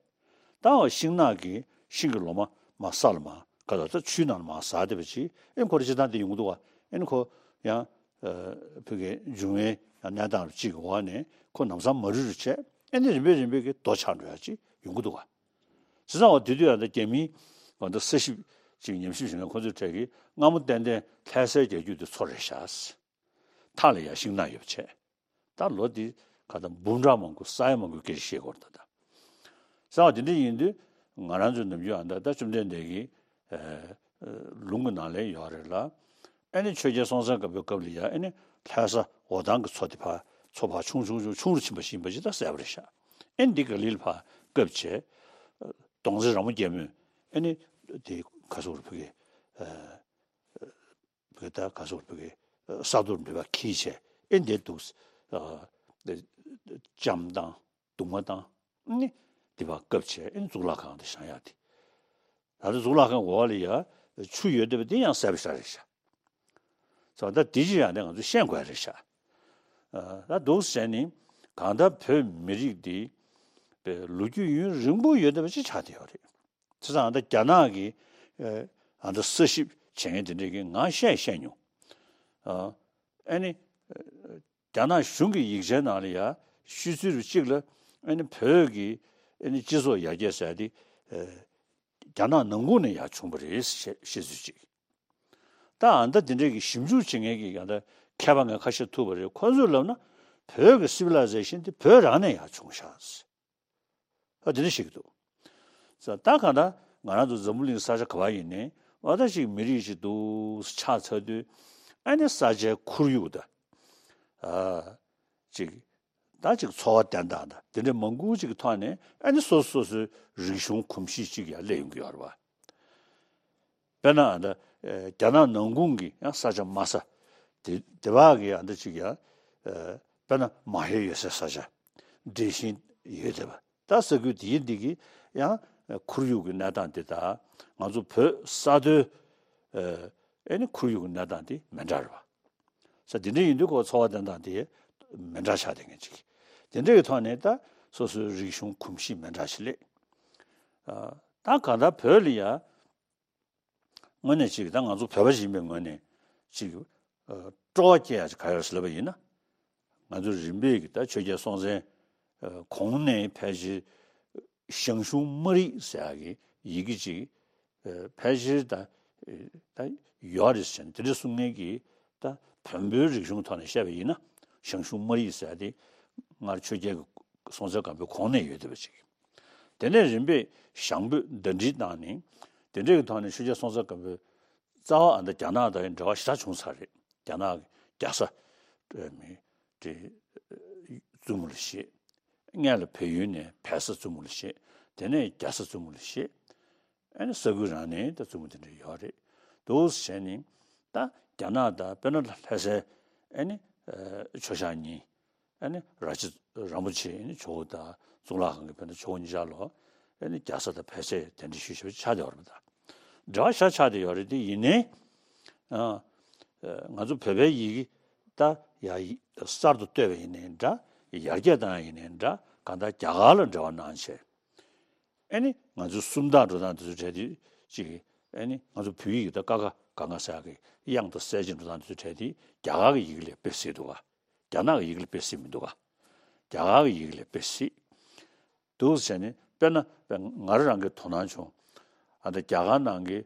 ད་འོ་ཤིང་ནགས་ཀྱི་ཤིང་གི་ལོ་མ་མ་ས་ལ་མ་ག་ལ་ད་ཆུའི་ནང་ལ་མ་ཟག་བསྡད་པ་ཅིག་ཨེ་ཁོ་རེ་སྤྱིར་བཏང་དེ་ཡོང་གི་འདུག་བ། ཨེ་ནི་ཁོ་ཡང་བོད་ཀྱི་འབྱུང་བའི་ཡང་གནས་སྟངས་རུ་གཅིག་གི་འོག་ནས་ཁོ་ལམ་སང་མ་རུལ་རུལ་བྱས། ཨེ་ནི་རིམ་པས་རིམ་པས་ཀྱི་རྡོ་ཆགས་འགྲོ་ཡ་ཅིག་ཡོང་གི་འདུག་བ། བྱས་ཙང་འོ་དེ་དུས་ཡང་ད་རྒྱ་མིའི་འོ་ད་ས་ཞིབ་ཅིག་ཉམས་ཞིབ་བྱེད་མཁན་ཁོ་ཚོའི་གྲས་ཀྱིས་སྔ་མོ་ཏན་ཏན་ལྷ་སའི་རྒྱལ་རྒྱུད་དེ་མཚོ་རེད་ཤག་མཐའ་ལ་ཡ་ཤིང་ནགས་ཡོད་བྱས། ད་ལོ་འདི་ག་ད་འབུམ་ཕྲག་མང་པོ་ས་ཡ་མང་པོའི་སྐད་ཆ་བཤད་དགོས་རེད་ད། ད་ས་བ་དེ་འདྲ་ཡིན་དུས་ང་རང་ཚོའི་ནམ་རྒྱུན་ཨ་ད་ད་བཅོམ་ལྡན་འདས་ཀྱི་ལུང་གི་ནང་ལ་ཡོད་རེད་ལ། ཨ་ནི་ཆོས་རྒྱལ་སྲོང་བཙན་སྒམ་པོའི་སྐབས་ལ་ཡ་ཨ་ནི་ལྷ་ས་འོ་ཐང་གི་མཚོ་དེ་ཕར་མཚོ་ཕར་ཆུང་ཆུང་ཆུང་ཆུང་རུ་ཕྱིན་པ་ཞིག་ཡིན་པ་ཅིག་ད་གསལ་པོ་རེད་ཤག་ཨ་ནི་འདི་ག་ལིལ་ཕར་བཀབ་བྱས། གདོང་རྩེ་ར་མོ་རྒྱལ་མོས་ཨ་ནི་དེ་ག་སོག་རུ་ཕུ་གེ་བོད་ད་ག་སོག་བོད་ཀྱི་ས་རྡོར་འབྲེལ་བ་གིས་བྱས་ཨེ་འདས་འདུག་ལྕམ་དང་གདུང་མ་དང་ནི་དེ་བ་སྐབས་བྱས་ཨེ་གཙུག་ལག་ཁང་དུ་བཞེངས་ཡག་དེ། ད་ལྟ་གཙུག་ལག་ཁང་འོག་ལ་ཡ་ཆུ་ཡོད་བསྡད་པ་དེ་ཡང་གསལ་པོ་ཤར་རེད་ཤག་ཙང་ད་དེ་ཅི་ཡང་དེ་ང་ཚོས་ཤེས་དགོས་རེད་ཤག་ད་འདུག་ཟེར་ནི་གང་ལྟར་བོད་མི་རིགས་འདི་པའི་ལོ་རྒྱུས་ཡུན་རིང་པོ་ཡོད་བསྡད་པ་ཅིག་ཆགས་བསྡད་ཡོད་རེད། བྱས་ཙང་ད་རྒྱ་ནག་གི་ཨ་ད་ས་ཞིབ་བྱེད་མཁན་དེ་འདྲས་ཀྱིས་ང་བཤད་བཤད་མྱོང་། ཨ་ནི་རྒྱ་ནག་གཞུང་གི་ཡིག་ཆའི་ནང་ལ་ཡ་ཤོད་ཚུལ་རུ་གཅིག་ལ་ཨ་ནི་བོད་ཀྱི་ཨ་ནི་སྤྱི་ཚོགས་ཡར་རྒྱས་ཟེར་དེ་རྒྱ་ནག་ནང་ཁུལ་ནས་ཡར་བྱུང་བ་རེད་ཞེས་བཤད་ཚུལ་གཅིག་ད་ཨ་ད་དེ་འདྲས་ཀྱི་ཞིབ་འཇུག་བྱེད་མཁན་གྱི་ཨ་ད་མཁས་པ་ངས་ཁ་ཤས་ཐུག་པ་རེད། ཁོ་ཚོས་ལབ་ན་བོད་ཀྱི་སི་ཝི་ལའི་ཟེ་ཤན་དེ་བོད་རང་ནས་ཡར་བྱུང་ཤག་ཨ་དེ་འདྲ་ཞིག་འདུག་ད་གང་ལྟར་ང་རང་ཚོ་འཛམ་བུ་གླིང་ས་ཆ་ག་བ་ཡིན་ནའི་འོ་ད་ཅིག་མི་རིགས་ཤིག་འདུག་ཆགས་ཚར་དུས་ཨ་ནི་ས་ཆའི་ཁོར་ཡུག་དང་ཨ་ཅིག་ད་ཅིག་འཚོ་བ་བསྟེན་སྟངས་དང་དེ་འདྲ་མང་པོ་ཅིག་གི་ཐོག་ནས་ཨ་ནི་སོ་སོ་སོ་སོའི་རིག་གཞུང་གོམས་གཤིས་ཅིག་ཡང་སླེབས་ཡོང་གི་ཡོད་རེད་བ། དཔེར་ན་ད་རྒྱ་ནག་ནང་ཁུལ་གྱི་ཡང་ས་ཆ་དམའ་ས་དེ་དེ་བ་གི་ཡང་ད་ཅིག་ཡང་དཔེར་ན་མ་ཧེ་ཡོད་སའི་ས་ཆ་འདྲེས་ཤིང་ཡོད་བསྡད་པ། ད་ས་ཁུལ་དེའི་འདི་གི་ཡང་ཁོར་ཡུག་གི་གནས་སྟངས་དེ་དང་ང་ཚོ་བོད་ས་མཐོའི་ཨེ་ནི་ཁོར་ཡུག་གི་གནས་སྟངས་དེ་མི་འདྲ་རེད་བ། ས་དེ་འདྲ་ཡིན་དུས་ཁོ་འཚོ་བ་བསྟེན་སྟངས་དེ་མི་འདྲ་ཆགས་བསྡད་མཁན་ཅིག་དེ་འདྲ་གི་ཐོག་ནས་ད་སོ་སོའི་རིག་གཞུང་གོམས་གཤིས་མི་འདྲ་ཞིག་སླེབས། ད་གང་ལྟར་བོད་ལ་ཡ་དངོས་གནས་ཅིག་ད་ང་ཚོ་བོད་པ་ཞིག་ཡིན་པའི་ངོས་ནས་ཅིག་སྤྲོ་བ་སྐྱེ་ཡ་ཅིག་ག་ཡོད་ཟེར་ལབ་པ་ཡིན་ན། ང་ཚོ་རིམ་པས་ཀྱི་ད་ཆོས་རྒྱལ་སྲོང་བཙན་གོང་ནས་ཕལ་ཆེར་ཞང་ཞུང་སྨར་ཡིག་ཟེར་ཡག་གི་ཡི་གེ་ཅིག་ཕལ་ཆེར་ད་ད་ཡོད་རེད་ཟེར་ནས་དེ་འདྲ་གསུང་མཁན་གྱི་ད་བོན་པོའི་རིག་གཞུང་ཐོག་ནས་བཤད་པ་ཡིན་ན་ཞང་ཞུང་སྨར་ཡིག་ཟེར་ཡག་དེ་སྔར་ཆོས་རྒྱལ་གྱི་སྲོང་བཙན་སྒམ་པོའི་གོང་ནས་ཡོད་བསྡད་པ་ཅིག་དེ་ནས་རིམ་པས་ཞང་བོད་ཟླ་སྒྲིལ་བཏང་ནས་དེ་འདྲ་གི་ཐོག་ནས་ཆོས་རྒྱལ་སྲོང་བཙན་སྒམ་པོའི་རྩ་བ་ཨ་ད་རྒྱ་ནག་དང་འབྲེལ་བ་ཞེ་དྲག་བྱུང་ཚར་རེད། རྒྱ་ནག་གི་རྒྱ་བཟའ་མི་དེ་བཙུན་མོ་ལ་བཞེས། སྔོན་ལ་བལ་ཡུལ་ནས་བལ་བཟའ་བཙུན་མོ་ལ་བཞེས། དེ་ནས་རྒྱ་བཟའ་བཙུན་མོ་ལ་བཞེས། ཨ་ནི་ས་ཁུལ་རང་ནས་ད་བཙུན་མོ་དེ་འདྲ་ཡོད་རེད། འདུག་བྱས་ནས་ད་རྒྱ་ནག་དང་དཔེར་ན་ལྷ་སའི་ཨ་ནི་ཆོས་ཞག་གཉིས། ཨ་ནི་ར་ཅི་རིན་པོ་ཆེ་ཨ་ནི་ཇོ་བོ་དང་གཙུག་ལག་ཁང་གི་དཔེར་ན་ཇོ་བོ་གཉིས་ཆར་ལོ་ཨ་ནི་རྒྱ་བཟའ་དང་བལ་བཟའི་གདན་འདྲེན་ཞུས་ཞེས་པ་ཆགས་བསྡད་ཡོད་རེད་པ། ད་འབྲེལ་བ་ཞེ་དྲག་ཆགས་བསྡད་ཡོད་རེད། དེ་ཡིན་ནའི་ཨ་ང་ཚོ་བོད་པའི་ཡི་གེ་ད་ཡ་གསར་དུ་བཏོད་པ་ཡིན་ནའི་འདྲ། ཡར་རྒྱས་བཏང་ཡ་ཡིན་ནའི་འདྲ། གང་ལྟར་རྒྱ་གར་ལ་འབྲེལ་བ་གནང་བྱས། ཨ་ནི་ང་ཚོའི་སུམ་རྟགས་འགྲོ་སྟངས་དེ་ཚོ་གྲས་དེ་ཅིག་ཨ་ནི་ང་ཚོ་བོད་ཡིག་གི་ད་ཀ་ཁ་ག་ང་ས་གི་དབྱངས་དང་གསལ་བྱེད་འགྲོ་སྟངས་དེ་ཚོ་གྲས་དེ་རྒྱ་གར་གྱི་ཡི་གེ་ལས་དཔེ་སྲིད་འདུག་ག་རྒྱ་ནག་གི་ཡི་གེ་ལས་དཔེ་སྲིད་མི་འདུག་ག་རྒྱ་གར་གྱི་ཡི་གེ་ལས་དཔེ་སྲིད་འདུག་ཟེར་ནས་དཔེར་ན་ང་རང་རང་གི་དོ་སྣང་བྱུང་། ཨ་ད་རྒྱ་གར་ནང་གི་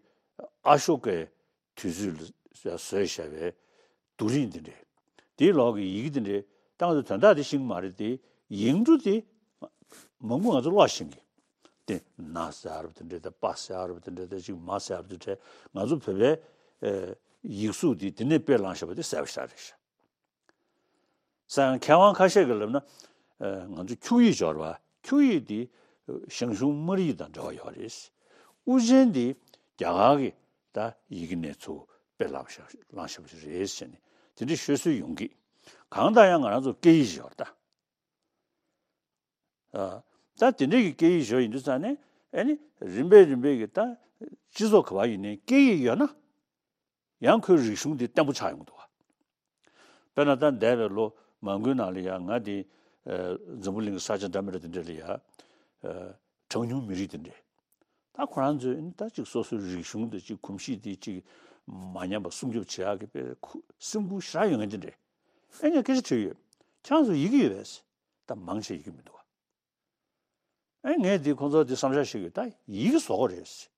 ཨ་ཤོ་ཀའི་དུས་ཚོད་ལ་བཟོས་བཞག་པའི་རྡོ་རིང་འདི་འདྲས། དེའི་ལོག་གི་ཡི་གེ་འདི་འདྲས་ད་ང་ཚོ་དོན་དག་དེ་ཤེས་ཀྱི་མ་རེད་དེ། ཡིག་འབྲུ་དེ་མང་པོ་ང་ཚོ་ཀློག་ཤེས་ཀྱི། དེ་ན་ཟེར་ཡ་རབས་དེ་འདྲས་དང་པ་ཟེར་ཡ་རབས་དེ་འདྲས་དང་ཅིག་མ་ཟེར་ཡ་རབས་དེ་འདྲས་ང་ཚོ་བོད་པའི་ཡིག་གཟུགས་དེ་དེ་ནས་དཔེ་བླངས་བཞག་པ་དེ་གསལ་པོ་ཞེ་དྲག་རེད་ཤག་ས་ཡང་མཁས་དབང་ཁ་ཤས་ཀྱིས་ལབ་ན། ང་ཚོ་འཁྱུག་ཡིག་སྦྱོར་བ་འཁྱུག་ཡིག་འདི་ཞང་ཞུང་སྨར་ཡིག་དང་འབྲེལ་བ་ཡོད་རེད། དབུ་ཅན་འདི་རྒྱ་གར་གྱི་ད་ཡི་གེ་ནས་ཚུར་དཔེ་བླངས་བཞག་བླངས་བཞག་པ་ཞིག་རེད་ཟེར་ནས་ དེ་འདྲའི་ཤོད་སྲོལ་ཡོང་གི། གང་ལྟར་ཡང་ང་རང་ཚོ་སྐད་ཡིག་ཞིག་ཡོད་རེད་ད། ཨ། ད་དེ་འདྲའི་གི་སྐད་ཡིག་ཞིག་ཡིན་དུས་ཙང་ནས་ཨ་ནི་རིམ་པས་རིམ་པས་ཀྱི་ད་སྤྱི་ཚོགས་ག་བ་ཡིན་ནའི་སྐད་ཡིག་ཡོད་ན་ཡང་ཁོའི་རིག་གཞུང་དེ་བརྟན་པོ་ཆགས་ཡོང་གི་འདུག་བ། དཔེར་ན་ད་འདས་པའི་ལོ་མང་པོའི་ནང་ལ་ཡང་ང་དེ་ཨ་འཛམ་བུ་གླིང་གི་ས་ཆ་འདྲ་མི་འདྲ་དེ་འདྲ་ལ་ཡང་ཨ་གྲངས་ཉུང་མི་རིགས་དེ་འདྲས། ད་ཁོ་རང་ཚོས་ནི་ད་ཅིག་སོ་སོའི་རིག་གཞུང་དེ་ཅིག་གོམས་གཤིས་དེ་ཅིག་མ་ཉམས་པ་སྲུང་སྐྱོབ་བྱེད་ཡག་གི་དཔེ་ཁུ་སེམས་ཁུར་ཞེ་དྲག་ཡོད་མཁན་དེ་འདྲས། ཨེ་ངས་སྐད་ཆ་དྲིས་ཡོད། ཁྱེད་རང་ཚོ་ཡི་གེ་ཡོད་པས། ད་མང་ཆེ་ཡི་གེ་མི་འདུག་བ། ཨེ་ངས་དེ་ཁོང་ཚོ་དེ་བསམ་འཆར་བཤད་ཀྱི་ད་ཡི་གེ་བཟོ་དགོས་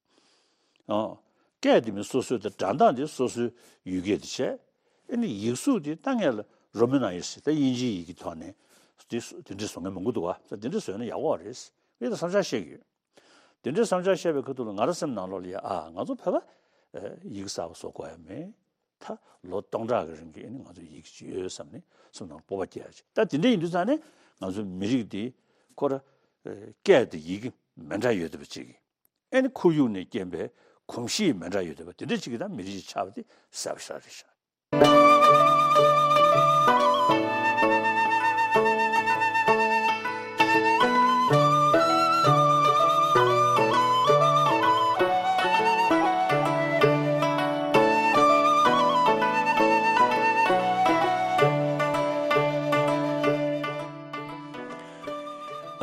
རེད། ཨ། སྐད་དེ་མི་སོ་སོའི་དེ་སྒྲ་གདངས་དེ་སོ་སོའི་ཡུལ་སྐད་དེ་བྱས། ཨེ་ནི་ཡིག་གཟུགས་དེ་ད་ངས་ལ་རོ་མན་ནང་ཡོད་ཟེར་ད་དབྱིན་ཇིའི་ཡི་གེ་ཐོག་ནས་དེ་སུ་དེ་འདྲས་བཟོ་མཁན་མང་པོ་འདུག་བ། ད་དེ་འདྲས་བཟོས་ན་ཡག་པོ་རེད། ངས་ད་བསམ་འཆར་བཤད་ཀྱི་ཡོད། དེ་འདྲའི་བསམ་འཆར་བཤད་པའི་ཁ་ཐུག་ལ་ང་རང་སེམས་ནང་ལོགས་ལ་ཡ་ཨ་ང་ཚོ་བོད་པ་ཡིག་གསར་པ་བཟོ་དགོས་ཡ་མེད། ད་ལོ་སྟོང་ཕྲག་གི་རིང་གི་ཨ་ནི་ང་ཚོ་ཡིག་ཅིག་ཡོད་བསམ་ནས་སེམས་ནང་སྤོབས་པ་སྐྱེ་ཡ་ཅིག་ད་དེ་འདྲ་ཡིན་དུས་ཙང་ནས་ང་ཚོའི་མི་རིགས་འདི་ཁོ་ར་སྐད་དང་ཡི་གེ་མི་འདྲ་ཡོད་བསྡད་པ་ཅིག་གིས་ཨ་ནི་ཁོར་ཡུག་ནས་རྐྱེན་པས་གོམས་གཤིས་མི་འདྲ་ཡོད་བསྡད་པ་དེ་འདྲ་ཅིག་གིས་ད་མི་རིགས་ཅིག་ཆགས་པ་དེ་གསལ་པོ་ཞེ་དྲག་རེད་ཤག་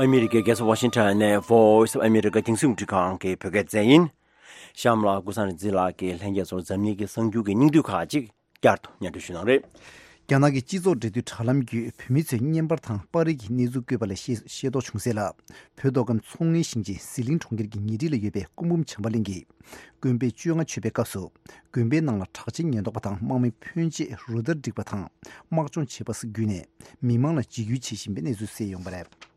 ཨ་མི་རི་ཀའི་རྒྱལ་ས་ཝ་ཤིང་ཊོན་ནས་Voice of America རྒྱང་སྲིང་རླུང་འཕྲིན་ཁང་གི་བོད་སྐད་སྡེ་ཚན་ཡིན། གཤམ་ལ་ཀུན་བཟང་རིག་འཛིན་ལགས་ཀྱིས་ལྷན་རྒྱས་ཚོར་འཛམ་གླིང་གི་གསར་འགྱུར་གྱི་སྙིང་བསྡུས་ཁག་ཅིག་བསྐྱར་དུ་སྙན་སྒྲོན་ཞུ་གནང་རེད། རྒྱ་ནག་གི་སྤྱི་ཚོགས་འབྲེལ་མཐུད་དྲ་ལམ་བརྒྱུད་བོད་མི་ཚོས་བརྙན་པར་དང་པར་རིས་ཀྱི་གནས་ཚུལ་བཀོད་པ་ལ་ཤེས་ཤེས་རྟོགས་བྱུང་གསལ་ལ། བོད་མདོ་ཁམས་མཚོ་སྔོན་ཞིང་ཆེན་ཟི་ལིང་གྲོང་ཁྱེར་གྱི་ཉེ་འཁྲིས་ལ་ཡོད་པའི་སྐུ་འབུམ་བྱམས་པ་གླིང་གི་དགོན་པའི་བཅོ་ལྔ་མཆོད་པའི་སྐབས་སུ། དགོན་པའི་ནང་ལ་དྲག་ཆས་ཉེན་རྟོག་པ་དང་དམག་མི་ཕོན་ཆེ་རུ་སྟར་བསྒྲིགས་པ་དང་དམག་སྦྱོང་བྱེད་པ་སོགས་བརྒྱུད་ནས་མི་མང་ལ་འཇིགས་སྐུལ་བྱེད་བཞིན་པའི་གནས་ཚུལ་གསལ་ཡོང་བ་རེད།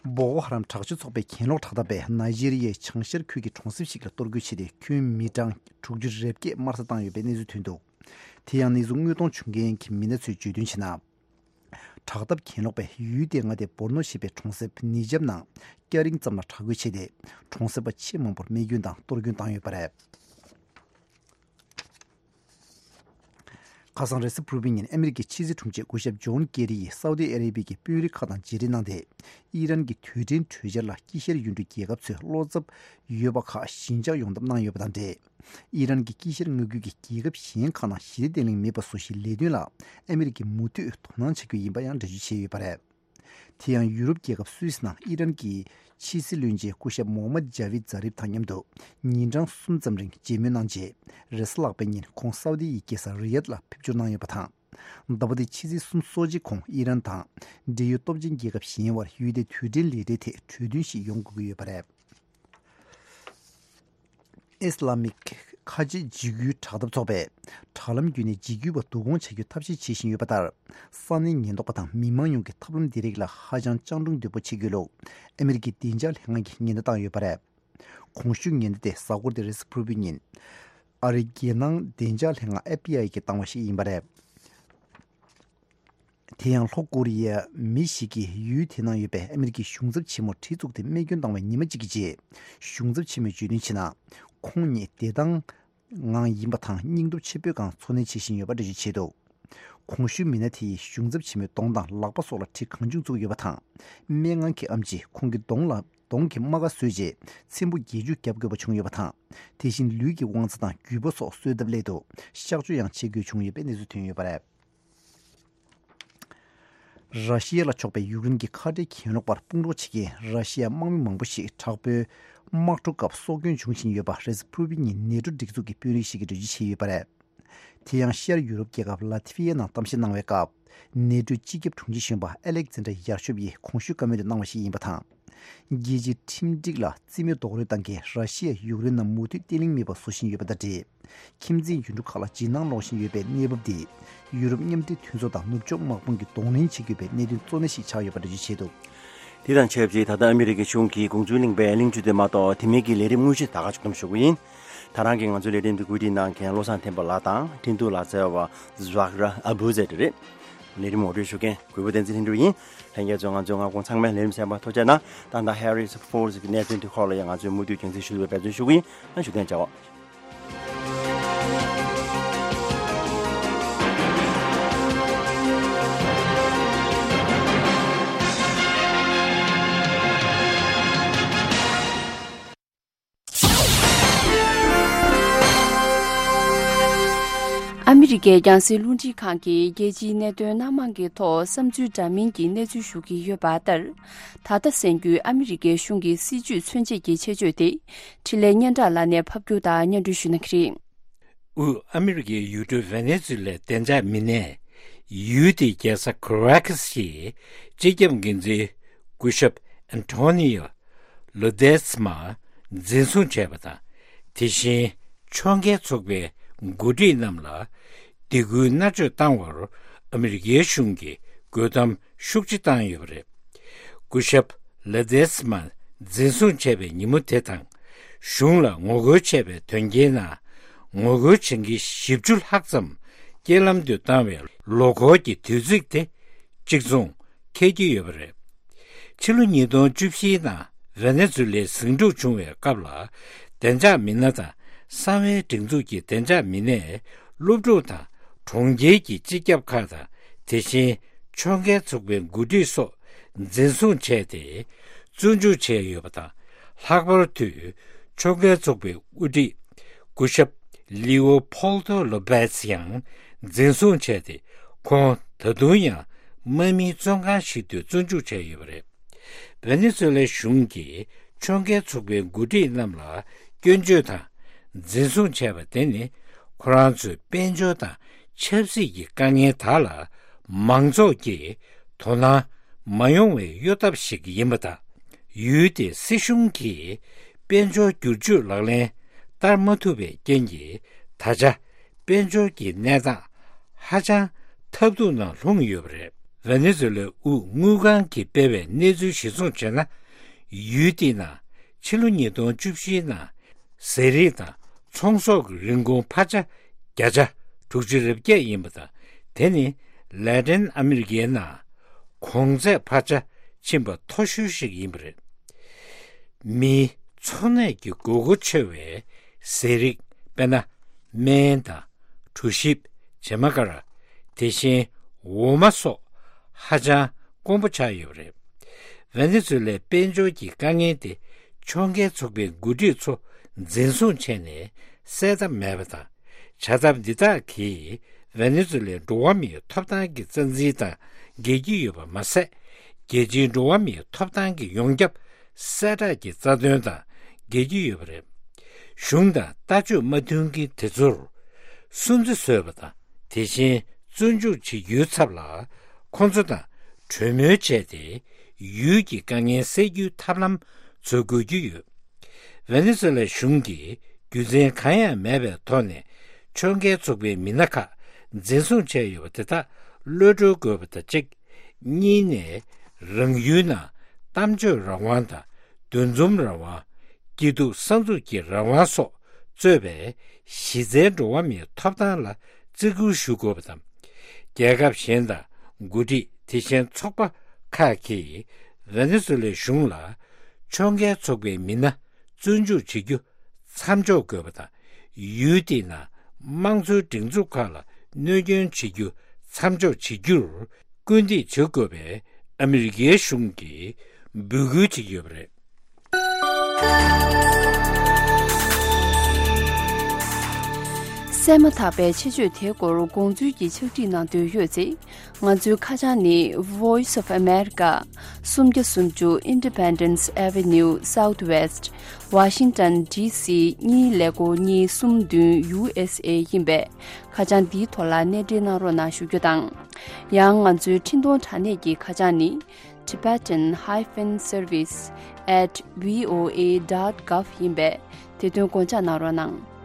བོ་ཀོ་ཧ་རམ་དྲག་སྤྱོད་ཚོགས་པའི་གྱེན་ལོག་དྲག་འཐབ་པས་ནཱི་ཇི་རི་ཡའི་བྱང་ཤར་ཁུལ་གྱི་གྲོང་གསེབ་ཞིག་ལ་གཏོར་རྒོལ་བྱས་ཏེ་ཁྱོན་མི་གྲངས་དྲུག་ཅུ་རེ་བརྒྱད་དམར་གསོད་བཏང་ཡོད་པའི་གནས་ཚུལ་ཐོན་འདུག་དེ་ཡང་གནས་ཚུལ་དངོས་མཐོང་བྱུང་མཁན་གྱི་མི་སྣ་ཚོས་བརྗོད་དོན་བྱས་ན། དྲག་འཐབ་གྱེན་ལོག་པས་ཡུལ་དེའི་མངའ་སྡེ་བོར་ནོ་ཞེས་པའི་གྲོང་གསེབ་ནི་ཇབ་ནང་སྐྱ་རེངས་ཙམ་ལ་དྲག་རྒོལ་བྱས་ཏེ་གྲོང་གསེབ་པ་ཆེས་མང་པོར་རྨས་སྐྱོན་དང་གཏོར་སྐྱོན་བཏང་ཡོད་པ་རེད། ཁ་སང་རེས་གཟའ་ཕུར་བུའི་ཉིན་ཨ་མི་རི་ཀའི་ཕྱི་སྲིད་དྲུང་ཆེ་སྐུ་ཞབས་ཇོན་ཀེ་རི་ཡིས་སའུ་ཏི་ཨ་རེ་བི་ཡའི་དཔོན་རིགས་ཁག་དང་མཇལ་འཕྲད་གནང་སྟེ། ཨི་རན་གྱི་དུས་དྲན་གྲོས་འཆར་ལ་དཀྱིལ་ཤར་ཡུལ་གྲུའི་རྒྱལ་ཁབ་ཚོས་བློ་འཚབ་ཡོད་པ་ཁག་ཞི་འཇགས་ཡོང་ཐབས་གནང་ཡོད་པ་དང་འབྲེལ། ཨི་རན་གྱིས་དཀྱིལ་ཤར་མངའ་ཁུལ་གྱི་རྒྱལ་ཁབ་གཞན་ཁག་ནང་ཞི་བདེ་བརྟན་ལྷིང་མེད་པ་བཟོ་གཞིའི་ལས་དོན་ལ་ཨ་མི་རི་ཀས་མུ་མཐུད་དོ་སྣང་བྱ་རྒྱུ་ཡིན་པ་ཡང་འགྲེལ་བརྗོད་བྱས་ཡོད་པ་རེད། དེ་ཡང་ཡུ་རོབ་རྒྱལ་ཁབ་སུད་སི་ནང་ཨི་རན་གྱི་ཕྱི་སྲིད་བློན་ཆེན་སྐུ་ཞབས་མོ་ཧམ་མད་ཇཱ་བིད་ཛཱ་རིབ་དང་མཉམ་དུ་ཉིན་གྲངས་གསུམ་ཙམ་རིང་མཇལ་མོལ་གནང་རྗེས། རེས་གཟའ་ལྷག་པའི་ཉིན་ཁོང་སའུ་དི་ཡི་རྒྱལ་ས་རི་ཡད་ལ་ཕེབས་འབྱོར་གནང་ཡོད་པ་དང་། ཟླ་བ་འདིའི་ཕྱི་ཚེས་གསུམ་སོ་གཅིག་གོང་ཨི་རན་དང་འབྲེལ་ཡོད་སྟོབས་ཆེན་རྒྱལ་ཁབ་གཞན་བར་ཡུལ་དེའི་དུས་དྲན་ལས་གྲྭའི་ཐད་གྲོས་མཐུན་ཞིག་ཡོང་དགོས་ཀྱི་ཡོད་པ་རེད། ཨི་སི་ལ་མིག་ཁ་ཆེ་འཇིགས་སྐུལ་དྲག་འཐབ་ཚོགས་པས་དྲ་ལམ་བརྒྱུད་ནས་འཇིགས་སྐུལ་བ་བསྡུ་སྐོང་བྱ་རྒྱུའི་ཐབས་ཤེས་བྱེད་བཞིན་ཡོད་པ་ལྟར། ས་གནས་ཉེན་རྟོག་པ་དང་མི་མང་ཡོངས་ཀྱིས་ཐབས་ལམ་འདི་རིགས་ལ་ཧ་ཅང་སྤྱང་གྲུང་དོད་པོ་བྱེད་དགོས་ལུགས་ཨ་མི་རི་ཀའི་བདེ་འཇགས་ལྷན་ཁང་གིས་ཉེན་བརྡ་བཏང་ཡོད་པ་རེད། གོང་ཞུས་ཉེན་བརྡ་དེ་གཟའ་འཁོར་འདིའི་རེས་གཟའ་ཕུར་བུའི་ཉིན་ཨ་རིའི་རྒྱལ་ནང་བདེ་འཇགས་ལྷན་ཁང་ཨེཕ་བི་ཨའི་གིས་བཏང་བ་ཞིག་ཡིན་པ་རེད། དེ་ཡང་ལྷོ་ཀོ་རི་ཡའི་མི་ཞིག་གིས་ཡུལ་དེ་ནང་ཡོད་པའི་ཨ་མི་རི་ཀའི་གཞུང་ཚབ་ཆེན་མོར་གྲི་བཙུགས་ཏེ་རྨས་སྐྱོན་བཏང་བའི་ཉི་མ་གཅིག་གི་རྗེས། གཞུང་ཚབ་ཆེན་མོས་བརྗོད་དོན་བྱས་ན། ཁོང་ཉིད་བདེ་ཐང་ངང་ཡིན་པ་དང་སྙིང་སྟོབས་ཆེན་པོའི་སྒང་འཚོ་གནས་བྱེད་བཞིན་ཡོད་པ་འགྲེལ་བརྗོད་བྱས་འདུག་གོང་ཞུས་མི་སྣ་དེ་ཡིས་གཞུང་ཚབ་ཆེན་མོའི་གདོང་དང་ལག་པ་སོགས་ལ་གྲི་གང་བྱུང་བཙུགས་ཡོད་པ་དང་། སྨན་ཁང་གི་ཨེམ་ཆིས་ཁོང་གི་གདོང་ལ་གདོང་གི་རྨ་ཁ་བཟོས་རྗེས་ཚེམ་བུ་བརྒྱད་ཅུ་བརྒྱབ་དགོས་པ་བྱུང་ཡོད་པ་དང་། དེ་བཞིན་ལུས་ཀྱི་དབང་རྩ་དང་རྒྱུས་པ་སོགས་གསོ་ཐབས་སླད་དུ་གཤག་བཅོས་ཡང་བྱེད་དགོས་བྱུང་ཡོད་པའི་གནས་ཚུལ་ཐོན་ཡོད་པ་རེད། ར་ཤི་ཡ་ལ་ཕྱོགས་པའི་ཡུཀ་རེན་གྱི་ཁ་བྲལ་གྱེན་ལོག་པར་དཔུང་རོགས་བྱེད་མཁན་ར་ཤི་ཡའི་དམག་མི་མང་པོ་ཞིག་དྲག་པོའི་དམག་འཁྲུག་སྐབས་སྲོག་སྐྱོན་བྱུང་བཞིན་ཡོད་པ་རེས་གཟའ་ཕུར་བུའི་ཉིན་ནེ་ཏྲོ་སྒྲིག་འཛུགས་ཀྱི་དཔོན་རིགས་ཤིག་གིས་འགྲེལ་བརྗོད་བྱས་ཡོད་པ་རེད། དེ་ཡང་ཤར་ཡུ་རོབ་རྒྱལ་ཁབ་ལ་ཐི་ཝི་ཡའི་ནང་གཏམ་བཤད་གནང་བའི་སྐབས། ནེ་ཏྲོའི་སྤྱི་ཁྱབ་དྲུང་ཆེ་གཞོན་པ་ཨེ་ལེག་ཛན་ཏྲ་ཡར་ཤོབ་ཡིས་གོང་ཞུས་བཀའ་མོལ་དུ་གནང་བ་ཞིག་ཡིན་པ་དང་། རྒྱལ་སྤྱིའི་ཁྲིམས་སྒྲིག་ལ་རྩིས་མེད་རྡོག་རོལ་བཏང་མཁན་ར་ཤི་ཡས་ཡུཀ་རེན་ནང་མུ་མཐུད་བརྟན་ལྷིང་མེད་པ་བཟོ་བཞིན་ཡོད་པ་དང་འབྲེལ། ཁྱིམ་མཚེས་ཡུལ་གྲུ་ཁག་ལ་འཇིགས་སྣང་སློང་བཞིན་ཡོད་པའི་གནས་བབ་འདིས། ཡུ་རོབ་མཉམ་འབྲེལ་མཐུན་ཚོགས་དང་ནུབ་ཕྱོགས་དམག་དཔུང་གིས་གདོང་ལེན་བྱེད་དགོས་པའི་གནད་དོན་གཙོ་གནད་ཞིག་ཆགས་ཡོད་པ་འགྲེལ་བརྗོད་བྱས་འདུག་དེ་དང་ཆབས་ཅིག་ད་ལྟ་ཨ་མི་རི་ཀའི་གཞུང་གིས་གུང་སུན་གླིང་པའི་གླིང་ཆུ་དེ་མ་གཏོགས་དེ་མིན་གྱི་ལས་རིམ་དངོས་གཞི་ད་ག་ཕྱོགས་བསྡོམས་ཞུ་གི་ཡིན། ད་རང་གིས་ང་ཚོའི་ལས་རིམ་འདི་བཀོད་སྒྲིག་གནང་མཁན་བློ་བཟང་བསྟན་པ་ལགས་དང་འཕྲིན་གཏོང་ལག་རྩལ་བ་ཛཱག་ར་ཨ་བུ་ཛེ་ཏི་རེད། ལས་རིམ་ངོ་སྤྲོད་ཞུ་མཁན་གུས་པ་བསྟན་འཛིན་ལྷུན་གྲུབ་ཡིན། ལྷན་རྒྱས་ཚོ་ང་ཚོའི་མངའ་ཁོངས་ཚང་མའི་ལས་རིམ་གསན་པར་ཐུགས་རྗེ་གནང་། ད་ལྟ་ཧེ་རི་སི་ཕོར་སི་གི་གནད་དོན་དེ་སྐོར་ལ་ཡང་ང་ཚོས་མུ་མཐུད་རྒྱང་སྲིང་ཞུ་བའི་འབད་བརྩོན་ཞུ་གི་ཡིན། ཨ་ཞུ་མཁན་བྱའོ། ཨ་མི་རི་ཀའི་རྒྱང་སྲིང་རླུང་འཕྲིན་ཁང་གིས་རྒྱལ་སྤྱིའི་གནད་དོན་སྣ་མང་གི་ཐོག་བསམ་ཚུལ་འདྲ་མིན་གྱི་གནས་ཚུལ་ཞུ་གི་ཡོད་པ་ལྟར། ད་ལྟ་གསན་རྒྱུའི་ཨ་མི་རི་ཀའི་གཞུང་གི་སྲིད་ཇུས་མཚོན་བྱེད་ཀྱི་ཆེད་བརྗོད་དེ། འཕྲིན་ལས་སྙན་གྲགས་ལགས་ནས་ཕབ་སྒྱུར་དང་སྙན་སྒྲོན་ཞུ་གནང་གི་རེད། དབུས་ཨ་མི་རི་ཀའི་ཡུལ་གྲུ་ཝེ་ནེ་ཛུ་ལའི་བདེ་འཇགས་མི་སྣས། ཡུལ་དེའི་རྒྱལ་ས་ཁ་ར་ཀ་སི་ཡི་སྤྱི་ཁྱབ་འགན་འཛིན་སྐུ་ཞབས་ཨན་ཐོ་ནི་ཡོ་ལོ་དེས་མ་འཛིན་བཟུང་བྱས་པ་དང་། དེ་བཞིན་ཕྱོགས་འགལ་ཚོགས་པའི་འགོ་ཁྲིད་རྣམས་ལ་སྡིགས་སྐུལ་མནར་གཅོད་བཏང་བར་ཨ་མི་རི་ཀའི་གཞུང་གིས་རྒོལ་གཏམ་ཤུགས་ཆེ་བཏང་ཡོད་པ་རེད། སྐུ་ཞབས་ལ་དེས་མ་འཛིན་བཟུང་བྱས་པའི་ཉིན་མོ་དེ་དང་། གཞུང་ལ་ངོ་རྒོལ་བྱས་པའི་དོན་རྐྱེན་ནང་ངོ་རྒོལ་བྱེད་མཁན་བཞི་བཅུ་ལྷག་ཙམ་རྐྱེན་ལམ་དུ་བཏང་བའི་ལོ་འཁོར་གྱི་དུས་ཚིགས་དེ་གཅིག་མཚུངས་འཁེལ་གྱི་ཡོད་པ་རེད། ཕྱི་ལོ་ཉིས་སྟོང་བཅུ་བཞིའི་ནང་ཝེ་ནེ་ཛུ་ལའི་ཟིང་འཁྲུག་བྱུང་བའི་སྐབས་ལ། བདེ་འཇགས་མི་སྣ་དང་གསང་བའི་སྒྲིག་འཛུགས་ཀྱི་བདེ་འཇགས་མི་སྣས་སློབ་ཕྲུག་དང་གྲོང་ཁྱེར་གྱི་སྤྱི་ཁྱབ་ཁག་དང་། དེ་བཞིན་ཕྱོགས་འགལ་ཚོགས་པའི་འགོ་ཁྲིད་སོགས་འཛིན་བཟུང་བྱས་ཏེ། བཙོན་འཇུག་བྱས་ཡོད་པ་དང་། ལྷག་པར་དུ་ཕྱོགས་འགལ་ཚོགས་པའི་དབུ་ཁྲིད་སྐུ་ཞབས་ལི་ཨོ་ཕོལ་ཏོ་ལོ་པེས་ཡང་འཛིན་བཟུང་བྱས་ཏེ། ཁོང་ད་དུང་ཡང་དམག་མིའི་བཙོན་ཁང་ཞིག་ཏུ་བཙོན་འཇུག་བྱས་ཡོད་པ་རེད། ཝེ་ནེ་ཛུ་ལའི་གཞུང་གིས་ཕྱོགས་འགལ་ཚོགས་པའི་འགོ་ཁྲིད་རྣམས་ལ་སྐྱོན་བརྗོད་དང་འཛིན་བཟུང་བྱས་པ་དེ་ནི། ཁོ་རང་ཚོའི་དཔལ་འབྱོར་དང་ཆབ་སྲིད་ཀྱི་དཀའ་ངལ་དག་ལ་མང་ཚོགས་ཀྱིས་དོ་སྣང་མ་ཡོང་བའི་གཡོ་ཐབས་ཤིག་ཡིན་པ་དང་། ཡུལ་དེའི་སྲིད་གཞུང་གིས་དཔལ་འབྱོར་བསྒྱུར་བཅོས་ལག་ལེན་བསྟར་མ་ཐུབ་པའི་རྐྱེན་གྱིས། ད་ཆ་དཔལ་འབྱོར་གྱི་གནས་སྟངས་ཧ་ཅང་ཐབས་སྡུག་ནང་ལྷུང་ཡོད་པ་རེད། ཝེ་ནེ་ཛུ་ལའི་དབུས་དངུལ་ཁང་གིས་སྤེལ་བའི་གནས་ཚུལ་གཞིར་བཟུང་བྱས་ན། ཡུལ་དེའི་ནང་ཕྱི་ལོ་ཉིས་སྟོང་བཅུ་བཞིའི་ནང་ཟས་རིགས་དང་ཚོང་ཟོག་གི་རིན་གོང་འཕར་ཆ་བརྒྱ་ཆ་དྲུག་ཅུ་རེ་བརྒྱད་ཡིན་པ་དང་། དེ་ནི་ལེ་ཏིན་ཨ་མི་རི་ཀའི་ནང་གོང་ཚད་འཕར་ཆ་ཕྱིན་པ་མཐོ་ཤོས་ཤིག་ཡིན་པ་རེད། མིའི་འཚོ་གནས་ཀྱི་དགོས་མཁོ་ཆེ་བའི་ཟས་རིགས། དཔེར་ན། སྨན་དང་། གྲོ་ཞིབ། བྱེ་མ་ཀ་ར། དེ་བཞིན་འོ་མ་སོགས་ཧ་ཅང་དཀོན་པོ་ཆགས་ཡོད་པ་རེད། ཝེ་ནེ་ཛུ་ལའི་དཔལ་འབྱོར་གྱི་དཀའ་ངལ་དེ་ཕྱོགས་འགལ་ཚོགས་པའི་འགོ་ཁྲིད་ཚོ་འཛིན་བཟུང་བྱས་ནས་སེལ་ཐབས་མེད་པ་དང་། བྱ་ཐབས་འདི་དག་གིས་ཝེ་ནེ་ཛུ་ལའི་འགྲོ་བ་མིའི་ཐོབ་ཐང་གི་རྩ་འཛིན་དང་འགལ་གྱི་ཡོད་པ་མ་ཟད། རྒྱལ་སྤྱིའི་འགྲོ་བ་མིའི་ཐོབ་ཐང་གི་ཡོངས་ཁྱབ་གསལ་བསྒྲགས་ཀྱི་རྩ་དོན་དང་འགལ་གྱི་ཡོད་པ་རེད། གཞུང་དང་ལྟ་སྤྱོད་མ་མཐུན་མཁན་དེ་ཚོར་སུན་གཙེར་བཟོས་པ་དང་། དེ་བཞིན་བཙོན་འཇུག་བྱེད་རྒྱུའི་ཚབ་ལ་ཁོང་ཚོ་དང་གྲོས་མོལ་བྱས་ཏེ། ཡུལ་གྱི་དཀའ་ངལ་སེལ་རྒྱུའི་ཐབས་ལམ་འཚོལ་དགོས་ཀྱི་ཡོད། ཝེ་ནེ་ཛུ་ལའི་གཞུང་གིས་རྒྱུ་མཚན་གང་ཡང་མེད་པའི་ཐོག་ནས་ཕྱོགས་འགལ་ཚོགས་པའི་མི་སྣ་ཁག་འཛིན་བཟུང་བྱས་ཡོད་པ་དེ་དག་གློད་བཀྲོལ་དགོས་པ་དང་གཅིག་གཉིས་ནས། རང་ཡུལ་ནང་གཏམ་བརྗོད་རང་དབང་དང་། འདུ་འཛོམས་རང་དབང་། སྐྱིད་སྡུག་བསམ་ཚུལ་གྱི་རང་དབང་སོགས་གཙོས་པའི་གཞི་རྩའི་འགྲོ་བ་མིའི་ཐོབ་ཐང་ལ་བརྩི་བཀུར་ཞུ་དགོས་པ་དང་། རྒྱལ་ཁབ་གཞན་དང་འགོ་ཁྲིད། དེ་བཞིན་ཚོགས་པ་ཁག་གིས་ཝེ་ནེ་ཛུ་ལའི་གཞུང་ལ་ཕྱོགས་འགལ་ཚོགས་པའི་མི་སྣ་བཙོན་འཇུག་བྱེད་རྒྱུ་མཚམས་འཇོག་དགོས་པ་དང་། ཡུལ་དེའི་ནང་དམངས་གཙོའི་སྒྲིག་འཛུགས་ཁག་ལ་གནོད་སྐྱོན་བྱེད་རྒྱུ་མཚམས་འཇོག་བྱེད་རྒྱུར་སྐུལ་འདེད་བྱེད་དགོས་པའི་ཨ་མི་རི་ཀའི་གཞུང་གིས་འབོད་སྐུལ་བྱེད་ཀྱི་ཡོད་པ་རེད། གསན་མ་ཐག་པའི་ཆེད་བརྗོད་དེའི་སྐོར་དགོངས་ཚུལ་གྱི་ཕྱག་བྲིས་གནང་འདོད་ཡོད་ཚེ། ང་ཚོའི་ཁ་བྱང་ནི། Voice of America། སུམ་བརྒྱ་སུམ་ཅུ་Independence Avenue Southwest། Washington D C གཉིས་ཀླད་ཀོར་གཉིས་གསུམ་བདུན། U S A ཡིན་པས། ཁ་བྱང་འདིའི་ཐོག་ལ་གནས་འབྲེལ་གནང་རོགས་གནང་ཞུ་རྒྱུ་དང་། ཡང་ང་ཚོའི་འཕྲིན་གཏོང་དྲ་གནས་ཀྱི་ཁ་བྱང་ནི། Tibetan hyphen service at V O A dot gov ཡིན་པས། དེ་དོན་དགོངས་འཇགས་གནང་རོགས་གནང་།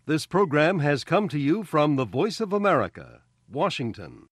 This program has come to you from the Voice of America, Washington.